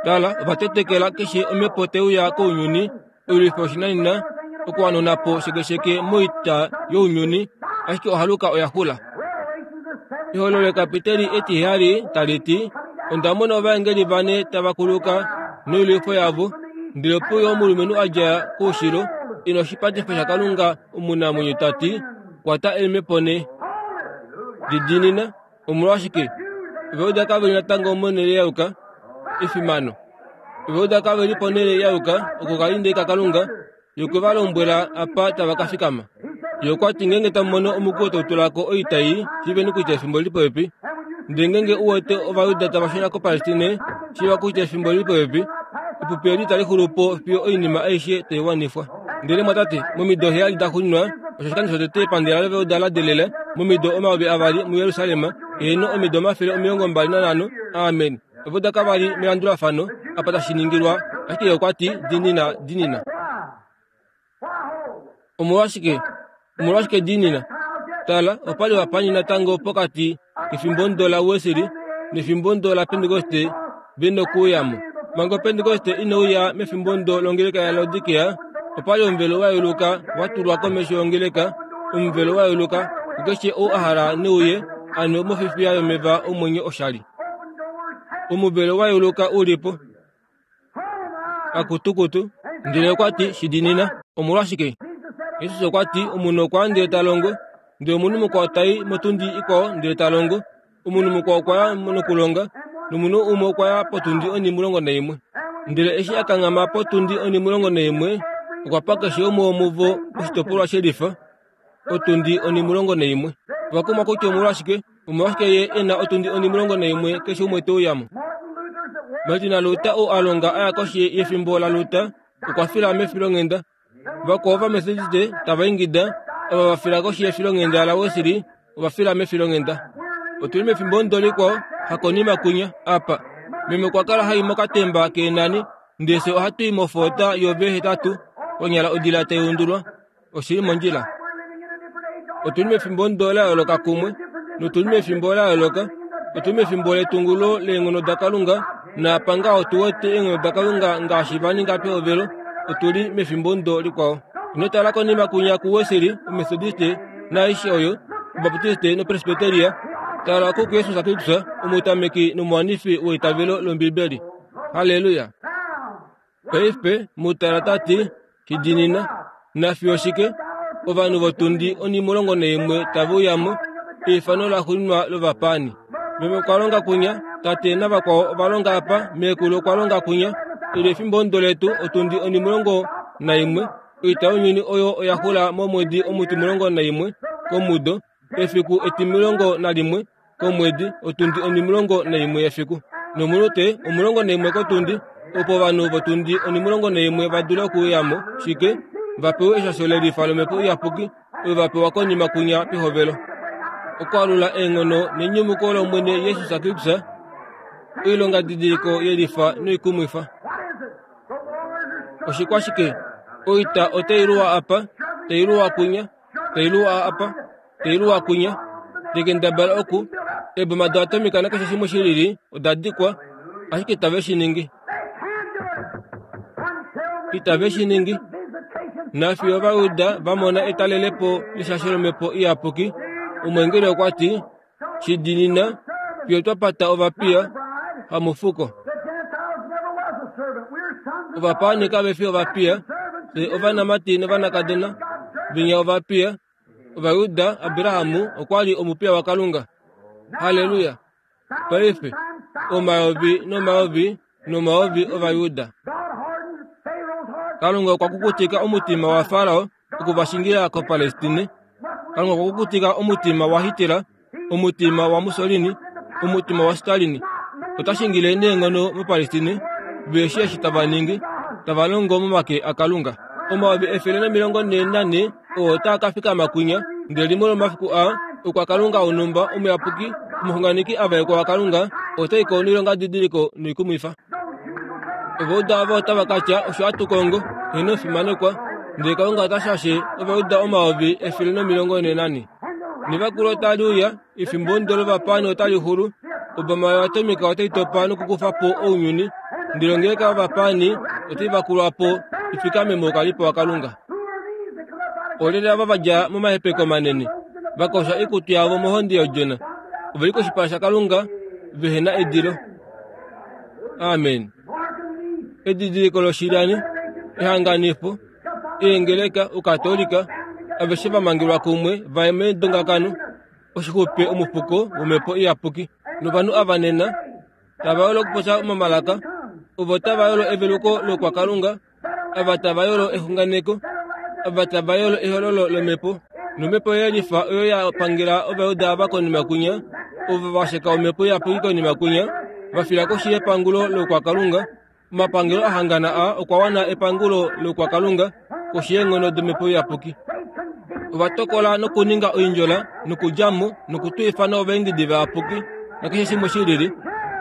tala, ova tetekela keshe omhepo te uya kounyuni, oilwifo yoshinanena Okuwanuna po shekesheke moita younyuni, ashike ohaluka oya xula. Ehololo lekapiteli etiheyali tali ti, onda mona ovaengeli vane tava kuluka noilwifo yavo, ndele ope uya omulumenhu a dja koushilo e na oshipatifo shaKalunga omunamwenyo ta ti, kwata eemhepo nhee. Didiinina, omolwashike? Ovajuda kave li natango monhele ya yuka efimano. Ovajuda kave li ponhele ya yuka oko kalinde kaKalunga, ye okwe va lombwela apa tava ka fikama. Ye okwa ti ngeenge tamu mono omukwiyu tau tula ko oitai, shiiveni kutya efimbo oli li popepi. Ndele ngeenge u wete Ovajuda tava shuna koPalestine, shiiva kutya efimbo oli li popepi. Epupi eli itali xulu po fiyo oinima aishe tai wanifwa. Ndele mwatate, momido heyali da xuuninwa, osho oshikando shotete epandela lOvajuda la delela momido omayovi avali muJerusalem, heeno omido omafele omilongo mbali nanhano. Amen. Ovajuda kava li melandulafano apa tashi ningilwa, ashike ye okwa ti, diinina, diinina. Omolwashike? Omolwashike diinina? Tala, opa li ovapaani natango pokati kefimbomudo laWesley nefimbomudo laPentekoste ve nokuuyamo. Manga Opentekoste ine uya mefimbomudo longeleka yaLaodikea, opa li omuvelo wa yeuluka wa tulwa komesho yongeleka, omuvelo wa yeuluka kukeshe ou a hala neuye a nwe mofifiya yomeva omwenyo oshali. Omuvelo wa yeuluka u li po. Akutukutu, ndele okwa ti shidiinina. Omolwashike? Jesus okwa ti omunhu okwa ya ndele ta longo, ndele omunhu mukwao tai motundi ikwao ndele ta longo, omunhu mukwao okwa ya nokulonga, nomunhu umwe okwa ya potundi onhimulongo naimwe. Ndele eshi a kanghama potundi onhimulongo naimwe, okwa pa keshe umwe womuvo oshitopolwa shelifa, otundi onhimulongo naimwe. Ova kumwa kutya omolwashike, omolwashike ye e na otundi onhimulongo naimwe keshe umwe te uya mo. Martin Luther ou a longa a ya koshi yefimbo laLuther, okwa fila mefilonghenda. Vakwao Ovamethodiste tava ingida, ava va fila koshi yefilonghenda laWesley ova fila mefilonghenda. Otu li mefimbomudo likwao, hakonima kunya, apa. Meme okwa kala hai mokatemba keenani, ndele fye ohatu i mofoota yo V hetatu, konyala odila tai undulwa. Oshi li mondjila. Otu li mefimbomudo la yooloka kumwe, notu li mefimbo la yooloka. Otu li mefimbo letungulo leenghono daKalunga, naapa ngaho tu wete eenghono daKalunga ngaashi va ninga pehovelo, otu li mefimbomudo likwao. Ino tala konima kunya kuWesley, Omethodiste, naaishe oyo, Obaptiste noPresbyteria. Tala kuJesus Kristus, omutameki nomuwanifi weitavelo lOmbibeli. Halleluya! Paife mutala ta ti, shidiinina, nafiyo shike, ovanhu votundi onhimulongo naimwe tave uya mo, eifano laxuuninwa lovapaani. Meme okwa longa kunya, tate navakwao ova longa apa, meekulu okwa longa kunya, eli efimbomudo letu otundi onhimulongo naimwe, oita younyuni oyo oya xula momwedi omutimulongo naimwe komudo, efiku etimulongo nalimwe komwedi, otundi onhimulongo naimwe yefiku. Nomunute omulongo naimwe kotundi, opo ovanhu votundi onhimulongo naimwe va dule okuuya mo, shike, va pewe eshasho lelifa lOmhepo Iyapuki, oyo va pewa konima kunya pehovelo. Okwaalula eenghono nenyumuko lOmwene Jesus Kristus, oilongadidiliko yelifa noikumwifa. Oshikwashike? Oita otai luwa apa, tai luwa kunya, tai luwa apa, tai luwa kunya. Tekendabala oku, eeboma doatomika nakeshe shimwe shilili oda dikwa, ashike itave shi ningi. Itave shi ningi. Nafiyo Ovajuda va mona etalelepo leshasho lOmhepo Iyapuki, omweengeli okwa ti, shidiinina, fiyo twa pata ovapiya, hamufuko. Ovapaani kave fi ovapiya, fye ovanamati novanakadona, venya ovapiya. Ovajuda, Abraham okwa li omupiya waKalunga. Halleluya! Paife, omayovi nomayovi nomayovi Ovajuda. Kalunga okwa kukutika omutima waFarao okuvashingila koPalestine. Kalunga okwa kukutika omutima waHitler, omutima waMussolini, omutima waStalin. Ota shingile neenghono moPalestine, veshi eshi tava ningi, tava longo momake aKalunga. Omayovi efele nomilongo nhee nanhe oo otaa ka fikama kunya, ndele limwe lomomafiku aa, okwa Kalunga wonhumba omuyapuki, omuxunganeki a vaekwa waKalunga, otai ko noilongadidiliko noikumwifa. Ovajuda ava otava ka tya, osho hatu kongo, heeno omufimanekwa, ndele Kalunga ota shashe Ovajuda omayovi efele nomilongo nhee nanhe. Nevakulo otali uya, efimbomudo lovapaani otali xulu, oboma yoatomika otai topa nokukufa po ounyuni, ndele ongeleka yovapaani otai vakulwa po i fikame moukalipo waKalunga. Olyelye ava va dja momahepeko manene, va kosha oikutu yavo mohonde yOdjona, ove li koshipala shaKalunga vehe na edilo. Amen. Edidiliko loshilyani, ehanganifo, eengeleka, Ukatolika, aveshe va mangelwa kumwe va ye medongakano, oshixupe omufuko womhepo iyapuki. Novanhu ava nena tava yolo okupopya momalaka, ovo tava yolo eveluko lokwakalunga, ava tava yolo exunganeko, ava tava yolo ehololo lomhepo. Nomhepo yelifa oyo ya pangela Ovajuda ava konima kwinya, ovo va sheka omhepo iyapuki konima kwinya, va fila koshi yepangulo lokwakalunga. Omapangelo ahangana a okwa wana epangulo lokwakalunga koshi yeenghono domhepo iyapuki. Ova tokola nokuninga oindjola nokudja mo nokutwiifana ovaengedi vayapuki nakeshe shimwe shi lili,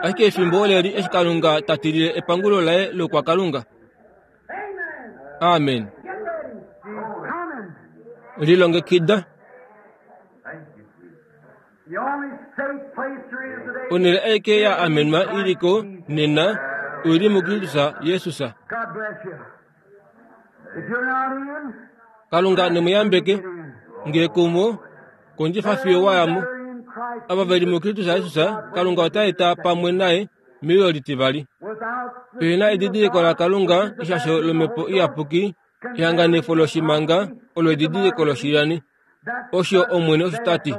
ashike efimbo oleli eshi Kalunga ta tilile epangulo laye lokwakalunga. Amen. Lilongekida. Onhele aike ya amenwa i li ko nena oi li muKristus Jesus. Kalunga ne mu yambeke, ngee kumo kondjifa fiyo wa ya mo. Ava ve li muKristus Jesus, Kalunga ota eta pamwe naye meuyo litivali. Pehe na edidiliko laKalunga, eshasho lomhepo iyapuki, ehanganifo loshimanga olo edidiliko loshilyani. Osho Omwene osho ta ti.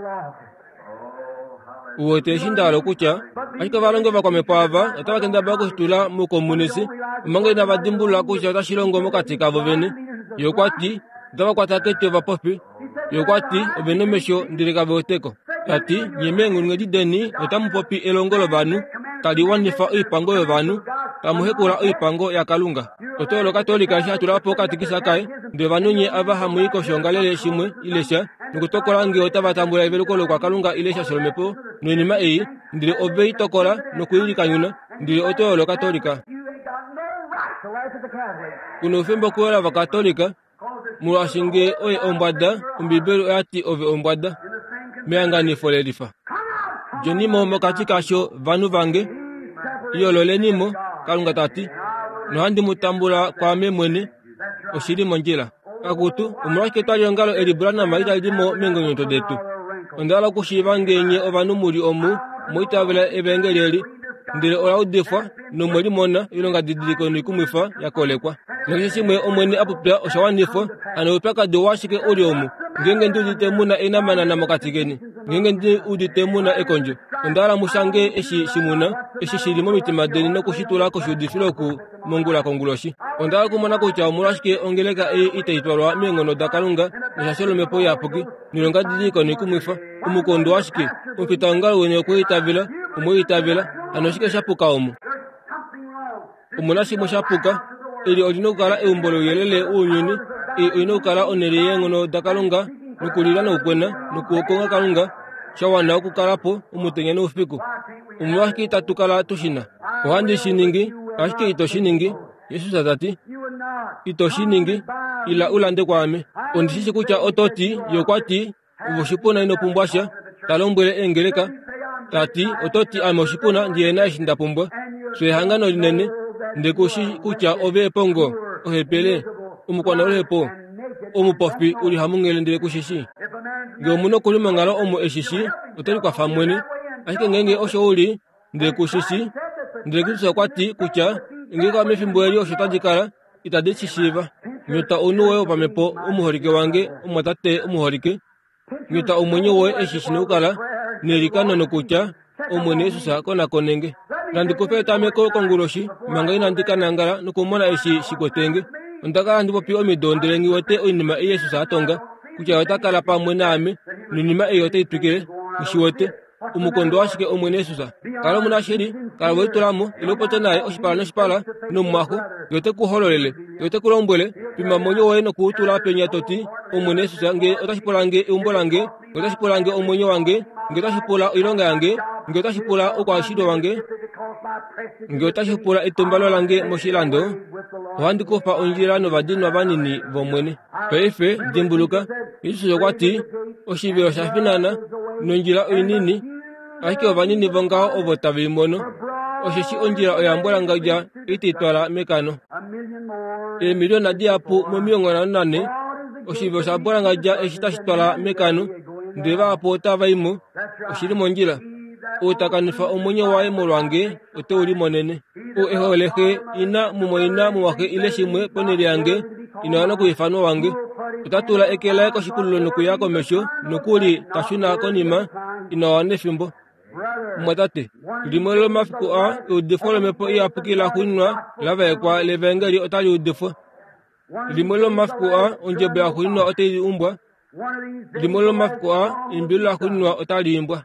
Uwete eshi nda hala okutya, ashike ovalongi ovakwamhepo ava otava kendabala okushitula moukomunisi, omanga inava dimbulula kutya otashi longo mokati kavo vene. Ye okwa ti, otava kwata keti ovapofi. Ye okwa ti, ove nomesho ndele kave weteko. Ta ti, nye meenghulunghedi deni otamu popi elongo lovanhu, tali wanifa oipango yovanhu, tamu hekula oipango yaKalunga. Oto Katolika eshi a tula po okatikisa kaye, ndele ovanhu nye ava hamu i koshoongalele shimwe ile sha, nokutokola ngee otava tambula eveluko lokwakalunga ile eshasho lomhepo noinima ei, ndele ove i tokola nokuilikanyuna, ndele oto Katolika. Kuna oufemba okuyola Ovakatolika, molwaashi ngee oye ombwada, Ombibeli oya ti ove ombwada mehanganifo lelifa. Djeni mo mokati kasho vanhu vange, yoololeni mo, Kalunga ta ti, nohandi mu tambula kwaame mwene, oshi li mondjila. Akutu, omolwashike etwaliongalo eli Branham itali di mo meengonyoto detu? Onda hala okushiiva ngee nye ovanhu mu li omu mwa itavela evaengeli eli, ndele ola udifwa nomwe limona oilongadidiliko noikumwifa ya kolekwa. Nakeshe shimwe Omwene a popya osha wanifwa, hano oupyakadi owashike u li omu? Ngeenge ndi udite mu na eenamanana mokati keni, ngeenge ndi udite mu na ekondjo, onda hala mu shange eshi shi mu na, eshi shi li momitima deni nokushitula koshiudifilo oku mongula konguloshi. Onda hala okumona kutya omolwashike ongeleka ei itai twalwa meenghono daKalunga neshasho lomhepo iyapuki noilongadidiliko noikumwifa. Omukondo washike? Omufitaongalo weni okwe itavela, omwe itavela, hano oshike sha puka omu? Omuna shimwe sha puka. Eli oli na okukala eumbo louyelele wounyuni. Ei oi na okukala onhele yeenghono daKalunga nokulila nokukwena nokukonga Kalunga sha wana okukala po omutenya noufiku. Omolwashike itatu kala tu shi na? Ohandi shi ningi, ashike ito shi ningi, Jesus ta ti. Ito shi ningi, ila u lande kwaame. Ondi shi shi kutya oto ti, ye okwa ti, ove oshipuna ino pumbwa sha, ta lombwele eengeleka, ta ti, oto ti ame oshipuna ndihe na eshi nda pumbwa. Fye ehangano linene, nde ku shi kutya ove epongo, ohepele, omukwanaluhepo, omupofi u li hamunghele ndele ku shi shi. Ngee omunhu okuli monghalo omo e shi shi, ote likwafa mwene. Ashike ngeenge osho u li, ndele ku shi shi, ndele Kristus okwa ti kutya ngeenge mefimbo eli osho tadi kala, itadi shi shiiva. Nyota ounhu woye wopamhepo omuholike wange, omwatate omuholike. Nyota omwenyo woye eshi shi na okukala neilikano nokutya Omwene Jesus konakonenge. Nandi kufe etameko konguloshi manga inandi ka nangala nokumona eshi shi kwetenge. Onda kala handi popi omido ndele nghi wete oinima ei Jesus a tonga kutya ota kala pamwe naame noinima ei otai twikile. Nghi wete omukondo washike Omwene Jesus. Kala omunashili, kala we litula mo, ile upopye naye oshipala noshipala nomumwaxo, ye ote ku hololele, ye ote ku lombwele, pima omwenyo woye nokuutula penya to ti, Omwene Jesus, nge otashi pula nge eumbo lange, nge otashi pula nge omwenyo wange, nge otashi pula oilonga yange, nge otashi pula oukwashilyo wange, nge otashi pula etumbalo lange moshilando, ohandi kufa ondjila novadinwa vanini vOmwene. Paife dimbuluka, Jesus okwa ti, oshivelo osha finana nondjila oinini, ashike ovanini vongaho ovo tave i mono, osheshi ondjila oya mbwalangadja itai twala mekano. Eemiliona dihapu momilongo nhano nane Oshivelo sha bwalangadja eshi tashi twala mekano, ndele vahapu otava i mo. Oshili mondjila. Ou ta kanifa omwenyo waye molwange ote u limonene. Ou e hole xe, ina, mumwaina, mumwaxe ile shimwe ponhele yange, ina wana okuifanwa wange. Ota tula eke laye koshipululo nokuya komesho, nokuli ta shuna konima, ina wana efimbo. Mumwatate, limwe lomafiku a eudifo lomhepo iyapuki la xuuninwa la vaekwa levangeli otali udifwa. Limwe lomafiku a ondjebo ya xuuninwa otai umbwa. Limwe lomafiku a eimbilo la xuuninwa otali imbwa.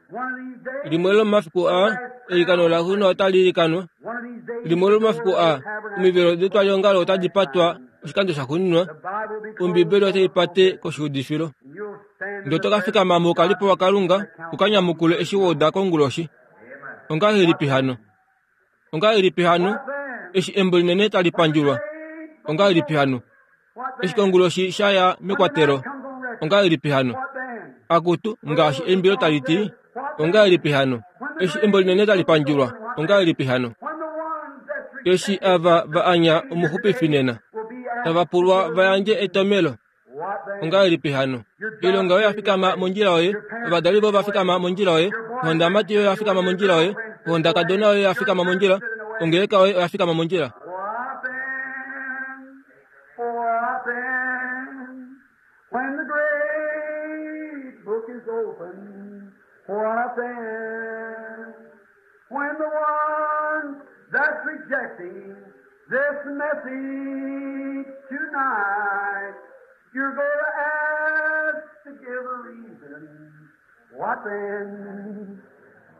Limwe lomafiku a eilikano la xuuninwa otali ilikanwa. Limwe lomafiku a omivelo detwaliongalo otadi patwa oshikando sha xuuninwa. Ombibeli otai pate koshiudifilo. Ndele oto ka fikama moukalipo waKalunga u ka nyamukule eshi wa uda konguloshi. Ongahelipi hano? Ongahelipi hano? Eshi embo linene tali pandjulwa. Ongahelipi hano? Eshi konguloshi sha ya mekwatelo. Ongahelipi hano? Akutu ngaashi eimbilo tali ti. Ongahelipi hano? Eshi embo linene tali pandjulwa. Ongahelipi hano? Eshi ava va anya omuxupifi nena, tava pulwa va yandje etomelo. Ongahelipi hano? Ilonga yoye ya fikama mondjila yoye, ovadali voye va fikama mondjila yoye, ohondamati yoye ya fikama mondjila yoye, ohondakadona yoye ya fikama mondjila, ongeleka yoye oya fikama mondjila. What then? What then? When the great book is opened, what then? When the one that's rejecting this message tonight, you're going to ask to give a reason. What then?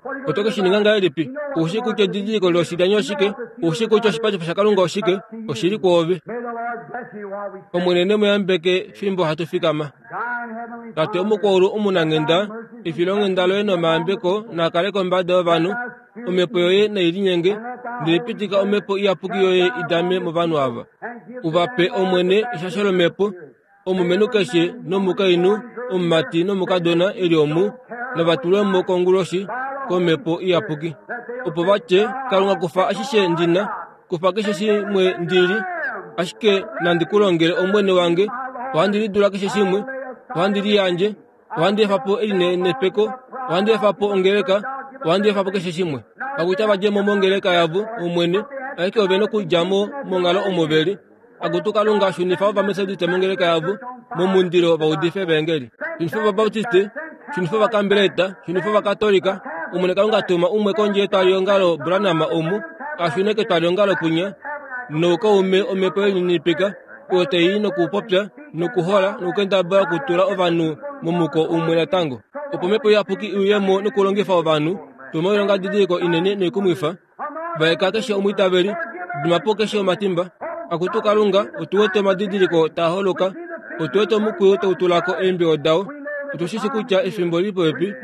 What are you Oto gonna ke do shi ninga about it? ngahelipi? Oushi kutya edidiliko loshilyani oshike? Oushi kutya oshipatifo shaKalunga oshike? Oshili kwoove. May the Lord bless you while we stand. Omwene ne mu yambeke fimbo hatu fikama. Thine heavenly Tate Father, omukwaulu omunanghenda, efilonghenda loye nomayambeko naakale kombada yovanhu, omhepo yoye nai linyenge, ndele pitika omhepo iyapuki yoye i dame movanhu ava. and give U va pe Omwene eshasho lomhepo, omulumenhu keshe nomukainhu, omumati nomukadona eli omu, nava tulwe mo konguloshi komhepo iyapuki. Opo va tye, Kalunga kufa ashishe ndina, kufa keshe shimwe ndili, ashike nandi ku longele Omwene wange, ohandi lidula keshe shimwe, ohandi liyandje, ohandi efa po elinenepeko, ohandi efa po ongeleka, ohandi efa po keshe shimwe. Akuta va dje mo mongeleka yavo, Omwene, ashike ove nokudja mo monghalo omo veli. Akutu Kalunga shunifa ovametodiste mongeleka yavo, momundilo va udife evangeli. Shunifa ovabaptiste, shunifa ovakambeleta, shunifa ovakatolika. Omwene Kalunga tuma umwe kondje yetwaliongalo Branham omu, a shune ketwaliongalo kwinya, noukaume omhepo yelininipika, oyo tai nokupopya, nokuhola, nokukendabala okutula ovanhu momuko umwe natango. Opo omhepo iyapuki i uye mo nokulongifa ovanhu, tuma oilongadidiliko inene noikumwifa, vaeka keshe omwiitaveli, dima po keshe omatimba. Akutu Kalunga, otu wete omadidiliko taa holoka, otu wete omukwiyu tau tula ko eembiwo dao, otu shi shi kutya efimbo lili popepi,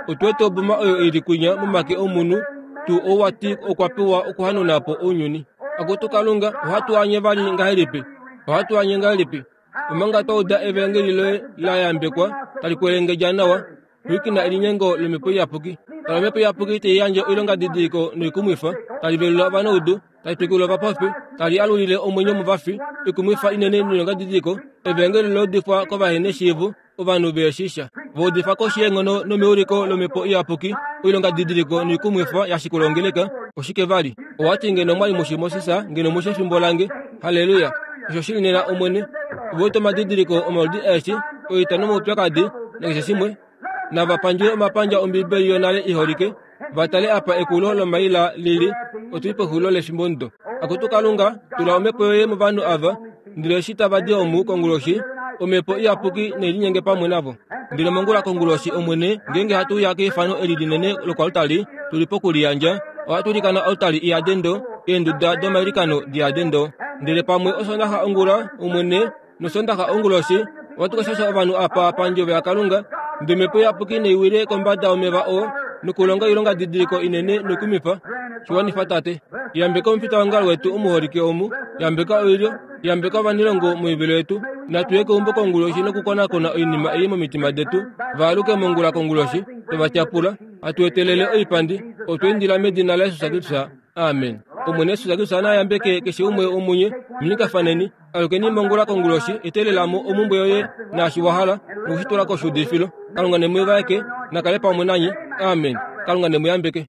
otu wete oboma oyo ili kwinya momake omunhu, tuu ou wati okwa pewa okuhanauna po ounyuni. Akutu Kalunga, ohatu anye vali ngahelipi? Ohatu anye ngahelipi? Omanga twa uda evangeli loye la yambekwa, tali kwelengedja nawa, pwilikina elinyengo lomhepo iyapuki. Tala omhepo iyapuki tai yandje oilongadidiliko noikumwifa, tali velula ovanaudu, tali twikula ovapofi, tali alulile omwenyo movafi, ikumwifa inene noilongadidiliko, evangeli la udifwa kovaheneshiivo, ovanhu veeshisha. Va udifa koshi yeenghono nomeuliko lomhepo iyapuki, oilongadidiliko noikumwifa ya shikula ongeleka. Oshike vali? Owati ngeno mwali mushi Moses, ngeno mushi efimbo lange. Halleluya! Osho shili nena Omwene. Ove wete omadidiliko omaludi aeshe, oita nomaupyakadi, nakeshe shimwe. Nava pandjule omapandja Ombibeli yonale iholike, va tale apa ekulo lomaila lili, otuli pexulilo lefimbomudo. Akutu Kalunga, tula omhepo yoye movanhu ava, ndele eshi tava di omu konguloshi, omhepo iyapuki nai linyenge pamwe navo. Ndele mongula konguloshi Omwene, ngeenge hatu uya keifano eli linene lokoaltari, tuli pokuliyandja, ohatu ilikana oaltari iyade ndo, eenduda domailikano diyade ndo. Ndele pamwe osondaxa ongula, Omwene, nosondaxa onguloshi, ohatu ka shasha ovanhu apa pandjovo yaKalunga, ndele omhepo iyapuki nai wile kombada yomeva oo, nokulonga oilongadidiliko inene noikumifa. Shiwanifa Tate. Yambeka omufitaongalo wetu omuholike omu, yambeka oilyo, yambeka ovanilongo moivilo yetu. Natu ye keumbo konguloshi nokukonakona oinima ei momitima detu. Vaaluke mongula konguloshi, tova tyapula, hatu etelele oipandi, otwa indila medina laJesus Kristus. Amen. Omwene Jesus Kristus na yambeke keshe umwe womunye, minikafaneni. Alukeni mongula konguloshi, etelela mo omumbwe yoye naashi wa hala, nokushitula koshuudifilo. Kalunga ne mu vaeke, na kale pamwe nanye. Amen. Kalunga ne mu yambeke.